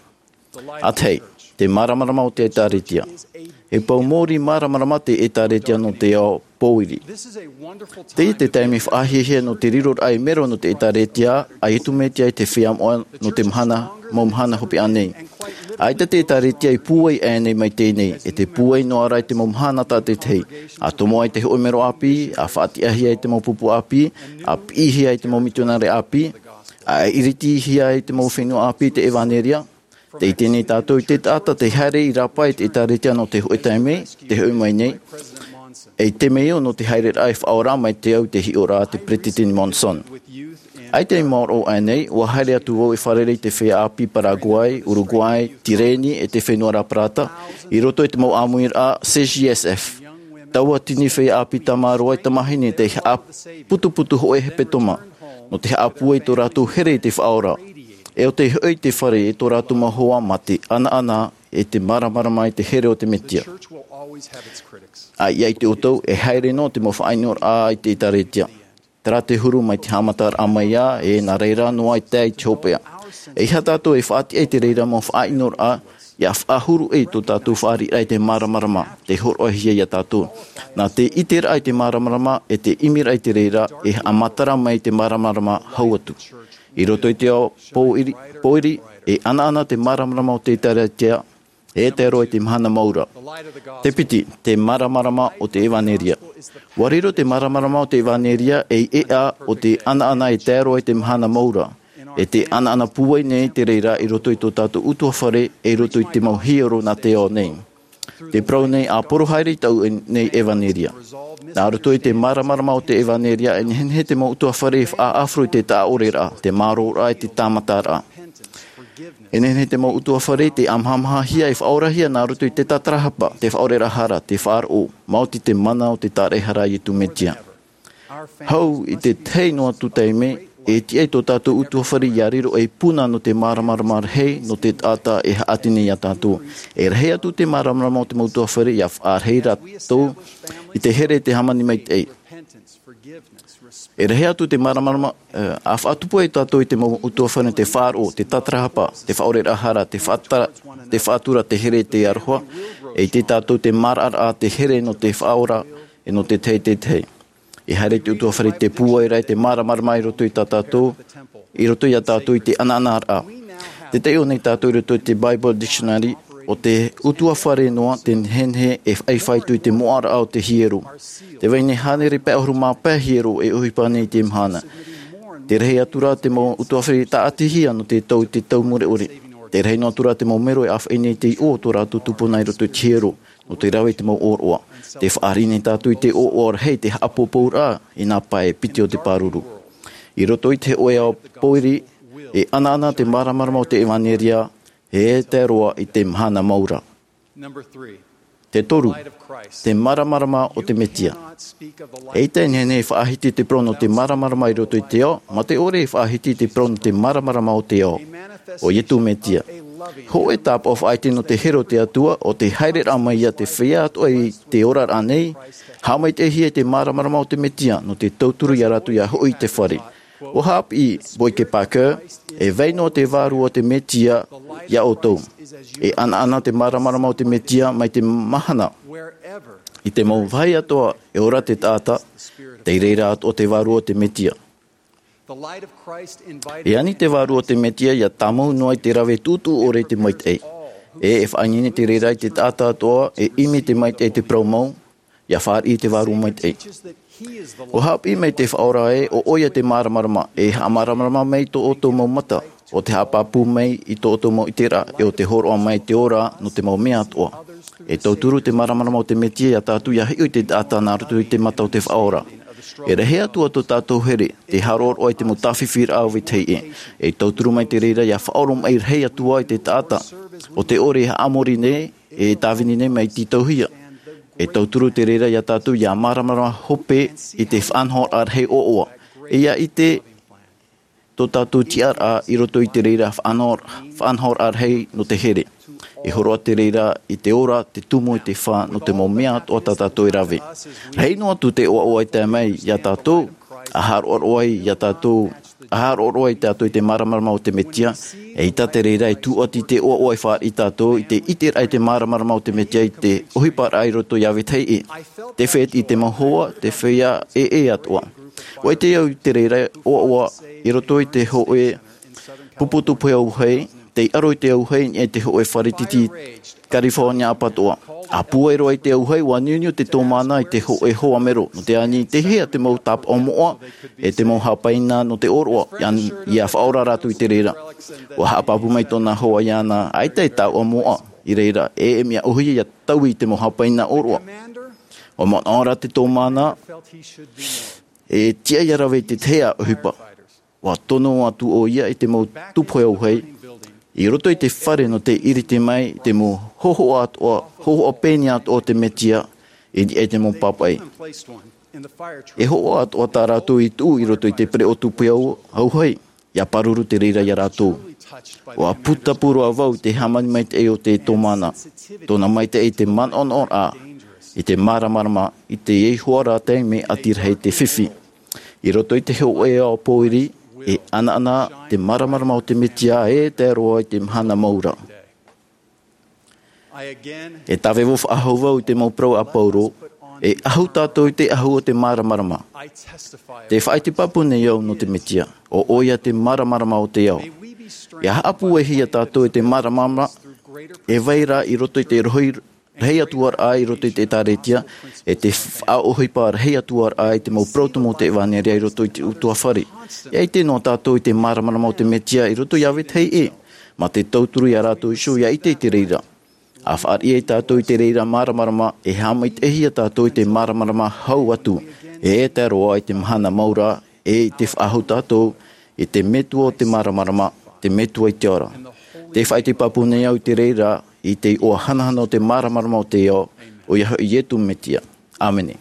ʻA tahi, te māramarama o te ʻĒtārētia. E pou mōrī māramarama te ʻĒtārētia nō te ao pōiri. Teie te taime faʻahiahia nō te riroraʻa e mero nō te ʻĒtārētia a Ietu Metia i te feiā moʻa nō te mahana, mau mahana hopeʻa nei. ʻAita te ʻĒtārētia i pūai aʻenei mai teie nei, e tē pūai noa ra i te mau mahana tātaʻitahi. ʻA tomo ai te hōʻē mero ʻāpī, ʻa faʻatiʻahia ai te mau pupu ʻāpī, ʻa piʻihia ai te mau mitionare ʻāpī, ʻa iritihia ai te mau fenua ʻāpī i te ʻevaneria. Tē ʻite nei tātou i te taʻata tei haere i rāpae i te ʻĒtārētia nō te hōʻē taime, tē hoʻi mai nei. E te mea nō te haereraʻa e faʻaora mai te au i te hiʻoraʻa a te Peretiteni Monson. ʻAita i maoro aʻenei, ua haere atu vau e fārerei i te feiā ʻāpī Paraguay, Uruguay, Tireni, e te fenua ra Parata, i roto i te mau ʻāmuiraʻa C J S F. Taua tini feiā ʻāpī tamaroa e tamahine tei haʻaputuputu hōʻē hepetoma, nō te haʻapūai i tō rātou here i te Faʻaora. E ʻo tei hoʻi i te fare e tō rātou mau hoa mā te ʻanaʻana e te māramarama i te here o te Metia. ʻA ia ʻite ʻoutou, e haere noa te mau faʻaʻinoraʻa i te ʻĒtārētia. Terā te huru mai te haʻamataraʻa mai ā, e nā reira noa i tae i te hopeʻa. E ʻeiaha tātou e faʻatiʻa i te reira mau faʻaʻinoraʻa, ʻia faʻahuru ʻē tō tātou fāriʻiraʻa i te māramarama, tei hōroʻahia ia tātou. Nā te ʻiteraʻa i te māramarama, e te ʻimiraʻa i te reira, e haʻamatara mai te māramarama hau atu. I roto i te ao pōiri, pōiri, e ʻanaʻana te māramarama o te Ēkālesia, e tae roa i te mahana mau ra. Te piti, te māramarama o te ʻevanelia. ʻUa riro te māramarama o te ʻevanelia ei ʻēʻa o te ʻanaʻana e tae roa i te mahana mau ra. E te ʻanaʻana pūai nei te reira i roto i tō tātou ʻutuāfare, e i roto i te mau hiero nā te ao nei. Te parau nei ʻa poro haere i tāʻu nei ʻevanelia. Nā roto i te māramarama o te ʻevanelia, e nehenehe te mau ʻutuāfare e faʻaʻāfaro i te taʻaʻoreraʻa, te mārōraʻa, e te tāmataraʻa. E nehenehe te mau ʻutuāfare tei ʻāmahamahahia e faʻaorahia nā roto i te tātarahapa, te faʻaoreraʻa hara, te faʻaroʻo, maoti te mana o te tāraʻehara a Iesu Mesia. Hau i te tahi noa atu taime, e tiʻa ai tō tātou ʻutuāfare ʻia riro ei puna nō te māramarama rahi, nō te taʻata e haʻati nei ia tātou. E rahi atu te māramarama o te mau ʻutuāfare ʻia faʻarahi rātou i te here, te hāmani maitaʻi. E rahi atu te māramarama, eh, ʻa faʻatupu ai tātou i te mau ʻutuāfare, te faʻaroʻo, te tātarahapa, te faʻaoreraʻa hara, te faʻata-, te faʻatura, te here, te aroha, e ʻite tātou te maraʻaraʻa, te here nō te faʻaora, e nō te tahi, te tahi. E haere te ʻutuāfare, te pūairaʻa, te māramarama i roto i tā tātou, i roto ia tātou i te ʻanaʻanaraʻa. Te taiʻo nei tātou i roto i te Bible Dictionary, ʻo te ʻutuāfare noa te nehenehe e faʻaitoito i te moʻaraʻa o te hiero. Tē vai nei hānere pae ʻahuru mā pae hiero e ʻohipa nei i te mahana. Tē rahi atu ra te mau ʻutuāfare tāʻatihia nō te tau i te tau mure ʻore. Tē rahi noa atu ra te mau mero e ʻāfaʻi nei i te iʻoa o tō rātou tupuna i roto i te hiero, nō te rave i te mau ʻōroʻa. Tē fāriʻi nei tātou i te ʻōroʻa rahi, te haʻapoupouraʻa i nā pae piti o te pāruru. I roto i te hōʻē ao pōiri, e ʻanaʻana te māramarama o te ʻevanelia, e tae roa i te mahana mau ra. Te toru, te māramarama o te Mesia. ʻEita e nehenehe e faʻahiti te parau nō te māramarama i roto i te ao, mā te ʻore e faʻahiti te parau nō te māramarama o te ao, ʻo Iesu Mesia. Hōʻē tāpaʻo faʻaʻite nō te here o te Atua, ʻo te haereraʻa mai ia te feiā atoʻa i te oraraʻa nei, haʻamaitaʻihia i te māramarama o te Mesia, nō te tauturu ia rātou ʻia hoʻi i te fare. ʻUa haʻapiʻi Boyd K. Packer, e vai noa te vārua o te Mesia ia ʻoutou. E ʻanaʻana te māramarama o te Mesia mai te mahana. I te mau vāhi atoʻa e ora te taʻata, tei reira atoʻa te vārua o te Mesia. E ani te vārua o te Mesia ʻia tāmau noa i te rave tūtū ʻore i te maitaʻi. E, e faʻaineine te reira i te taʻata atoʻa, e ʻimi te maitaʻi i te parau mau, ʻia fāriʻi i te vārua maitaʻi. ʻUa haʻapiʻi mai te Faʻaora ē, ʻo ʻoia te māramarama, e haʻamāramarama mai i tō ʻoutou mau mata, ʻo te haʻapāpū mai i tō ʻoutou mau ʻiteraʻa, e ʻo te hōroʻa mai te ora nō te mau mea atoʻa. E tauturu te māramarama o te Mesia ia tātou ʻia hiʻo i te taʻata nā roto i te mata o te Faʻaora. E rahi atu ā tō tātou here, tē haʻaroʻaroʻa i te mau tāfifiraʻa o vetahi ʻē. E tauturu mai te reira ʻia faʻaoromaʻi rahi atu ā i te taʻata, ʻo te ʻore e haʻamori nei, e tāvini nei mai tītauhia. E tauturu te reira ia tātou ʻia māramarama hope i te faʻanahoraʻa rahi ʻoaʻoa. E ʻia ʻite tō tātou tiʻaraʻa i roto i te reira faʻanaho-, faʻanahoraʻa rahi nō te here. E hōroʻa te reira i te ora, te tumu, e te fā nō te mau mea atoʻa tā tātou e rave. Rahi noa atu te ʻoaʻoa e tae mai ia tātou, ʻa haʻaroʻaroʻa ai ia tātou, ʻa haʻaroʻaroʻa ai tātou i te māramarama o te Mesia, eʻita te reira e tūʻati te ʻoaʻoa e fāriʻi tātou i te ʻiteraʻa i te māramarama o te Mesia i te ʻohiparaʻa i roto ia vetahi ʻē. Te fētiʻi i te mau hoa, te feiā ʻē ʻē atoʻa. ʻUa ʻite au i te reira ʻoaʻoa i roto i te hōʻē pupu tūpohe auahi, tei aro i te auahi i niʻa i te hōʻē fare tītī California ʻapatoʻa. ʻA pūai roa i te auahi, ʻua niuniu te tōmāna i te hōʻē hoa mero, nō te ani i te hea te mau tāpaʻo moʻa, e te mau hāpaina nō te ʻōroʻa, ʻia, ʻia faʻaora rātou i te reira. ʻUa haʻapāpū mai tōna hoa iāna, ʻaita e taoʻa moʻa i reira, e, e mea ʻōhie ʻia taui i te mau hāpaina ʻōroʻa. ʻUa manaʻo ra te tōmāna, e tiʻa ʻia rave i te tahi ʻohipa. ʻUa tono atu ʻoia i te mau tūpohe auahi, i roto i te fare nō te ʻiriti mai i te mau hōhoʻa atoʻa, hōhoʻa pēni atoʻa o te Mesia, i niʻa i te mau pāpaʻi. E hōhoʻa atoʻa tā rātou i tuʻu i roto i te pereʻoʻo tūpohe au-, auahi, ʻia pāruru te reira ia rātou. ʻUa pūtapu roa vau i te hāmani maitaʻi o te tōmāna, tōna maitaʻi i te manaʻonaʻoraʻa, i te māramarama, i te ihoa rā taime ʻati rahi te fifi. I roto i te hōʻē ao pōiri, e ʻanaʻana te māramarama o te Mesia e tae roa i te mahana mau ra. E tāvevo faʻahou vau i te mau parau a Paulo, e ʻahu tātou i te ʻahu o te māramarama. Te faʻaʻite pāpū nei au nō te Mesia, ʻo ʻoia te māramarama o te ao. ʻIa haʻapūaihia tātou i te māramarama, e vai ra i roto i te rohi rahi atu ra i roto i te ʻĒtārētia, e te faʻaʻohipa rahi atu ra i te mau parau tumu o te ʻevanelia i roto i te ʻutuāfare. ʻIa ʻite noa tātou i te māramarama o te Mesia i roto iā vetahi ʻē, mā te tauturu iā rātou iho ʻia ʻite i te reira. ʻA faʻariʻi ai tātou i te reira māramarama, e haʻamaitaʻihia tātou i te māramarama hau atu, e tae roa i te mahana mau ra, e i te faʻahou tātou i te Metua o te māramarama, te Metua i te ao ra. Te faʻaʻite pāpū nei au i te reira, i te iʻoa hanahana o te māramarama o te ao, ʻoia hoʻi Iesu Mesia. ʻĀmene.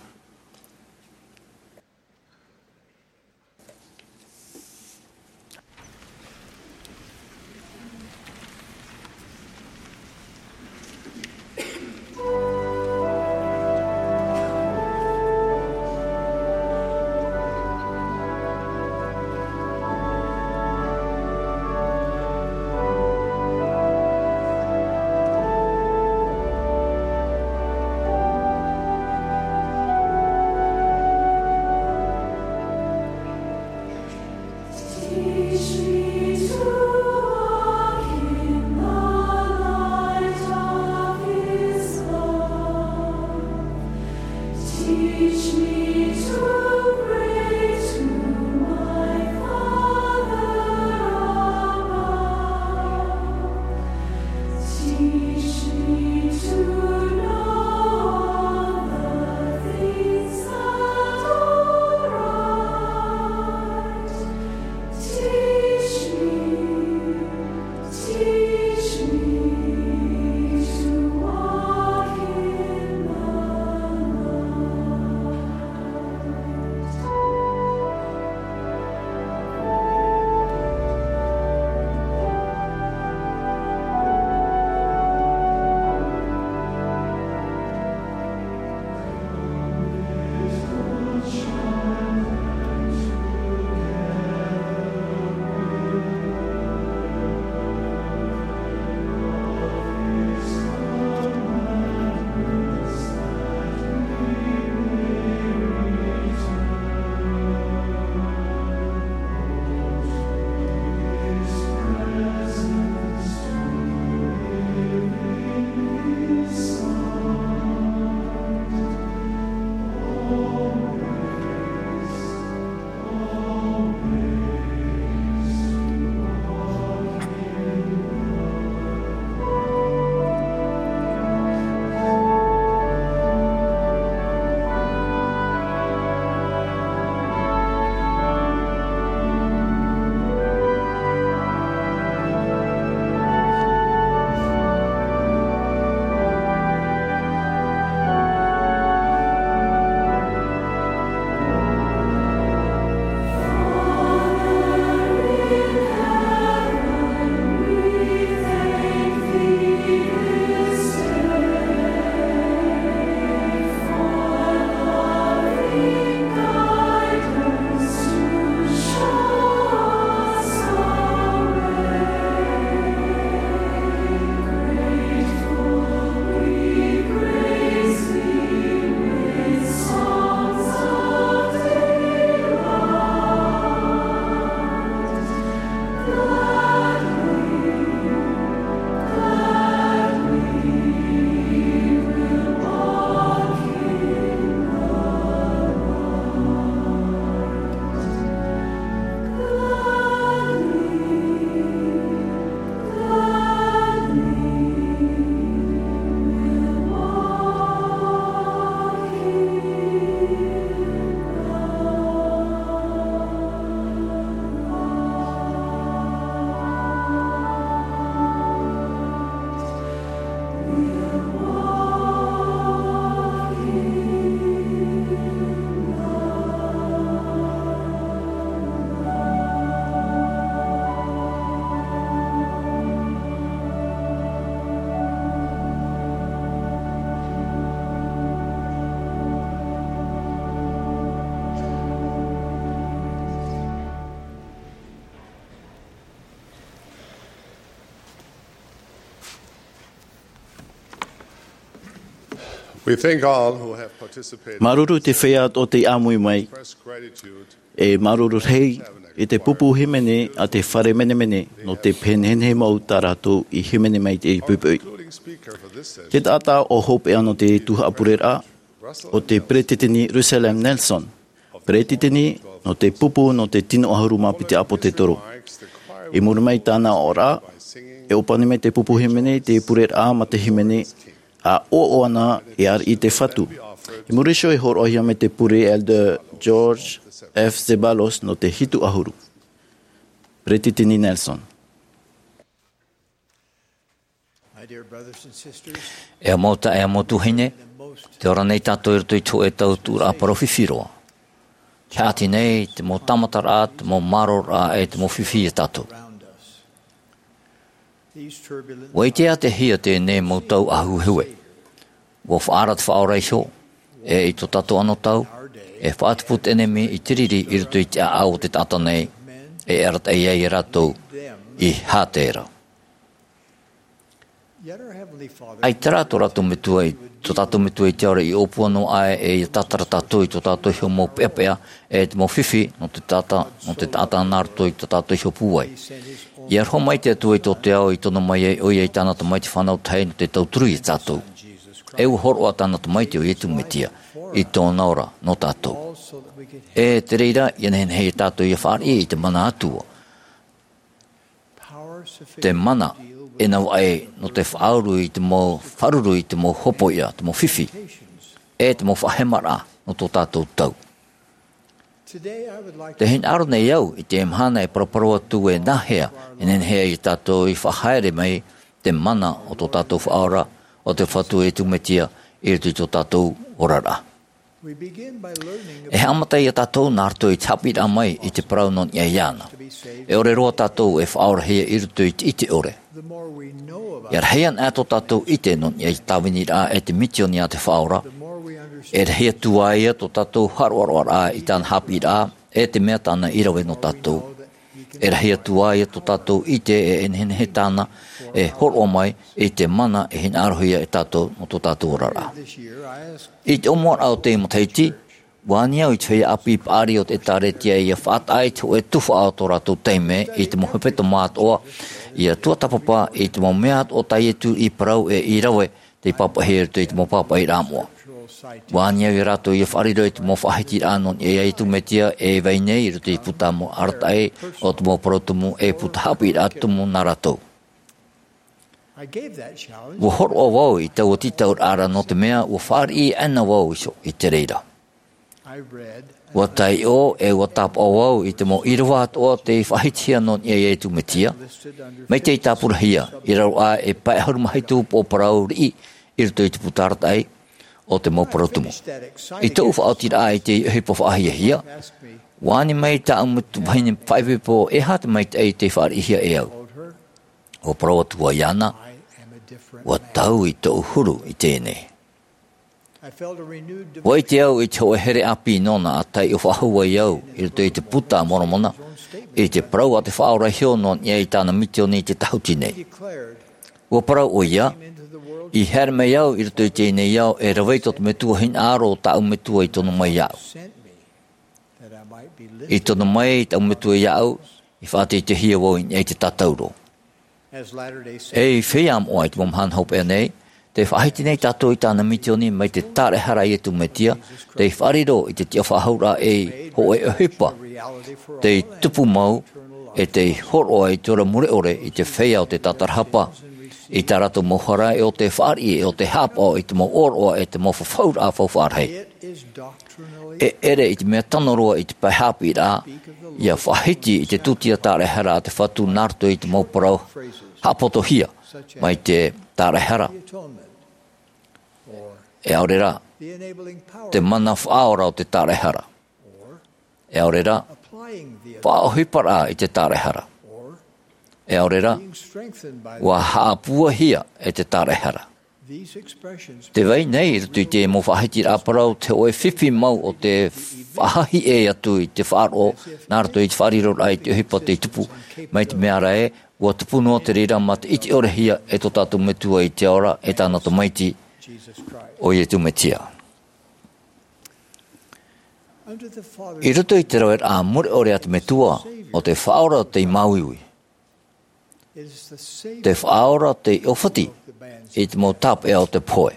We thank all who have participated. Māuruuru i te feiā atoʻa tei ʻāmui mai. E māuruuru rahi i te pupu hīmene a te fare menemene nō te penehenehe mau tā rātou i hīmene mai i te poʻipoʻi. Te taʻata ʻo hopeʻa nō te tuhaʻa pureraʻa, ʻo te Peretiteni Russell M. Nelson, Peretiteni nō te pupu nō te tino ʻahuru mā piti ʻāpōtetoro. I muri mai i tāna oraraʻa, e ʻōpani mai te pupu hīmene i te pureraʻa ma te hīmene, ʻa ʻoaʻoa ana e ariʻi te Fatu. I muri iho e hōroʻahia mai te pure Elder George F. Zeballos nō te hitu ʻahuru. Peretiteni Nelson. E mau taeaʻe, e mau tuahine, tē ora nei tātou i roto i te hōʻē tautuʻuraʻa parau fifi roa. Tē haʻati nei te mau tāmataraʻa, te mau māroraʻa, e te mau fifi ia tātou. ʻUa ʻite ā te hia teie nei mau tau ʻāhuehue. ʻUa faʻaara te Faʻaora iho, e i tō tātou anotau, e faʻatupu te ʻenemi i te riri i roto i te ʻāʻau o te taʻata nei, e arataʻi ai ia rātou i Hātera. ʻAita rā tō rātou Metua i, tō tātou Metua i te ao ra i ʻōpua noa aʻe e ia tātara tātou i tō tātou iho mau peʻapeʻa, e te mau fifi nō te taʻata, nō te taʻata nā roto i tō tātou iho pūai. ʻIa aroha mai te Atua i tō te ao i tono mai ai ʻoia i tāna Tamaiti fānau tahi nō te tauturu ia tātou. E ʻua hōroʻa tāna Tamaiti ʻo Iesu Mesia i tōna ora nō tātou. E te reira, ʻia nehenehe ia tātou ʻia fāriʻi i te mana Atua. Te mana e navaʻi nō te faʻauru i te mau, faʻauru i te mau hopoiʻa, te mau fifi, e te mau faʻahemaraʻa nō tō tātou tau. Tē hinaʻaro nei au i te mahana e paraparau atu e nāhea e nehenehe ai ia tātou ʻia faʻahaere mai te mana o tō tātou Faʻaora, ʻo te Fatu ʻo Iesu Mesia, i roto i tō tātou oraraʻa. E haʻamata ia tātou nā roto i te haʻapiʻiraʻa mai i te parau nō niʻa iāna. E ʻore roa tātou e faʻaorahia i roto i te ʻite ʻore. E rahi ana tō tātou ʻite nō niʻa i te tāviniraʻa e te misioni a te Faʻaora, e rahi atu ā ia tō tātou haʻaroʻaroʻaraʻa i tāna haʻapiʻiraʻa, e te mea tāna i rave nō tātou. E rahi atu ā ia tō tātou ʻite e nehenehe tāna e hōroʻa mai i te mana e hinaʻarohia e tātou nō tō tātou oraraʻa. I te ʻōmuaraʻa o teie matahiti, ʻua ani au i te feiā ʻāpī paʻari o te ʻĒtārētia ʻia faʻataʻa i te hōʻē tuhaʻa o tō rātou taime i te mau hepetoma atoʻa, ʻia tuatāpapa i te mau mea atoʻa tā Iesu i parau e i rave tei pāpaʻihia i roto i te mau pāpaʻiraʻa moʻa. ʻUa ani au ia rātou ʻia faʻariro i te mau faʻahitiraʻa nō niʻa iā Iesu Mesia e vai nei i roto i te puta mau arataʻi o te mau parau tumu e puta haʻapiʻiraʻa tumu nā rātou. ʻUa hōroʻa vau i taua tītauraʻa ra nō te mea ʻua fāriʻi ana vau iho i te reira. ʻUa taiʻo e ʻua tāpaʻo vau i te mau ʻīrava atoʻa tei faʻahitihia nō niʻa iā Iesu Mesia, mai tei tāpurahia i raro aʻe e pae ʻahuru mā hitu upoʻo parau riʻi i roto i te puta arataʻi o te mau parau tumu. I tōʻu faʻaotiraʻa i te ʻohipa faʻahiahia, ʻua ani mai tāʻu metua vahine faʻaipoipo, e aha te maitaʻi tei fāriʻihia e au. ʻUa parau atu vau iāna, ʻua tau i tōʻu huru i teie nei. ʻUa ʻite au i te hōʻē here ʻāpī nōna ʻa taiʻo faʻahou ai au i roto i te Buka a Moromona, i te parau a te Faʻaora iho nō niʻa i tāna misioni i te tahuti nei. ʻUa parau ʻoia, i haere mai au i roto i teie nei ao e rave i tō te Metua hinaʻaro o tāʻu Metua i tono mai iāʻu. I tono mai tāʻu Metua iāʻu, i faʻateiteihia vau i niʻa i te tātauro. Ei feiā moʻa i te mau mahana hopeʻa nei, tē faʻahiti nei tātou i tāna misioni mai te tāraʻehara a Iesu Mesia, tei faʻariro i te tiʻafaʻahouraʻa ei hōʻē ʻohipa tei tupu mau, e tei hōroʻa i te ora mure ʻore i te feiā o te tātarahapa, i tā rātou mau hara e ʻo tē fāriʻi e ʻo tē haʻapaʻo i te mau ʻōroʻa e te mau fafauraʻa faufaʻa rahi. E ʻere i te mea tano roa i te pae haʻapiʻiraʻa, ʻia faʻahiti i te tūtia tāraʻehara a te Fatu nā roto i te mau parau haʻapotohia mai te tāraʻehara. E ʻaore rā, te mana faʻaora o te tāraʻehara. E ʻaore rā, faʻaʻohiparaʻa i te tāraʻehara. E ʻaore rā, ʻua haʻapūaihia e te tāraʻehara. Tē vai nei i roto i te mau faʻahitiraʻa parau te hōʻē fifi mau o te faʻahaʻi ʻē atu i te faʻaroʻo, nā roto i te faʻariroraʻa i te ʻohipa tei tupu, mai te mea ra ē, ʻua tupu noa te reira mā te ʻite ʻorehia e tō tātou Metua i te ao ra, e tāna Tamaiti, ʻo Iesu Mesia. I roto i te raveraʻa mure ʻore a te Metua, ʻo te Faʻaora tei māuiui. Te Faʻaora tei ʻōfati i te mau tāpeʻa o te pohe.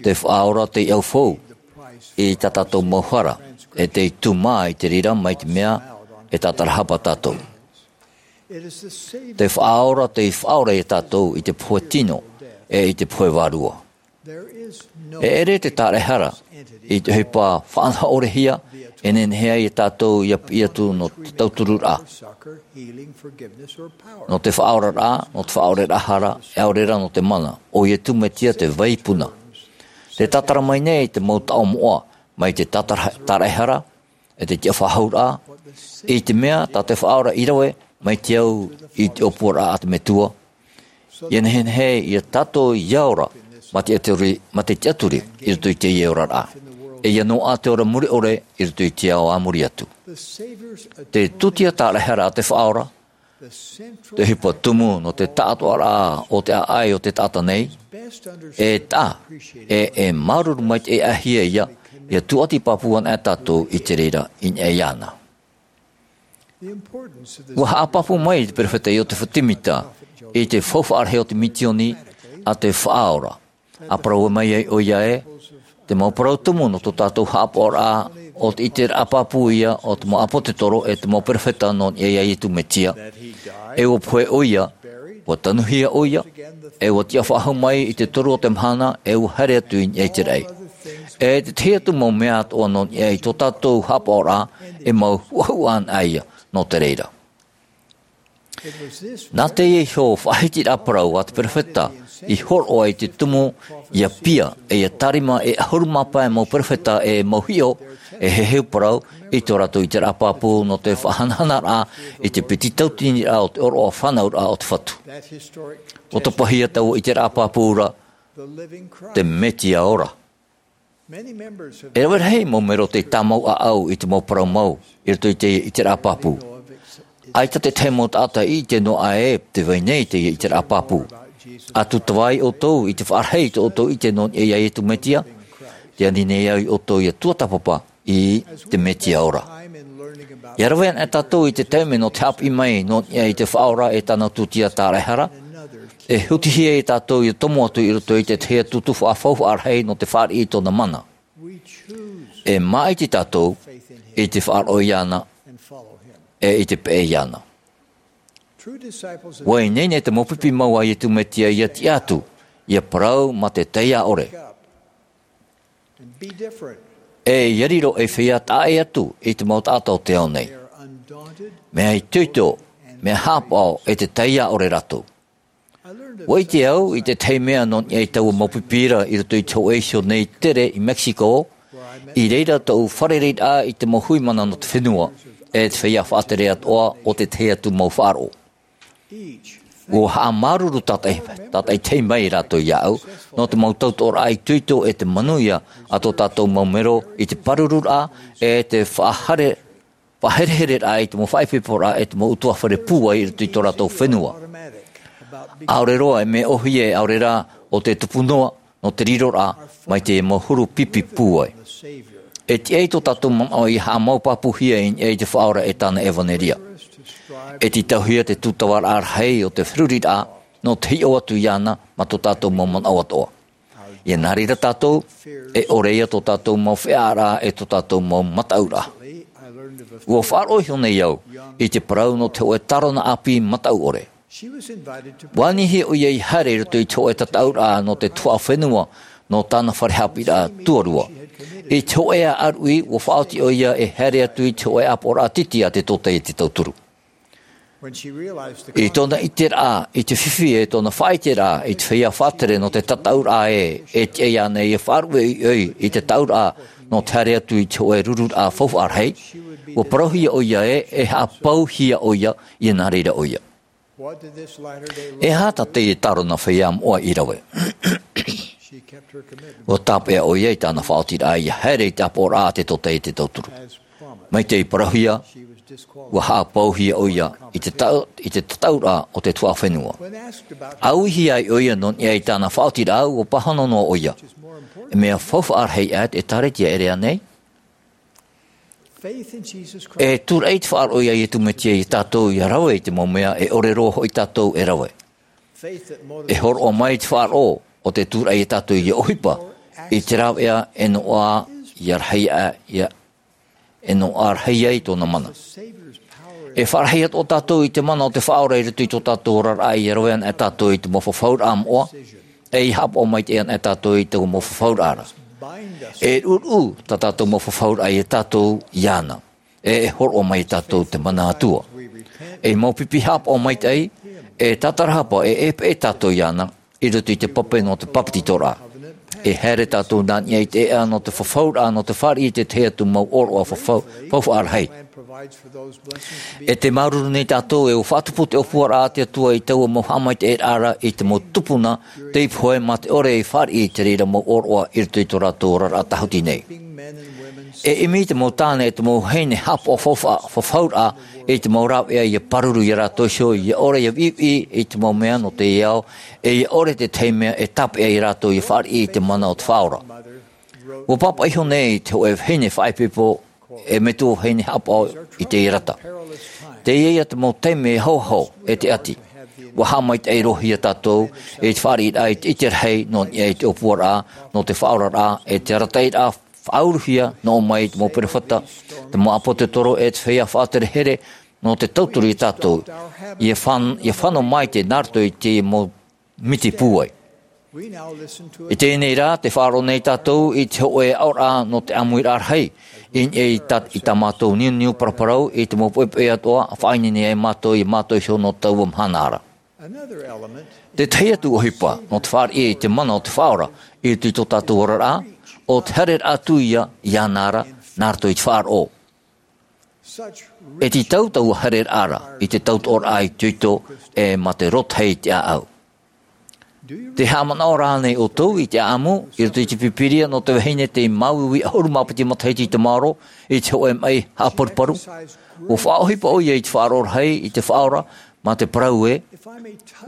Te Faʻaora tei ʻaufau i tā tātou mau hara, e tei tūmā i te reira mai te mea e tātarahapa tātou. Te Faʻaora tei faʻaora ia tātou i te pohe tino, e i te pohe vārua. E ʻere te tāraʻehara i te ʻohipa faʻanahoʻorehia e nehenehe ai ia tātou ia piʻi atu nō te tautururaʻa. Nō te faʻaoraraʻa, nō te faʻaoreraʻa hara, e ʻaore rā nō te mana, ʻo Iesu Mesia te vaipuna. Te tātara mai nei te mau taʻo moʻa, mai te tātara-, tāraʻehara, e te tiʻafaʻahouraʻa, i te mea tā te Faʻaora i rave, mai te au i te ʻōpuaraʻa a te Metua. Ia nehenehe ia tātou ia ora, mā te tiʻaturi, mā te tiʻaturi, i roto i teie oraraʻa. E ia noaʻa te ora mure ʻore, i roto i te ao a muri atu. Te tūtia tāraʻehara a te Faʻaora, te ʻohipa tumu nō te taʻatoʻaraʻa o te ʻāʻai o te taʻata nei, e taʻa, e, e māuruuru mai te ʻāʻai ia, ia tūʻati pāpū ana e tātou i te reira i niʻa iāna. Ua haʻapāpū mai te perofeta Iosepha Semita i te faufaʻa rahi o te misioni a te Faʻaora. ʻA parau mai ai ʻoia ē, te mau parau tumu nō tō tātou haʻapaʻoraʻa, ʻo te ʻiteraʻa pāpū ia o te mau ʻāpōsetolo e te mau perofeta nō niʻa iā Iesu Mesia. E ua pohe ʻoia, ua tanuhia ʻoia, e ua tiʻafaʻahou mai i te toru o te mahana, e ua haere atu i niʻa i te raʻi. E te tahi atu mau mea atoʻa nō niʻa i tō tātou haʻapaʻoraʻa, e mau huʻahuʻa ana ia nō te reira. Nā teie iho faʻahitiraʻa parau a te perofeta i hōroʻa i te tumu, ia pia, e ia tārima e ʻahuru mā pae mau perofeta e mau hiʻo, e heheu parau, i tō rātou ʻiteraʻa pāpū nō te faʻahanahanaraʻa i te piti tauatini raʻa o te ʻōroʻa fānauraʻa o te Fatu. ʻUa tapahia taua ʻiteraʻa pāpū ra, te Mesia ora. E rave rahi mau mero tei tāmau ʻāʻau i te mau parau mau, i roto i te ʻiteraʻa pāpū. ʻAita te tahi mau taʻata i ʻite noa aʻe te vai nei i te ʻiteraʻa pāpū. ʻA tūtava ai ʻoutou i te faʻarahi i tō ʻoutou ʻite nō niʻa iā Iesu Mesia, tē ani nei au ia ʻoutou ia tuatāpapa i te Mesia ora. Ia rave ana e tātou i te taime nō te haʻapiʻi mai nō niʻa i te Faʻaora e tāna tūtia tāraʻehara, e hutihia ia tātou ia tomo atu i roto i te tahi atu tuhaʻa faufaʻa rahi nō te fāriʻi i tōna mana. E māʻiti tātou i te faʻaroʻo iāna, e i te peʻe iāna. ʻUa ineine te mau pipi mau a Iesu Mesia ia tiʻa atu, ia parau mā te taiā ʻore. E ia riro ei feiā taʻa ʻē atu i te mau taʻata o te ao nei. Mea itoito, mea haʻapaʻo e te taiā ʻore rātou. ʻUa ʻite au i te tahi mea nō niʻa i taua mau pipi ra i roto i te hōʻē iho nei tere i Mexico, i reira tōʻu fārereiraʻa i te mau hui mana nō te fenua, e te feiā faʻatere atoʻa o te tahi atu mau faʻaroʻo. ʻUa haʻamāuruuru tātaʻi, tātaʻitahi mai rātou iāʻu, nō te mau tautoʻoraʻa itoito e te manuia a tō tātou mau mero i te pārururaʻa, e te faʻahere-, faʻaherehereraʻa i te mau faʻaipoiporaʻa e te mau ʻutuāfare pūai i roto i tō rātou fenua. ʻAore roa e mea ʻōhie, ʻaore rā ʻo te tupu noa, nō te riroraʻa, mai te mau huru pipi pūai. E tiʻa i tō tātou manaʻo ia haʻamau pāpūhia i niʻa i te Faʻaora e tāna ʻevanelia. E tītauhia te tūtavaraʻa rahi o te feruriraʻa, nō te hiʻo atu iāna, mā tō tātou mau manaʻo atoʻa. Ia nā reira tātou, e ʻore ia tō tātou mau feʻaʻaraʻa e tō tātou mau mataʻuraʻa. ʻUa faʻaroʻo iho nei au i te parau nō te hōʻē tārona ʻāpī mataʻu ʻore. ʻUa anihia ʻoia ia haere i roto i te hōʻē tataʻuraʻa nō te tuhaʻa fenua nō tāna fare haʻapiʻiraʻa tuarua. I te hōʻē ʻāruʻi, ʻua faʻaoti ʻoia e haere atu i te hōʻē ʻāpoʻoraʻa titi a te Tōtaiete Tauturu. I tōna ʻiteraʻa i te fifi, e tōna faʻaʻiteraʻa i te feiā faʻatere nō te tataʻuraʻa ē, e tiʻa iāna ia faʻaruʻe ʻoiʻoi i te taʻuraʻa nō te haere atu i te hōʻē rururaʻa faufaʻa rahi, ʻua parauhia ʻoia ē, e haʻapauhia ʻoia, ia nā reira ʻoia. E aha tā teie tārona feiā moʻa i rave? ʻUa tāpeʻa ʻoia i tāna faʻaotiraʻa ia haere i te ʻāpoʻoraʻa a te Tōtaiete Tauturu. Mai tei parauhia, Ua haʻapauhia ʻoia i te tau-, i te tataʻuraʻa o te tuhaʻa fenua. ʻĀuihia ai ʻoia nō niʻa i tāna faʻaotiraʻa, ua pāhono noa ʻoia. E mea faufaʻa rahi ʻā te ʻĒkālesia, ʻere ānei? E tūraʻi te faʻaroʻo ia Iesu Mesia ia tātou ia rave i te mau mea e ʻore roa hoʻi tātou e rave. E hōroʻa mai te faʻaroʻo o te tūraʻi ia tātou ia ʻohipa i te rāveʻa e noaʻa ia rahi ai, ia, e noaʻa rahi ai tōna mana. E faʻarahi atoʻa tātou i te mana o te Faʻaora i roto i tō tātou oraraʻa ia rave ana e tātou i te mau fafauraʻa moʻa, e ia haʻapaʻo maitaʻi ana e tātou i te mau fafauraʻa ra. E ruʻuruʻu tā tātou mau fafauraʻa ia tātou iāna. E, e hōroʻa mai ia tātou te mana Atua. E mau pipi haʻapaʻo maitaʻi, e tātarahapa, e, e peʻe tātou iāna, i roto i te pape nō te papetitoraʻa. E haere tātou nā niʻa i te ʻēʻa nō te fafauraʻa, nō te fāriʻi i te tahi atu mau ʻōroʻa fafau-, faufaʻa rahi. E tē māuruuru nei tātou, e ʻua faʻatupu te ʻōpuaraʻa a te Atua i taua mau haʻamaitaʻiraʻa ra i te mau tupuna tei pohe mā te ʻore i fāriʻi i te reira mau ʻōroʻa i roto i tō rātou oraraʻa tāhuti nei. E ʻimi te mau tāne, e te mau vahine haʻapaʻo faufaʻa, fafauraʻa i te mau rāveʻa ia pāruru ia rātou iho, ia ʻore ia viʻiviʻi i te mau mea nō teie ao, e ia ʻore te tahi mea e tāpeʻa ia rātou ia fāriʻi i te mana o te Faʻaora. ʻUa pāpaʻi iho nei te hōʻē vahine faʻaipoipo, e metua vahine haʻapaʻo i te ʻīrata. Teie ia te mau taime e ahoaho, e te ʻati. ʻUa haʻamaitaʻi roa hia tātou i te fāriʻiraʻa i te ʻite rahi nō niʻa i te ʻōpuaraʻa, nō te faʻaoraraʻa, e te arataʻiraʻa faʻauruhia nō ʻō mai i te mau perofeta, te mau ʻāpōsetolo, e te feiā faʻaherehere, nō te tauturu ia tātou. Ia fan-, ia fano mai te nā roto i te mau miti pūai. I teie nei rā, tē faʻaroʻo nei tātou i te hōʻē aʻoraʻa nō te ʻāmuiraʻa rahi, i, i tā, i tā mātou niuniu paraparau, i te mau poʻipoʻi atoʻa, faʻaineine ai mātou ia mātau iho nō taua mahana ra. Te tahi atu ʻohipa, nō te fāriʻi i te mana o te Faʻaora, i roto i tō tātou oraraʻa, ʻo te haereraʻa atu ia, iāna ra, nā roto i te faʻaroʻo. E tītau taua haereraʻa ra i te tautoʻoraʻa itoito, e mā te rotahi i te ʻāʻau. Tē haʻamanaʻo ra ānei ʻoutou i te ʻāʻamu i roto i te Pīpīria nō te vahine tei māuiui ʻahuru mā piti matahiti i te maoro i te hōʻē maʻi haʻaparuparu? ʻUa faʻaʻohipa ʻoia i te faʻaroʻo rahi i te Faʻaora, mā te parau ē,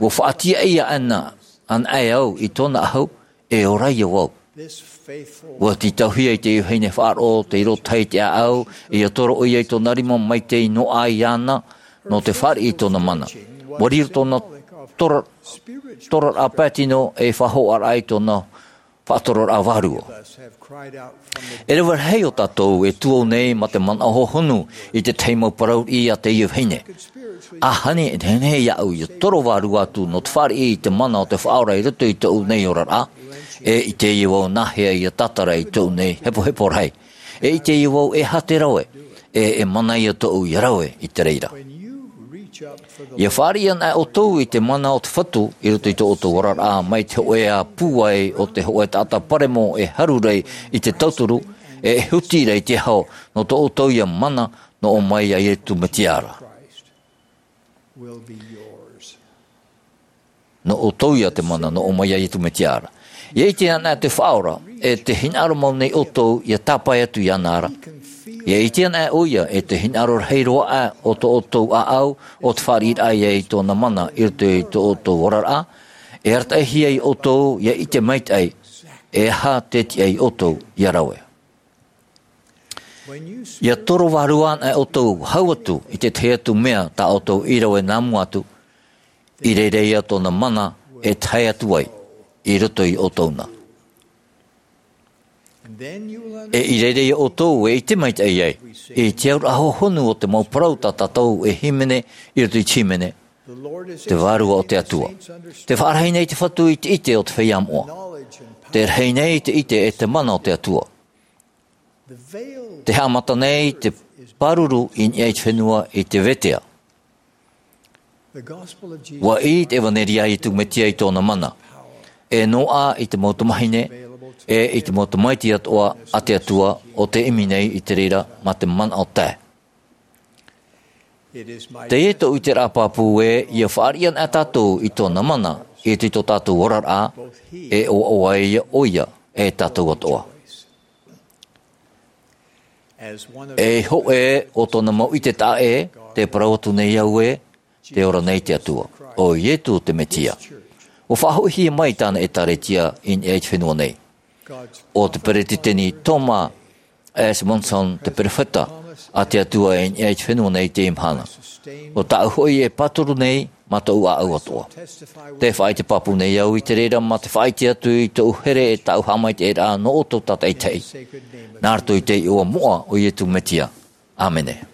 ʻua faʻatiʻa ʻia ana, anaʻe au i tōna ʻahu, e ora ia vau. ʻUa tītauhia i te vahine faʻaroʻo tei rotahi i te ʻāʻau, ʻia toro ʻoia i tōna rima mai tei noaʻa iāna, nō te fāriʻi i tōna mana. ʻUa riro tōna tora-, toraraʻa pae tino ei faʻahoʻaraʻa i tōna faʻatororaʻa vārua. E rave rahi o tātou e tuō nei mā te manaʻo hōhonu i te tahi mau parau riʻi a teie vahine. ʻAhani e nehenehe iāʻu ʻia toro vārua atu nō te fāriʻi i te mana o te Faʻaora i roto i tōʻu nei oraraʻa, e ʻite ïa vau nāhea ʻia tātara i tōʻu nei hepohepo rahi. E ʻite ïa vau e aha te rave, e, e mana ïa tōʻu ʻia rave i te reira. ʻIa fāriʻi anaʻe ʻoutou i te mana o te Fatu i roto i tō ʻoutou oraraʻa, mai te hōʻē pūai o te hōʻē taʻata paremo e haru ra i te tauturu, e huti ra i te aho, nō tō ʻoutou ïa mana nō ʻō mai ia Iesu Mesia ra. Nō ʻoutou ïa te mana nō ʻō mai ia Iesu Mesia ra. ʻIa ʻite anaʻe te Faʻaora, e te hinaʻaro mau nei ʻoutou ʻia tāpae atu iāna ra. ʻIa ʻite anaʻe ʻoia, e te hinaʻaro rahi roa aʻe o tō ʻoutou ʻāʻau, ʻo te fāriʻiraʻa ïa i tōna mana i roto i tō ʻoutou oraraʻa, e arataʻihia ia ʻoutou ʻia ʻite maitaʻi, e aha tē tiʻa ia ʻoutou ʻia rave. ʻIa toro vārua anaʻe ʻoutou hau atu i te tahi atu mea tā ʻoutou i rave nā mua atu, i reira ïa tōna mana e tae atu ai i roto ia ʻoutou na. E i reira ïa ʻoutou e ʻite maitaʻi ai i te auraʻa hōhonu o te mau parau tā tātou e hīmene i roto i te hīmene, te Vārua o te Atua. Tē faʻarahi nei te Fatu i te ʻite o te feiā moʻa. Tē rahi nei te ʻite e te mana o te Atua. Tē haʻamata nei te pāruru i niʻa i te fenua i te vetea. ʻUa ʻī te ʻEvaneria a Iesu Mesia i tōna mana, e noaʻa i te mau tamahine, e i te mau tamaiti atoʻa a te Atua ʻo tē ʻimi nei i te reira mā te manaʻo tae. Teie tōʻu ʻiteraʻa pāpū ē, ʻia fāriʻi anaʻe tātou i tōna mana i roto i tō tātou oraraʻa, e ʻoaʻoa ïa ʻoia e tātou atoʻa. E hōʻē o tōna mau ʻite taʻa ʻē, tē parau atu nei au ē, tē ora nei te Atua. ʻO Ietu te Mesia. ʻUa faʻahoʻihia mai tāna ʻētāretia i niʻa i te fenua nei. ʻO te peretiteni Thomas S. Monson te perofeta a te Atua i niʻa i te fenua nei i teie mahana. ʻO tāʻu hoʻi e pāturu nei mā tōʻu ʻāʻau atoʻa. Tē faʻaʻite pāpū nei au i te reira mā te faʻaʻite atu i tōʻu here e tāʻu haʻamaitaʻiraʻa nō ʻoutou tātaʻitahi. Nā roto i te iʻoa moʻa o Ietu Mesia. ʻĀmene.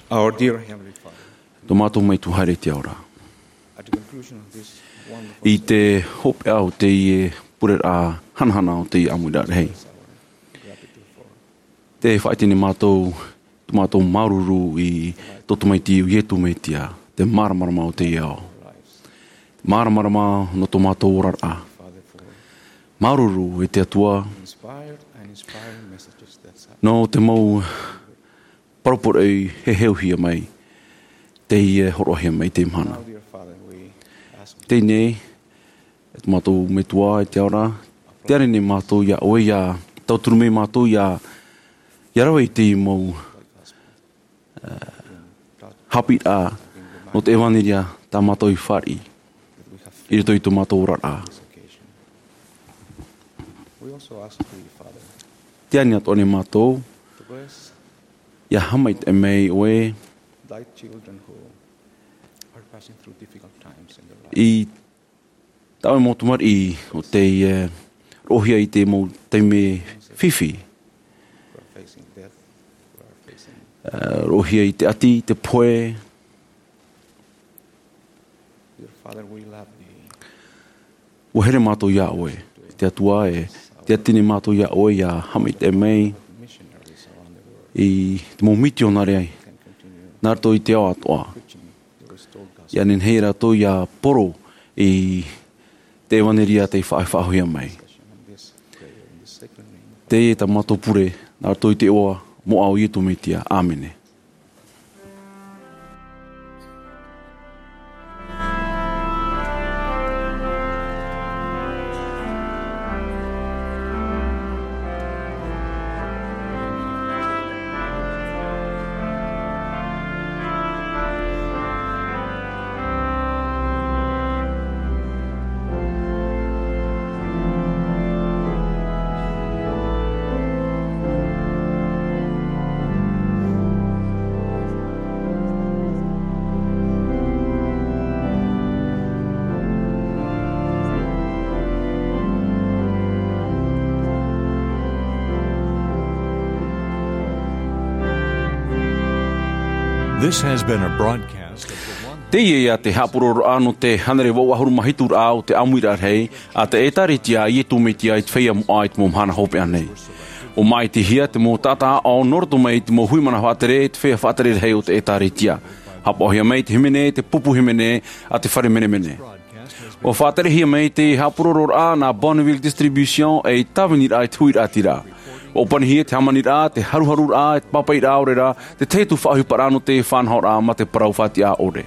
Our dear Heavenly Father, Tō mātou Metua haere i te ao ra. At the conclusion of this i te hopeʻa o teie pureraʻa hanahana o teie ʻāmuiraʻa rahi. Te faʻaʻite nei mātou, tō mātou māuruuru i tō tamaiti o Iesu Mesia, te māramarama o teie ao. Māramarama nō tō mātou oraraʻa. Māuruuru e te Atua, nō te mau parau poroʻi e heheuhia mai, teie hōroʻahia mai i teie mahana. Teie nei, e tō mātou Metua i te ao ra, tē ani nei mātou iā ʻoe ʻia tauturu mai mātou ʻia, ʻia rave i teie mau, ā, haʻapiʻiraʻa nō te ʻevanelia tā mātou i fāriʻi i roto i tō mātou oraraʻa. Tē ani atoʻa nei mātou, ʻia haʻamaitaʻi mai ʻoe i tā ʻoe mau tamariʻi o tei, ā, roʻohia i te mau taime fifi. Ā, roʻohia i te ʻati, te pohe. ʻUa here mātou iā ʻoe, e te Atua e, tē ʻati nei mātou iā ʻoe ʻia haʻamaitaʻi mai i te mau mitionare nā roto i te ao atoʻa. ʻIa nehenehe rātou ʻia poro i te ʻevanelia tei faʻa-, faʻahoʻihia mai. Teie tā mātou pure, nā roto i te iʻoa moʻa o Iesu Mesia. ʻĀmene. This has been a broadcast of the one. Teie ia te haʻapuroroʻa nō te hānere vaʻu ʻahuru mā hitu raʻa o te ʻāmuiraʻa rahi a te ʻĒtārētia a Iesu Mesia i te feiā moʻa i te mau mahana hopeʻa nei. ʻUa māʻitihia te mau taʻata aʻo nō roto mai i te mau hui mana faʻatere i te feiā faʻatere rahi o te ʻĒtārētia. Haʻapaʻohia mai te hīmene, te pupu hīmene a te fare menemene. ʻUa faʻaterehia mai te haʻapuroroʻa nā Bonneville Distribution ei tāviniraʻa i te huiraʻatira. ʻUa ʻōpanihia te hāmaniraʻa, te haruharuraʻa, e te pāpaʻiraʻa ʻore ra, te tahi atu faʻaʻohiparaʻa nō te faʻanahoraʻa mā te parau faʻatiʻa ʻore.